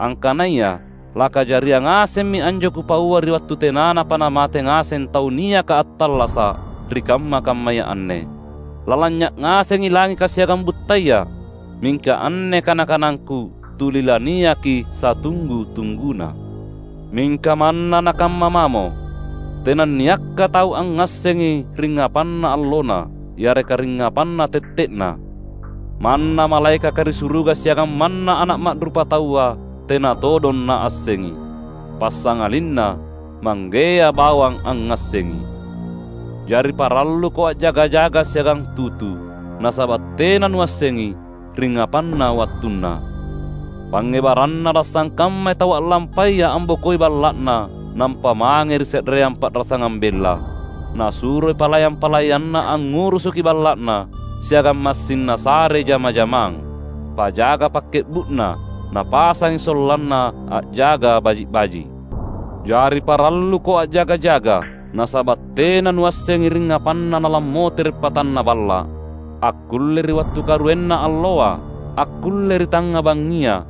angkanaya lakajariang ngasemmi anjo Kupaua ri wattu tenanapa namate ngaseng tau niaka attallasa’ ri kamma-kammaya anne. Lalanynya’ ngasengi langika siagang buttaya, mingka anne kana-kanangKu tuli laniaki satunggu-tungguna. Mingka manna nakamma mamo, tenanniakka tau angngassengi ringngapanna allona yareka ringngapanna tette'na. Manna malaekaka ri suruga siagang manna Ana’ Ma'rupataua tena todong naassengi, passangalinna Manggea bawang angngassengi. Jari paralluko a'jaga-jaga siagang tutu, nasaba’ tena nuassengi ringngapanna wattunna. Pangngebaranna lassangkammai tau a'lampaya ambokoi balla'na nampa mange ri se'reang pa'rasangang bella. Nasuroi palayang-palayanna angngurusuki balla'na siagang massing nasare jama-jamang, pajaga pakke'bu'na, napasangi sollanna a'jaga baji’-baji’. Jari paralluko a'jaga-jaga, nasaba’ tena nuassengi ringngapanna nalammotere’ patanna balla’. Akkulle ri wattu karuenna alloa, akkulle ri tangnga bangngia,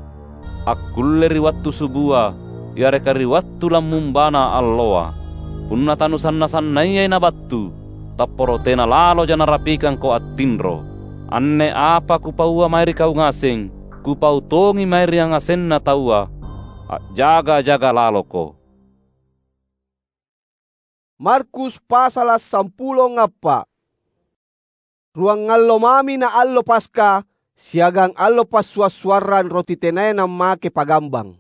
akkulle ri wattu subua, yareka ri wattu lammumbana alloa. Punna tanusanna-sannayai nabattu, tapporo tena laloja narapikangko attinro. Anne apa Kupaua mae ri kau ngaseng, Kupau tongi mae ri yangasenna taua. A'jaga-jaga laloko. Markus pasala’ sampulo ngappa’. Ruangallo mami na allo Paska siagang allo Passua’-suarrang Roti Tenaya Nammake Pagambang.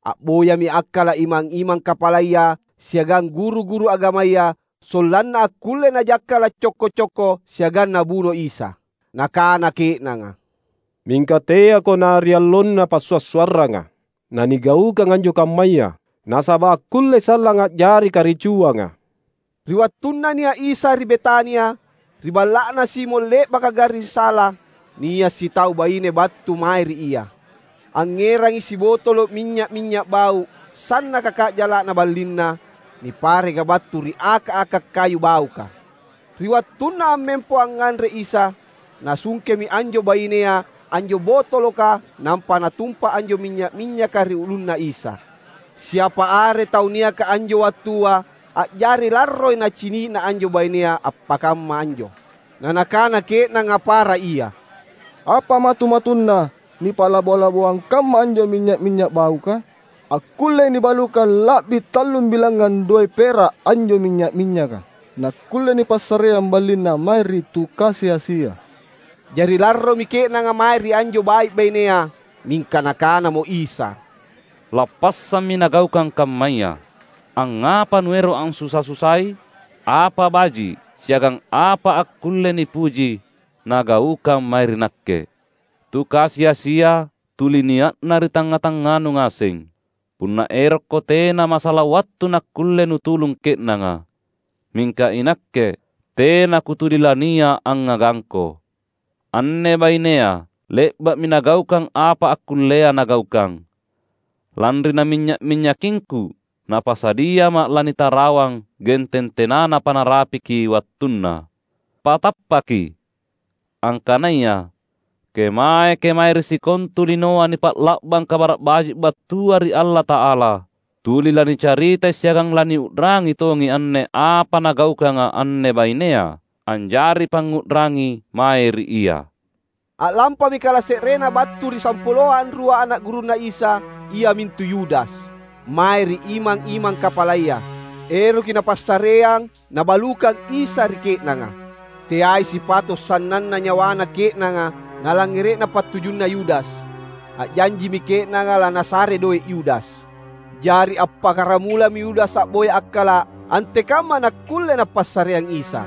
A'boyami akkala’ imang-imang kapalaya siagang guru-guru agamaya sollanna akkulle najakkala’ cokko-cokko siagang nabuno Isa. Nakana ke'nanga, "Mingka teako na ri allonna Passua’-suarranga nanigaukang anjo kammaya, nasaba’ akkullei sallang a'jari karicuanga." Ri wattunna nia’ Isa ri Betania, ri balla'na Simon le'baka garring sala, nia’ sitau baine battu mae ri Ia. Angngerangi sibotolo’ minynya’-minynya’ bau’ sannaka ka'jala'na ballinna, nipareka battu ri aka’-aka’ kayu bauka. Ri wattunna ammempo angnganre Isa, nasungkemi anjo bainea anjo botoloka nampa natumpa anjo minynya’-minynyaka ri ulunna Isa. Siapa are tau niaka anjo wattua, a'jari larroi nacini'na anjo bainea appakamma anjo. Na nakana ke'nanga para ia, "Apa matu-matunna nipa'labo-laboang kamma anjo minynya’-minynya’ bauka? Akkullei nibalukang la'bi tallumbilangngang doe’ pera’ anjo minynya’-minynyaka, nakkulle nipassareang ballinna mae ri tu kasi-asia." Jari larromi ke'nanga mae ri anjo bai’-bainea, mingka Nakanamo Isa, "Lappassammi nagaukang kammaya. Angngapa nuero’ ansusa-susai? Apa baji’ siagang apa akkulle nipuji nagaukang mae ri Nakke. Tu kasi-asia tuli nia'na ri tangnga-tangnganu ngaseng. Punna erokko tena masala wattu nakkulle nutulung ke'nanga. Mingka iNakke tena Kutuli lania’ angngagangko. Anne bainea le'ba'mi nagaukang apa akkullea nagaukang. Lanri naminynya’-minynyakingKu, napasadiaMa’ lanitarawang genteng tenanapa narapiki wattunna. Patappaki, angkanaya kemae-kemae ri sikontu linoa nipa'la'bang Kabara’ Baji’ battua ri Allata'ala, tuli lanicaritai siagang laniu'rangi tongi anne apa nagaukanga anne bainea, anjari pangngu'rangi mae ri ia." A'lampami kalase'renna battu ri sampuloa anrua ana’ gurunNa Isa, iamintu Yudas, mae ri imang-imang kapalaya. Eroki Napassareang Nabalukang Isa ri ke'nanga. Teai sipato’ sannanna nyawana ke'nanga nalangngere'na pattujunna Yudas. A'janjimi ke'nanga lanasare doe’ Yudas. Jari appakkaramulami Yudas a'boya akkala’ antekamma nakkulle Napassareang Isa.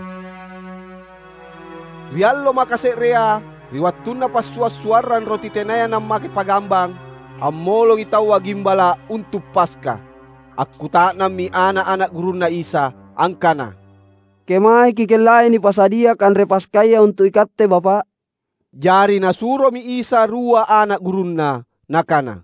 Ri allo makase'rea, ri wattunna passua’-suarrang roti tenaya nammake pagambang, ammolongi taua gimbala’ untu’ Paska. Akkuta'nammi ana’-ana’ gurunNa Isa angkana, "Kemae Kikellai nipasadia kanre Paskaya untu’ iKatte, Bapa’?" Jari Nasuromi Isa rua ana’ gurunNa, Nakana,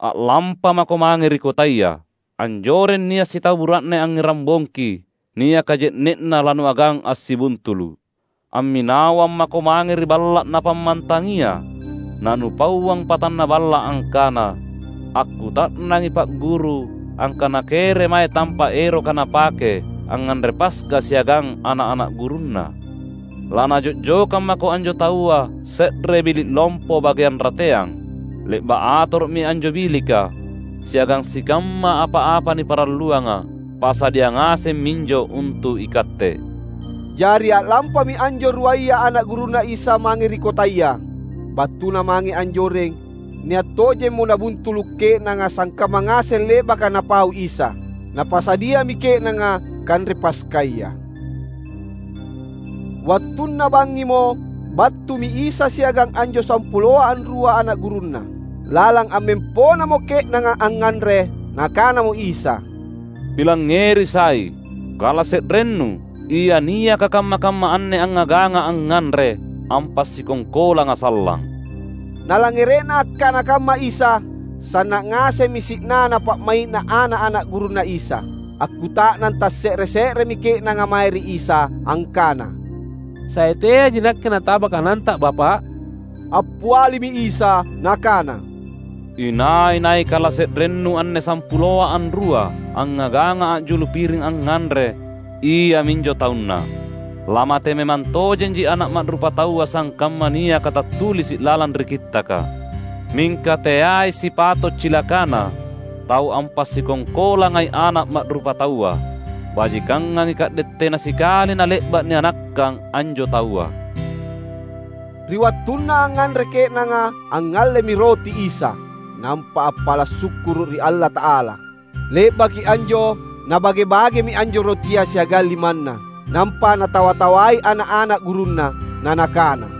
"A'lampa mako mange ri kotaya. Anjoreng nia’ sitau bura'ne angngerang bongki, niaka je'ne'na lanuagang assibuntulu’. Amminawang mako mange ri balla’ napammantangia, nanupauang patanna balla’ angkana, ‘Akkuta'nangi Pa'guru angkana kere mae tampa’ eroka napake angnganre Paska siagang ana’-ana’ gurunNa.’ Lanajokang mako anjo taua se're bili’ lompo bageang rateang, le'ba’ atoro'mi anjo bilika, siagang sikamma apa-apa niparalluanga, pasadia ngaseng minjo untu’ ikatte." Jari a'lampami anjo ruaya ana’ gurunNa Isa mange ri kotaya. Battuna mange anjoreng, nia’ tojemmo nabuntulu’ ke'nanga sangkamma ngaseng le'baka Napau Isa. Napasadiami ke'nanga kanre Paskaya. Wattunna bangngimo, battumi Isa siagang anjo sampuloa anrua ana’ gurunNa. Lalang ammemponamo ke'nanga angnganre, Nakanamo Isa, "Pilangngeri sai, kalase'rennu, ia niaka kamma-kamma anne angngaganga angnganre, ampasikongkolanga sallang." Nalangngere'na akkana kamma Isa, sanna’ ngasemmi si'nana pa'mai'na ana’-ana’ gurunNa Isa. Akkuta'nang tasse're-se'remi ke'nanga mae ri Isa angkana, "Sae teaji nakke nataba kananta, Bapa’?" Appialimi Isa Nakana, "Inai-nai kalase'rennu anne sampuloa anrua angngaganga a'julu piring angnganre, iaminjo taunna. Lamate memang tojenji Ana’ Ma'rupataua sangkamma niaka tattulisi’ lalang ri Kittaka. Mingka teai sipato’ cilakana tau ampasikongkolangai Ana’ Ma'rupataua. Bajikangangi ka'de tena sikali nale'ba’ nianakkang anjo taua." Ri wattunna angnganre ke'nanga, angngallemi roti Isa, nampa appala’ sukkuru’ ri Allata'ala. Le'baki anjo, Nabage-bagemi anjo rotia siagang limanNa, nampa Natawa-tawai ana’-ana’ gurunNa, na Nakana,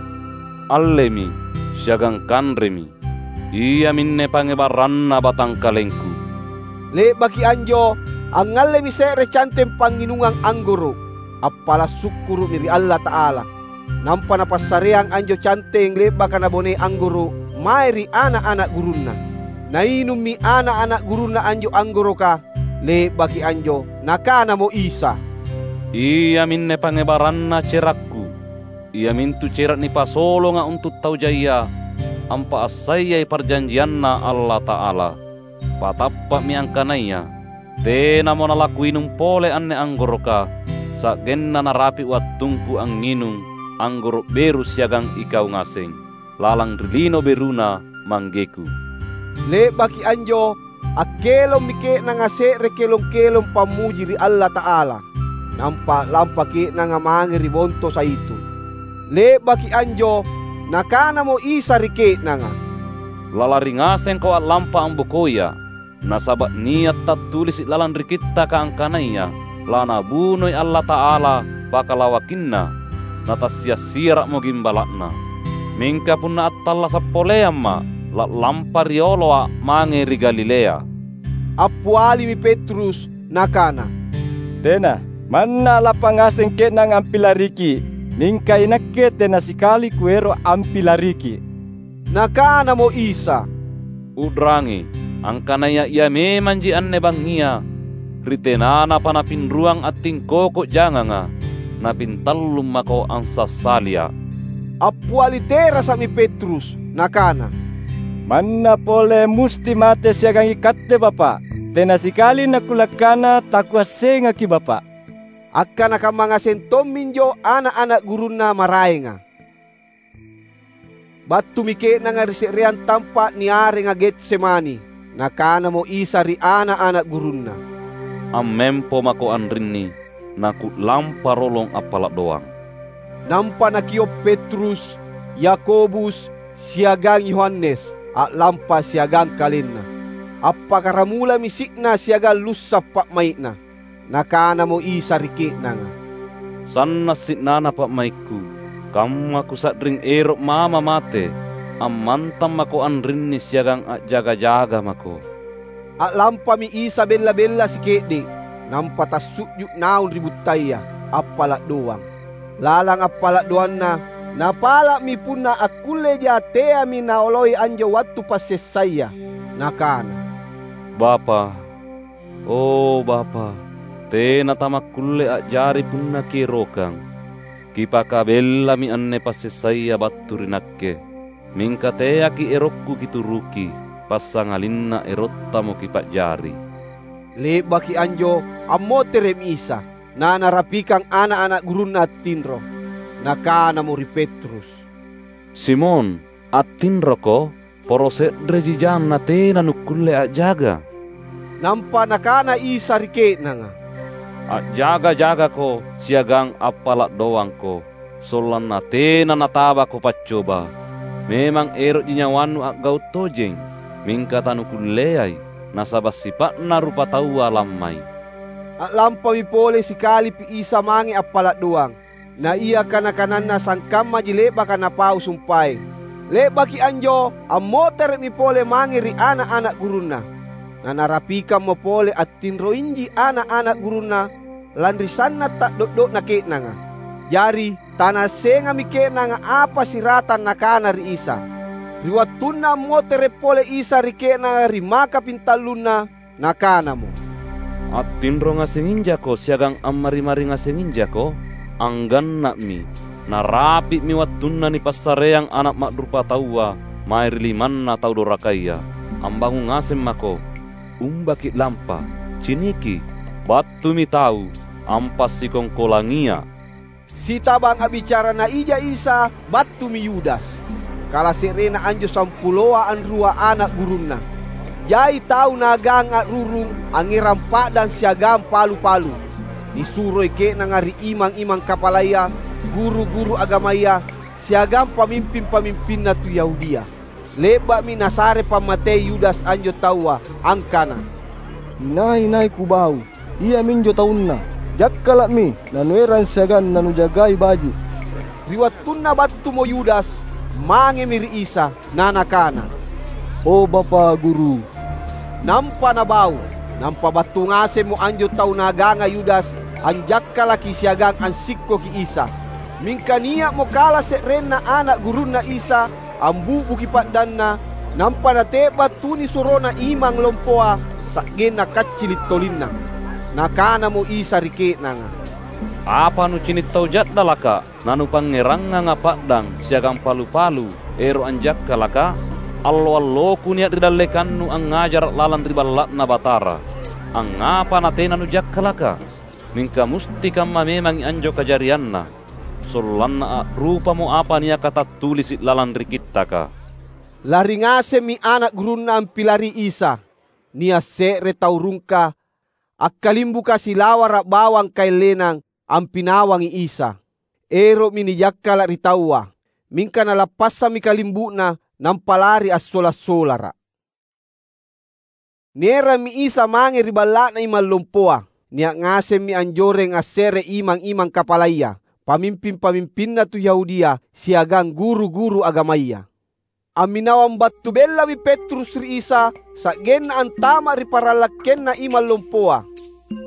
"Allemi, siagang kanremi. Iaminne pangngebarranna batangkalengKu." Le'baki anjo, angngallemi se're canteng pangnginungang anggoro’, appala’ sukkuru'mi ri Allata'ala. Nampa Napassareang anjo canteng le'baka Nabonei anggoro’ mae ri ana’-ana’ gurunNa. Nainummi ana’-ana’ gurunNa anjo anggoroka. Le'baki anjo, Nakanamo Isa, "Iaminne pangngebarranna cerakKu, iamintu cera’ nipasolonga untu’ tau jaia, ampaassaiyai parjanjianNa Allata'ala. Patappa'mi angkanaya tenamo nalaKuinung pole anne anggoroka, sa'genna narapi’ wattungKu angnginung anggoro’ beru siagang ikau ngaseng, lalang ri lino beruna ManggeKu." Le'baki anjo, akkelommi ke'nanga se're kelong-kelong pammuji ri Allata'ala. Nampa a'lampa ke'nanga mange ri Bonto Zaitun. Le'baki anjo, Nakanamo Isa ri ke'nanga, "Lalari ngasengko a'lampa ambokoiA’, nasaba’ nia’ tattulisi’ lalang ri Kittaka angkanaya, ‘LaNabunoi Allata'ala pakalawakinNa, natassiassiara'mo gimbala'Na.’ Mingka punna attallasa’ poleamMa’, la'lampa rioloA’ mange ri Galilea." Appialimi Petrus, nakana, "Tena! Manna a'lampa ngaseng ke'nanga ampilariki’, mingka iNakke tena sikali Kuero’ ampilariki’." Nakanamo Isa, "U'rangi, angkanaya Ia memanji anne bangngia, ri tenanapa napinruang attingkoko janganga, napintallung mako ansassalia’." Appiali terasa'mi Petrus, nakana, "Manna pole musti mate siagang iKatte, Bapa’. Tena sikali naKulakkana taKuassengaKi’, Bapa’." Akkana kamma ngaseng tomminjo ana’-ana’ gurunNa maraenga. Battumi ke'nanga ri se'reang tampa’ niarenga Getsemani. Nakanamo Isa ri ana’-ana’ gurunNa, ammempo mako anrinni, naku'lampa rolong appala' doang." Nampa nakio' Petrus, Yakobus, siagang Yohanes a'lampa siagang kalenna. Appakkaramulami si'na siagang lussa' pa'mai'na. Nakanamo Isa ri ke'nanga, "Sanna’ si'nana pa'maikKu, kamma Kusa'ring ero’ mama mate. Ammantang mako anrinni siagang a'jaga-jaga mako." A'lampami Isa bella-bella sike'de’, nampa tassu'ju’ naung ri buttaya, appala’ doang. Lalang appala’ doanNa, Napala'mi punna akkulleja teami Naoloi anjo wattu passessaya. Nakana, "Bapa’, O Bapa’, tena tamakkulle a'jari punna Kierokang. Kipakabellami anne passessaya battu ri Nakke. Mingka teaki’ erokKu Kituruki, passangalinna erottamo Kipa'jari." Le'baki anjo, ammotere'mi Isa, na Narapikang ana’-ana’ gurunNa attinro. Nakanamo ri Petrus, "Simon, attinroko? Poro se'reji jang natena nukkulle a'jaga?" Nampa Nakana Isa ri ke'nanga, "A'jaga-jagako siagang appala’ doangko, sollanna tena natabako paccoba. Memang ero'ji nyawannu a'gau’ tojeng, mingka tanukulleai, nasaba’ sipa'na rupataua lammai." A'lampami pole sikalipi Isa mange appala’ doang. Na ia kana-kananna sangkammaji le'baka Napau sumpaeng. Le'baki anjo, ammotere'mi pole mange ri ana’-ana’ gurunNa. Na Narapikammo pole attinroinji ana’-ana’ gurunNa lanri sanna’ ta'do'do'na ke'nanga. Jari, tanaassengammi ke'nanga apa siratang Nakana ri Isa. Ri wattunna ammotere’ pole Isa ri ke'nanga ri maka pintallunna, Nakanamo, "Attinro ngasenginjako siagang ammari-mari ngasenginjako?" Angganna'mi, narapi'mi wattunna nipassareang Ana’ Ma'rupataua mae ri limanna tau dorakaya. Ambangung ngaseng mako. Umbaki’ lampa, ciniki, battumi tau ampasikongkolangiA’. Sitabang a'bicara Naija Isa, battumi Yudas, kalase'renna anjo sampuloa anrua ana’ gurunNa. Jai tau naagang a'rurung angngerang pa'dang siagang palu-palu. Nisuroi ke'nanga ri imang-imang kapalaya, guru-guru agamaya, siagang pamimping-pamimpinna tu Yahudia. Le'ba'mi nasare pammatei Yudas anjo taua angkana, "Inai-nai kubau, iaminjo taunna. Jakkala'mi nanuerang siagang nanujagai baji’." Ri wattunna battumo Yudas, mangemi ri Isa, na nakana, "O Bapa, Guru." Nampa nabau. Nampa battu ngasemmo anjo tau naaganga Yudas anjakkalaki siagang ansikkoki Isa. Mingka nia'mo kala se'renna ana’ gurunNa Isa ambu'buki pa'danna, nampa nate'ba’ tunisurona imang lompoa sa'genna kaccili’ tolinna. Nakanamo Isa ri ke'nanga, "Apa nucini’ tau ja'dalaka, nanupangngéranganga pa'dang siagang palu-palu ero’ anjakkalaka? Allo-alloKu nia’ ri dallekannu angngajara’ lalang ri Balla'Na Batara. Angngapa natena nujakkalaka? Mingka musti kamma memangi anjo kajarianna, sollanna a'rupamo apa niaka tattulisi’ lalang ri Kittaka." Lari ngasemmi ana’ gurunNa ampilari Isa. Nia’ se're tau rungka, akkalimbuka silawara’ bawang kaeng lenang, ampinawangi Isa. Ero'mi nijakkala’ ri taua, mingka nalappassammi kalimbu'na, nampa lari assola’-solara’. Nierammi Isa mange ri balla'na imang lompoa. Nia’ ngasemmi anjoreng asse're imang-imang kapalaya, pamimping-pamimpinna tu Yahudia, siagang guru-guru agamaya. Amminawang battu bellami Petrus ri Isa, sa'genna antama’ ri parallakkenna imang lompoa.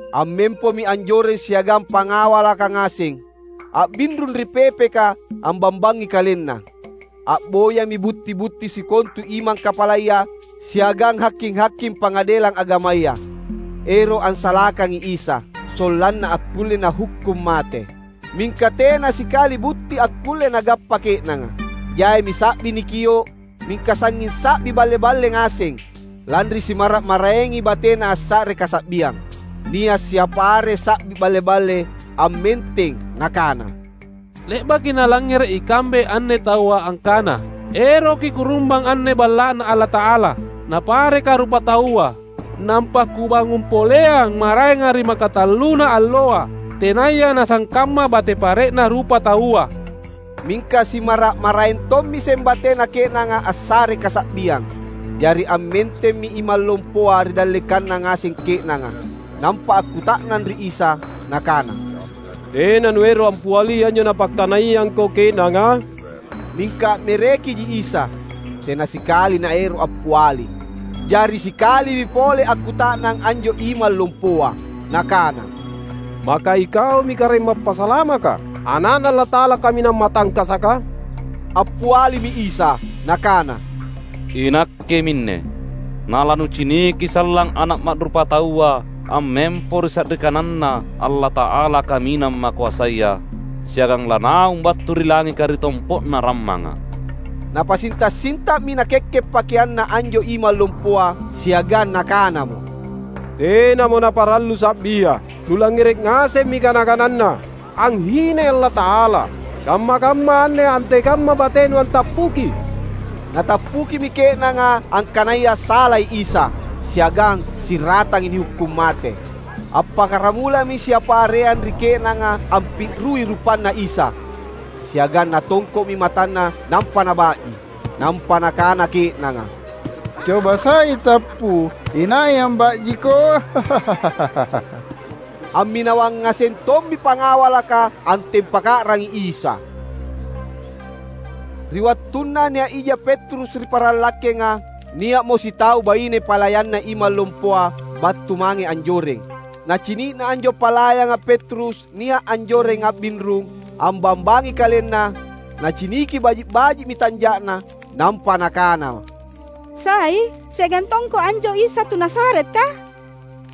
Ammempomi anjoreng siagang pangawalaka ngaseng, a'binrung ri pepeka ambambangi kalenna. A'boyami butti-butti sikontu imang kapalaya siagang haking-haking pangadelang agamaya, ero’ ansalakangi Isa, sollanna akkulle nahukkung mate. Mingka tena sikali butti akkulle nagappa ke'nanga. Jaimi sa'bi nikio’, mingka sangnging sa'bi balle-balle ngaseng, lanri simara’-maraengi batena assa're kasa'biang. Nia’ siapa are sa'bi balle-balle ammenteng, nakana, "Le'baki nalangngere’ ikambe anne taua angkana, ‘Eroki kurumbang anne Balla'Na Allata'ala, napareka rupataua.' Nampa kubangung poleang maraenga ri makatalluna alloa, tenaya nasangkamma bate pare'na rupataua." Mingka simara’-maraeng tommi sembatena ke'nanga assare kasa'biang. Jari ammentemmi imang lompoa ri dallekanna ngaseng ke'nanga, nampa akkuta'nang ri Isa, nakana, "Tena nuero’ ampiali anjo napakkanaiangko ke'nanga?" Mingka a'merekiji Isa, tena sikali naero’ appiali. Jari sikalimi pole akkuta'nang anjo imang lompoa, nakana, "Maka ikaumi Karaeng Mappasalamaka, Ana'Na Allata'ala Kaminang Matangkasaka?" Appialimi Isa, Nakana, "Inakke minne. Nalanuciniki sallang Ana’ Ma'rupataua ammempo ri sa'ri kananNa Allata'ala Kaminang Makoasaya, siagang lanaung battu ri langika ri tompo'na rammanga." Napasinta’-sinta'mi nakekke’ pakeanna anjo imang lompoa siagang nakanamo, "Tenamo naparallu sa'bia. Nulangngere’ ngasemmi kana-kananna, anghinai Allata'ala. Kamma-kamma anne antekamma batenu antappuki?" Natappukimi ke'nanga angkanaya salai Isa, siagang siratangi nihukkung mate. Appakkaramulami siapa areang ri ke'nanga ampi'rui rupanNa Isa, siagang natongko'mi matanna nampa naba'ji. Nampa nakana ke'nanga, "Coba sai tappu, inai amba'jiko?" Amminawang ngaseng tommi pangawalaka antempaka'rangi Isa. Ri wattunna nia’ ija Petrus ri parallakkenga, nia'mo sitau baine palayanna imang lompoa battu mange anjoreng. Nacini'na anjo palayanga Petrus nia’ anjoreng a'binrung, ambambangi kalenna, naciniki baji’-baji'mi tanja'na, nampa nakana, "Sai, siagang tongko anjo Isa tu Nazaretka?"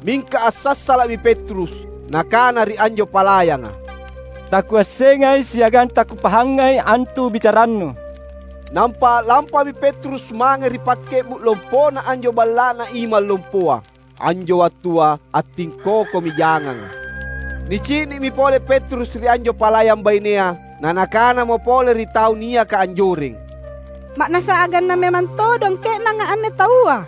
Mingka assassala'mi Petrus, nakana ri anjo palayanga, "Takuassengai siagang takupahangai antu bicarannu." Nampa a'lampami Petrus mange ri pakke'bu’ lompona anjo balla'na imang lompoa. Anjo wattua attingkokomi janganga. Nicini'mi pole Petrus ri anjo palayang bainea, nanakanamo pole ri tau niaka anjoreng, "Ma'nassa aganna memang todong ke'nanga anne taua."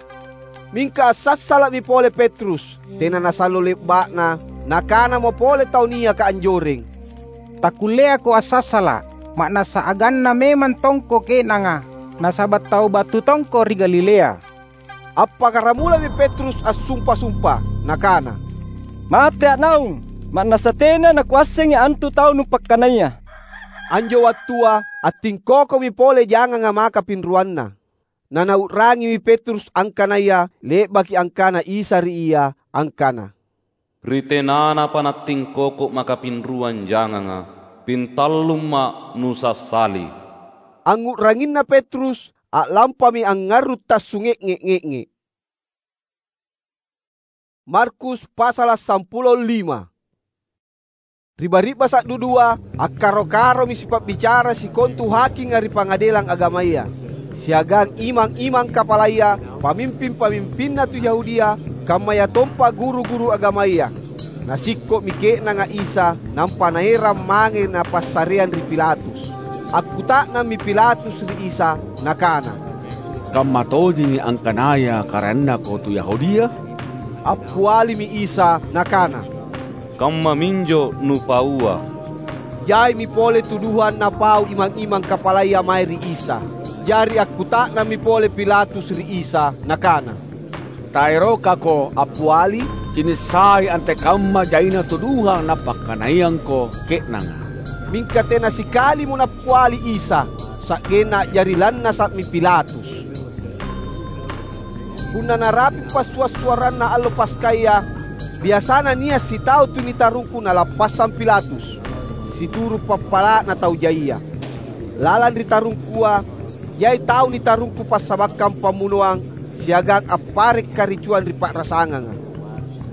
Mingka assassala'mi pole Petrus, tena nasallo le'ba'na, nakanamo pole tau niaka anjoreng, "Takkulleako assassala’, ma'nassa aganna memang tongko ke'nanga, nasaba’ tau battu tongko ri Galilea." Appakkaramulami Petrus assumpa-sumpa, nakana, "Matea’ naung, ma'nassa tena nakuassengi antu tau nupakkanaya." Anjo wattua attingkokomi pole janganga maka pinruanna. Nanau'rangimi Petrus angkanaya le'baki angkana Isa ri ia angkana, "Ri tenanapa nattingkoko maka pinruang janganga, pintallumma’ nusassali." Angngu'ranginna Petrus, a'lampami angngarru’ tassunge'nge’-nge'nge’. Markus pasala’ sampulo lima. Ri bari'basa’ dudua, akkaro-karomi sipa'bicara sikontu hakinga ri pangadelang agamaya, siagang imang-imang kapalaya, pamimping-pamimpinna tu Yahudia, kammayatompa guru-guru agamaya. Nasikko'mi ke'nanga Isa, nampa naerang mange napassareang ri Pilatus. Akkuta'nammi Pilatus ri Isa, nakana, "Kamma tojemi angkanaya KaraennaKo tu Yahudia?" Appialimi Isa, Nakana, "Kammaminjo nupaua." Jaimi pole tuduhang napau imang-imang kapalaya mae ri Isa. Jari akkuta'nammi pole Pilatus ri Isa, nakana, "TaerokKako appiali? Cini’ sai antekamma jaina tuduhang napakkanaiangKo ke'nanga." Mingka tena sikalimo nappiali Isa, sa'genna a'jari lannasa'mi Pilatus. Punna narapi’ passua’-suarranna allo Paskaya, biasana nia’ sitau tu nitarungku nalappassang Pilatus, situru’ pappala'na tau jaia. Lalang ri tarungkua, jai tau nitarungku passabakkang pammunoang siagang appare’ karicuang ri pa'rasanganga.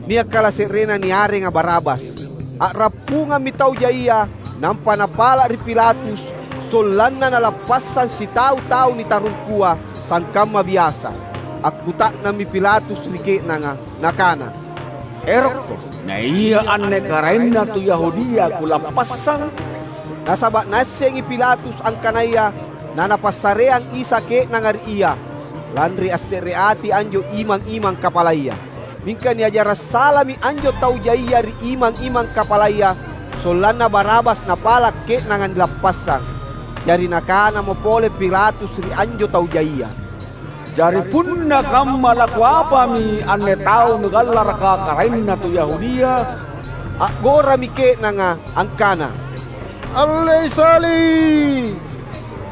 Nia’ kalase'renna niarenga Barabas. A'rappungammi tau jaia, nampa napala’ ri Pilatus, sollanna nalappassang sitau tau nitarungkua, sangkamma biasa. Akkuta'nammi Pilatus ri ke'nanga, nakana, "Erokko, naia anne Karaenna tu Yahudia kulappassang?" Nasaba’ naassengi Pilatus angkanaya nanapassareang Isa ke'nanga ri ia, lanri asse're ati anjo imang-imang kapalaya. Mingka niajara’ salami anjo tau jaia ri imang-imang kapalaya, sollanna Barabas napala’ ke'nanga nilappassang. Jari nakanamo pole Pilatus ri anjo tau jaia, "Jari punna kamma lakuapami anne tau nugallaraka Karaenna tu Yahudia?" A'gorami ke'nanga angkana, "Allei sali’!"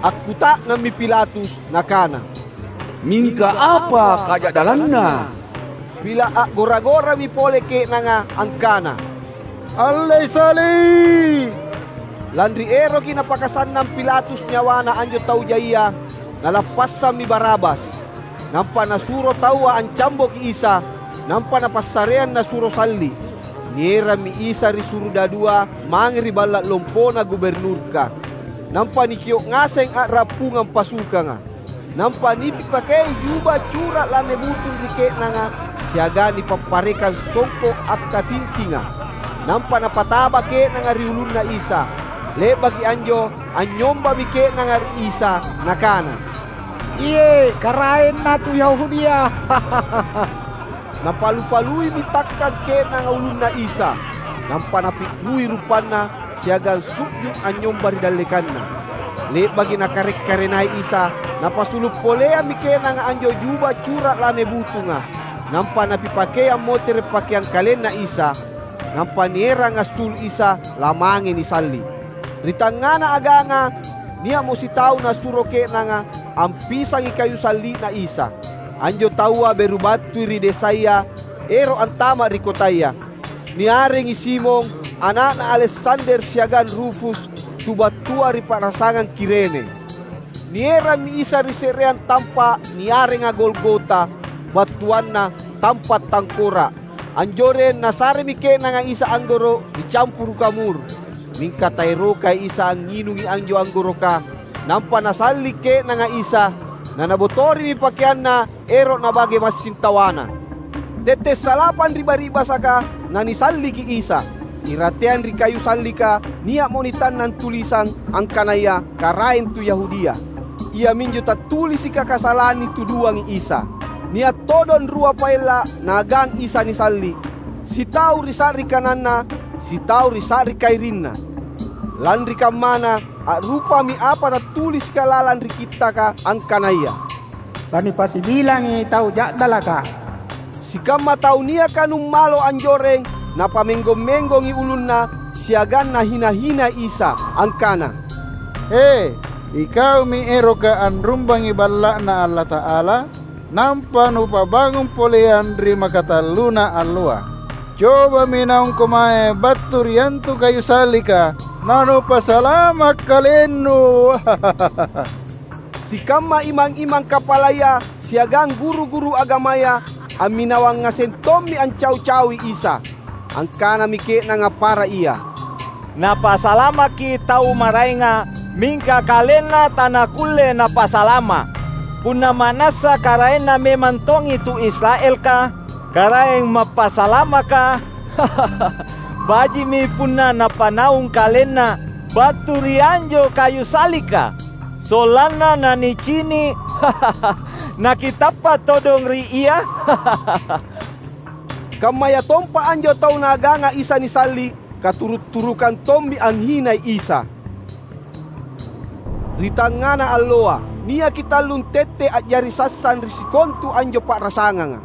Akkuta'nammi Pilatus nakana, "Mingka apa kaja'dallanna?" Pila’ a'gora-gorami pole ke'nanga angkana, "Allei sali’!" Lanri eroki napakasannang Pilatus nyawana anjo tau jaia, nalappassammi Barabas. Nampa nasuro taua ancamboki Isa, nampa napassareang nasuro salli’. Nierammi Isa ri surudadua mange ri balla’ lompona guburnurka. Nampa nikio’ ngaseng a'rappungang pasukanga. Nampa nipipakei juba cura’ lame butung ri ke'nanga, siagang nipapparekang songko’ akkatintinga. Nampa napataba ke'nanga ri ulunNa Isa. Le'baki anjo, anynyombami ke'nanga ri Isa, nakana, "Iye, Karaenna tu Yahudia!" Napalu-paluimi takkang ke'nanga ulunNa Isa, nampa napi'rui rupanNa siagang su'ju’ anynyomba ri dallekanNa. Le'baki Nakare’-karenai Isa, napasulu’ poleammi ke'nanga anjo juba cura’ lame butunga, nampa napipakeang motere’ pakeang kalenNa Isa, nampa nierang assulu’ Isa lamange nisalli’. Ri tangngana aganga, nia'mo sitau nasuro ke'nanga ampisangi kayu salli'na Isa. Anjo taua beru battui ri desaya ero’ antama’ ri kotaya. Niarengi Simon, ana'na Aleksander siagang Rufus, tu battua ri pa'rasangang Kirene. Nierammi Isa ri se'reang tampa’ niarenga Golgota, battuanna "Tampa’ Tangkora’". Anjoreng nasaremi ke'nanga Isa anggoro’ nicampuruka mur. Mingka taerokai Isa angnginungi anjo anggoroka, nampa nasalli’ ke'nanga Isa, nanabotorimi pakeanNa ero’ nabage massing tawana. Tette’ salapang ri bari'basaka nanisalliki Isa. Irateang ri kayu sallika nia'mo nitannang tulisang angkanaya, "Karaeng tu Yahudia." Iaminjo tattulisika kasalang nituduangi Isa. Nia’ todong rua paella’ naagang Isa nisalli’, sitau ri sa'ri kananNa, sitau ri sa'ri kairinNa. Lanri kammana, a'rupami apa tattulisika lalang ri Kittaka angkanaya, "Lanipasibilangi tau ja'dalaka." Sikamma tau niaka nummalo anjoreng napamenggong-menggongi ulunna siagang nahina-hinai Isa angkana, "He, ikaumi eroka anrumbangi Balla'Na Allata'ala, nampa nupabangung poleang ri makatalluna alloa. Cobami naungko mae battu ri antu kayu sallika, nanupasalama’ kalennu!" Sikamma imang-imang kapalaya siagang guru-guru agamaya amminawang ngaseng tommi ancau-caui Isa. Angkanami ke'nanga para ia, "Napasalamaki tau maraenga, mingka KalenNa tanakulle Napasalama’. Punna ma'nassa Karaenna memang tongi tu Israelka, Karaeng Mappasalamaka, baji'mi punna Napanaung KalenNa battu ri anjo kayu sallika, sollanna nanicini’, nakitappa’ todong ri Ia?" Kammayatompa anjo tau naaganga Isa nisalli’, katuru’-turukang tommi anghinai Isa. Ri tangngana alloa, niaki tallung tette’ a'jari sassang ri sikontu anjo pa'rasanganga.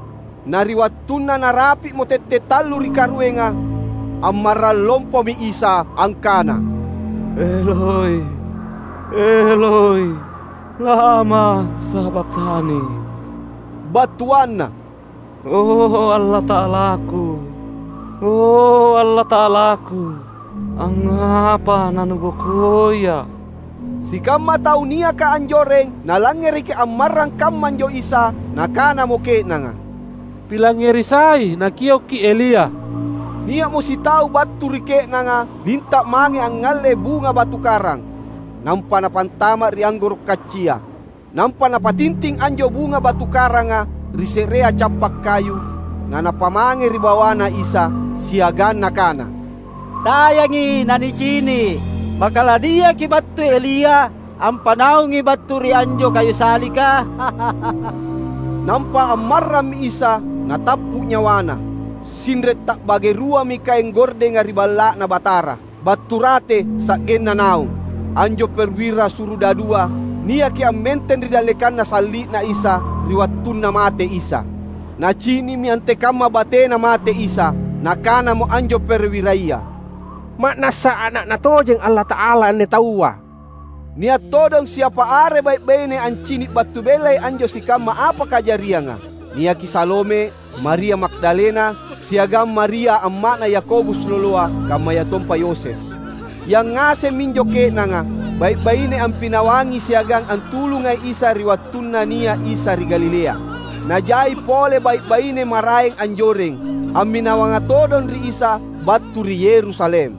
Na ri wattunna narapi'mo tette’ tallu ri karuenga, ammarrang lompomi Isa angkana, "Eloi, Eloi, lama sabakhtani?" Battuanna, "O Allata'alaku, o Allata'alaku, angngapa naNubokoiA’?" Sikamma tau niaka anjoreng nalangngereki ammarrang kammanjo Isa, nakanamo ke'nanga, "Pilangngeri sai, nakiokki Elia." Nia'mo sitau battu ri ke'nanga linta’ mange angngalle bunga batu karang, nampa napantama’ ri anggoro’ kaccia. Nampa napatinting anjo bunga batu karanga ri se'rea cappa’ kayu, nanapamange ri bawaNa Isa, siagang nakana, "Tayangi nanicini’, maka laniaki battui Elia ampanaungi battu ri anjo kayu salika?" Nampa ammarrammi Isa, natappu’ nyawana. Sinre’ ta'bage ruami kaeng gordenga ri Balla'Na Batara, battu rate sa'genna naung. Anjo perwira surudadua niaki ammenteng ri dallekanna salli'Na Isa ri wattunna mate Isa. Nacini'mi antekamma batena mate Isa. Nakanamo anjo perwiraya, "Ma'nassa Ana'Na tojeng Allata'ala anne taua!" Nia’ todong siapa are bai’-baine ancini’ battu bellai anjo sikamma apa kajarianga. Niaki Salome, Maria Magdalena, siagang Maria amma'na Yakobus loloa, kammayatompa Yoses. Yangngaseng minjo ke'nanga, bai’-baine ampinawangi siagang antulungai Isa ri wattunna nia’ Isa ri Galilea. Najai pole bai’-baine maraeng anjoreng, amminawanga todong ri Isa battu ri Yerusalem.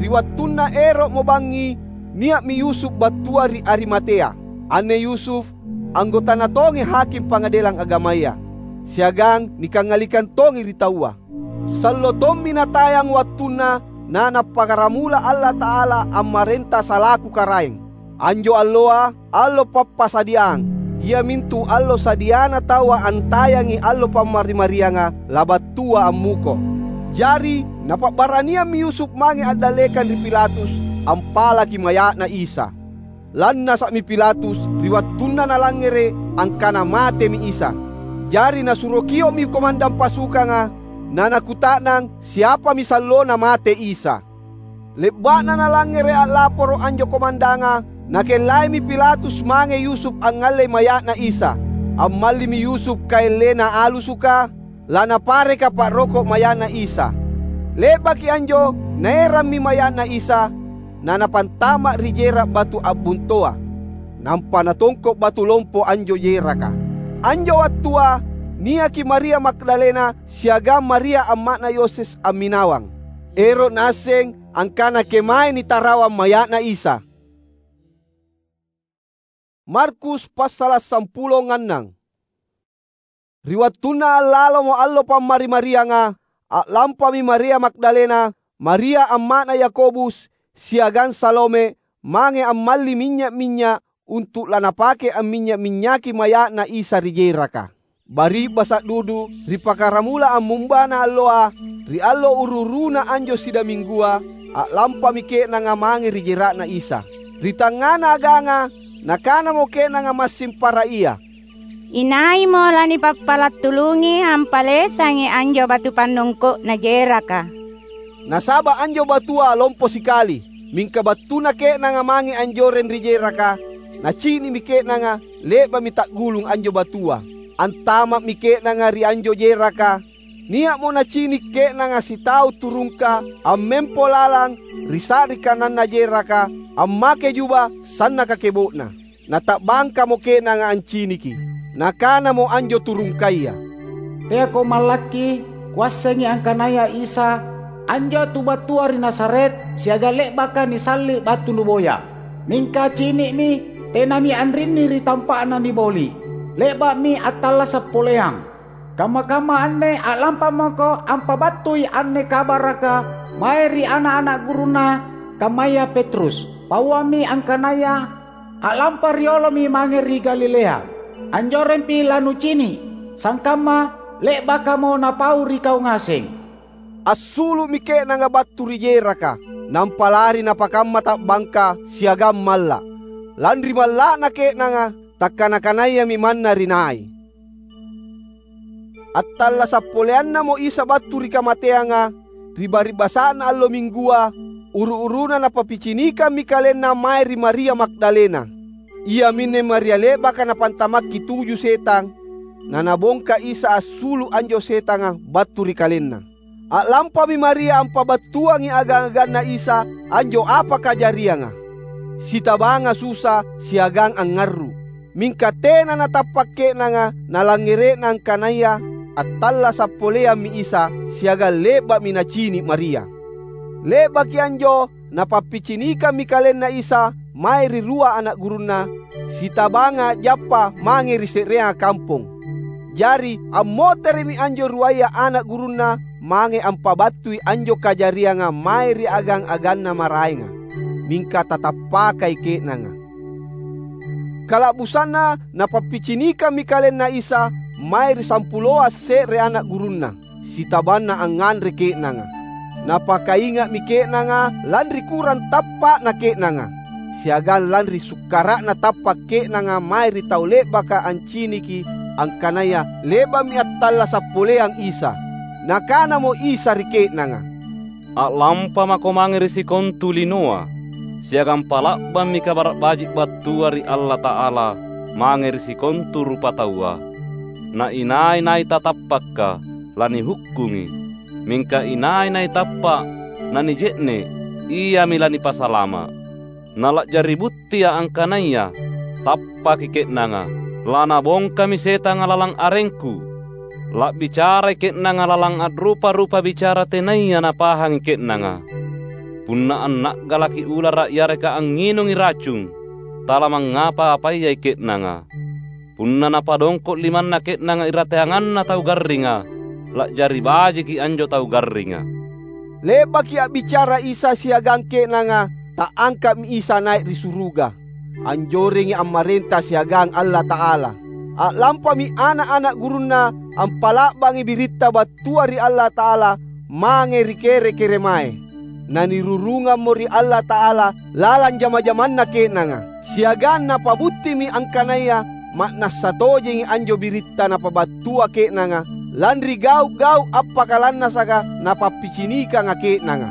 Ri wattunna ero'mo bangngi, nia'mi Yusuf battua ri Arimatea. Anne Yusuf anggotana tongi haking Pangadelang Agamaya, siagang nikangngalikang tongi ri taua. Sallo tommi natayang wattunna naNappakkaramula Allata'ala ammarenta salaku Karaeng. Anjo alloa allo Pappasadiang, iamintu allo sadiana taua antayangi allo Pammari-marianga labattua ammuko. Jari napa'baraniammi Yusuf mange a'dallekang ri Pilatus ampalaki maya'Na Isa. Lannasa'mi Pilatus ri wattunna nalangngere’ angkana matemi Isa. Jari nasuro kio'mi komandang pasukanga, nanakuta'nang siapami sallona mate Isa. Le'ba'na nalangngere’ a'laporo’ anjo komandanga, nakellaimi Pilatus mange Yusuf angngallei maya'Na Isa. Ammallimi Yusuf kaeng lena alusuka, lanapareka pa'roko’ maya'Na Isa. Le'baki anjo naerammi maya'Na Isa, nanapantama’ ri jera’ batu a'buntoa. Nampa natongko’ batu lompo anjo jeraka. Anjo wattua niaki Maria Magdalena siagang Maria amma'na Yoses amminawang, ero’ naasseng angkana kemae nitarawang maya'Na Isa. Markus passala’ sampulo ngannang. Ri wattunna allalomo allo Pammari-marianga, a'lampami Maria Magdalena, Maria amma'na Yakobus, siagang Salome mange ammalli minynya’-minynya’ untu’ lanapake amminynya’-minynyaki maya'Na Isa ri jeraka. Bari'basa’ dudu ri pakkaramula ammumbana alloa, ri allo uru-uruna anjo sidaminggua, a'lampami ke'nanga mange ri jera'Na Isa. Ri tangngana aganga, nakanamo ke'nanga massing para ia, "Inaimo lanipappala’ tulungi ampalesangi anjo batu pannongko'na jeraka?" Nasaba’ anjo batua lompo sikali. Mingka battuna ke'nanga mange anjoreng ri jeraka, nacini'mi ke'nanga le'ba'mi ta'gulung anjo batua. Antama'mi ke'nanga ri anjo jeraka. Nia'mo nacini’ ke'nanga sitau turungka ammempo lalang ri sa'ri kananna jeraka, ammake juba sannaka kebo'na. Nata'bangkamo ke'nanga anciniki. Nakanamo anjo turungkaya, "Teako mallakki, kuassengi angkanaya Isa, anjo tu battua ri Nazaret siagang le'baka nisalli’ battu nuboya. Mingka cini'mi, tenami anrinni ri tampa'na niboli’. Le'ba'mi attallasa’ poleang. Kamma-kamma anne a'lampamako ampabattui anne kabaraka mae ri ana’-ana’ gurunna, kammaya Petrus. Pauammi angkanaya a'lampa riolomi mange ri Galilea. Anjorempi lanucini’, sangkamma le'bakamo napau ri kau ngaseng." Assulu'mi ke'nanga battu ri jeraka, nampa lari napakamma ta'bangka siagang malla’. Lanri malla'na ke'nanga, takkana-kanayami manna ri nai. Attallasa’ poleannamo Isa battu ri kamateanga, ri bari'basa'na allo Minggua, uru-uruna Napappicinikammi KalenNa mae ri Maria Magdalena. Iaminne Maria le'baka napantamakki tuju setang, na Nabongka Isa assulu’ anjo setanga battu ri kalenna. A'lampami Maria ampabattuangi agang-aganNa Isa anjo apa kajarianga, sitabanga susa siagang angngarru’. Mingka tena natappa’ ke'nanga nalangngere'na angkanaya attallasa’ poleammi Isa siagang le'ba'mi nacini’ Maria. Le'baki anjo, Napappicinikammi KalenNa Isa mae ri rua ana’ gurunNa, sitabanga a'jappa mange ri se'reanga kampong. Jari ammotere'mi anjo ruaya ana’ gurunNa mange ampabattui anjo kajarianga mae ri agang-aganna maraenga. Mingka tatappakai ke'nanga. Kala'busanna Napappicinikammi KalenNa Isa, mae ri sampuloa se're ana' gurunNa, sitabanna angnganre ke'nanga. Napakainga'mi ke'nanga lanri kurang tappa'na ke'nanga, siagang lanri sukkara'na tappa’ ke'nanga mae ri tau le'baka anciniki angkanaya le'ba'mi attallasa’ poleang Isa. Nakanamo Isa ri ke'nanga, "A'lampa mako mange ri sikontu linoa, siagang pala'bammi Kabara’ Baji’ battua ri Allata'ala mange ri sikontu rupataua. Na inai-nai tatappaka, lanihukkungi. Mingka inai-nai tappa’ nanije'ne’, iami lanipasalama’. Na la'jari buttia’ angkanaya tappaki ke'nanga, lanabongkami setanga lalang arengKu. La'bicarai ke'nanga lalang a'rupa-rupa bicara tenaya napahangi ke'nanga. Punna anna'galaki ulara’ yareka angnginungi racung, talamangngapa-apayai ke'nanga. Punna napadongko’ limanna ke'nanga irateanganna tau garringa, la'jari bajiki anjo tau garringa." Le'baki a'bicara Isa siagang ke'nanga, Ta'angka'mi Isa nai’ ri suruga, anjorengi ammarenta siagang Allata'ala. A'lampami ana’-ana’ gurunNa ampala'bangi biritta battua ri Allata'ala mange ri kere-keremae. Nanirurungammo ri Allata'ala lalang jama-jamanna ke'nanga, siagang napabuttimi angkanaya ma'nassa tojengi anjo biritta napabattua ke'nanga, lanri gau’-gau’ appakalannasaka napappicinikanga ke'nanga.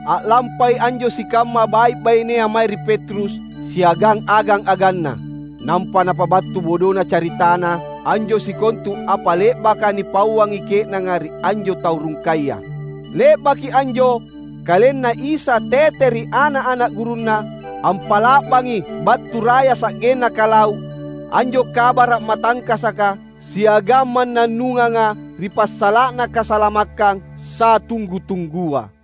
A'lampai anjo sikamma bai’-bainea mae ri Petrus siagang agang-aganna, nampa napabattu bodona caritana anjo sikontu apa le'baka nipauangi ke'nanga ri anjo tau rungkaya. Le'baki anjo, KalenNa Isa tete ri ana’-ana’ gurunNa ampala'bangi battu raya sa'genna kalau anjo kabara’ matangkasaka siagang mannannunganga ri passala'na kasalamakkang satunggu-tunggua.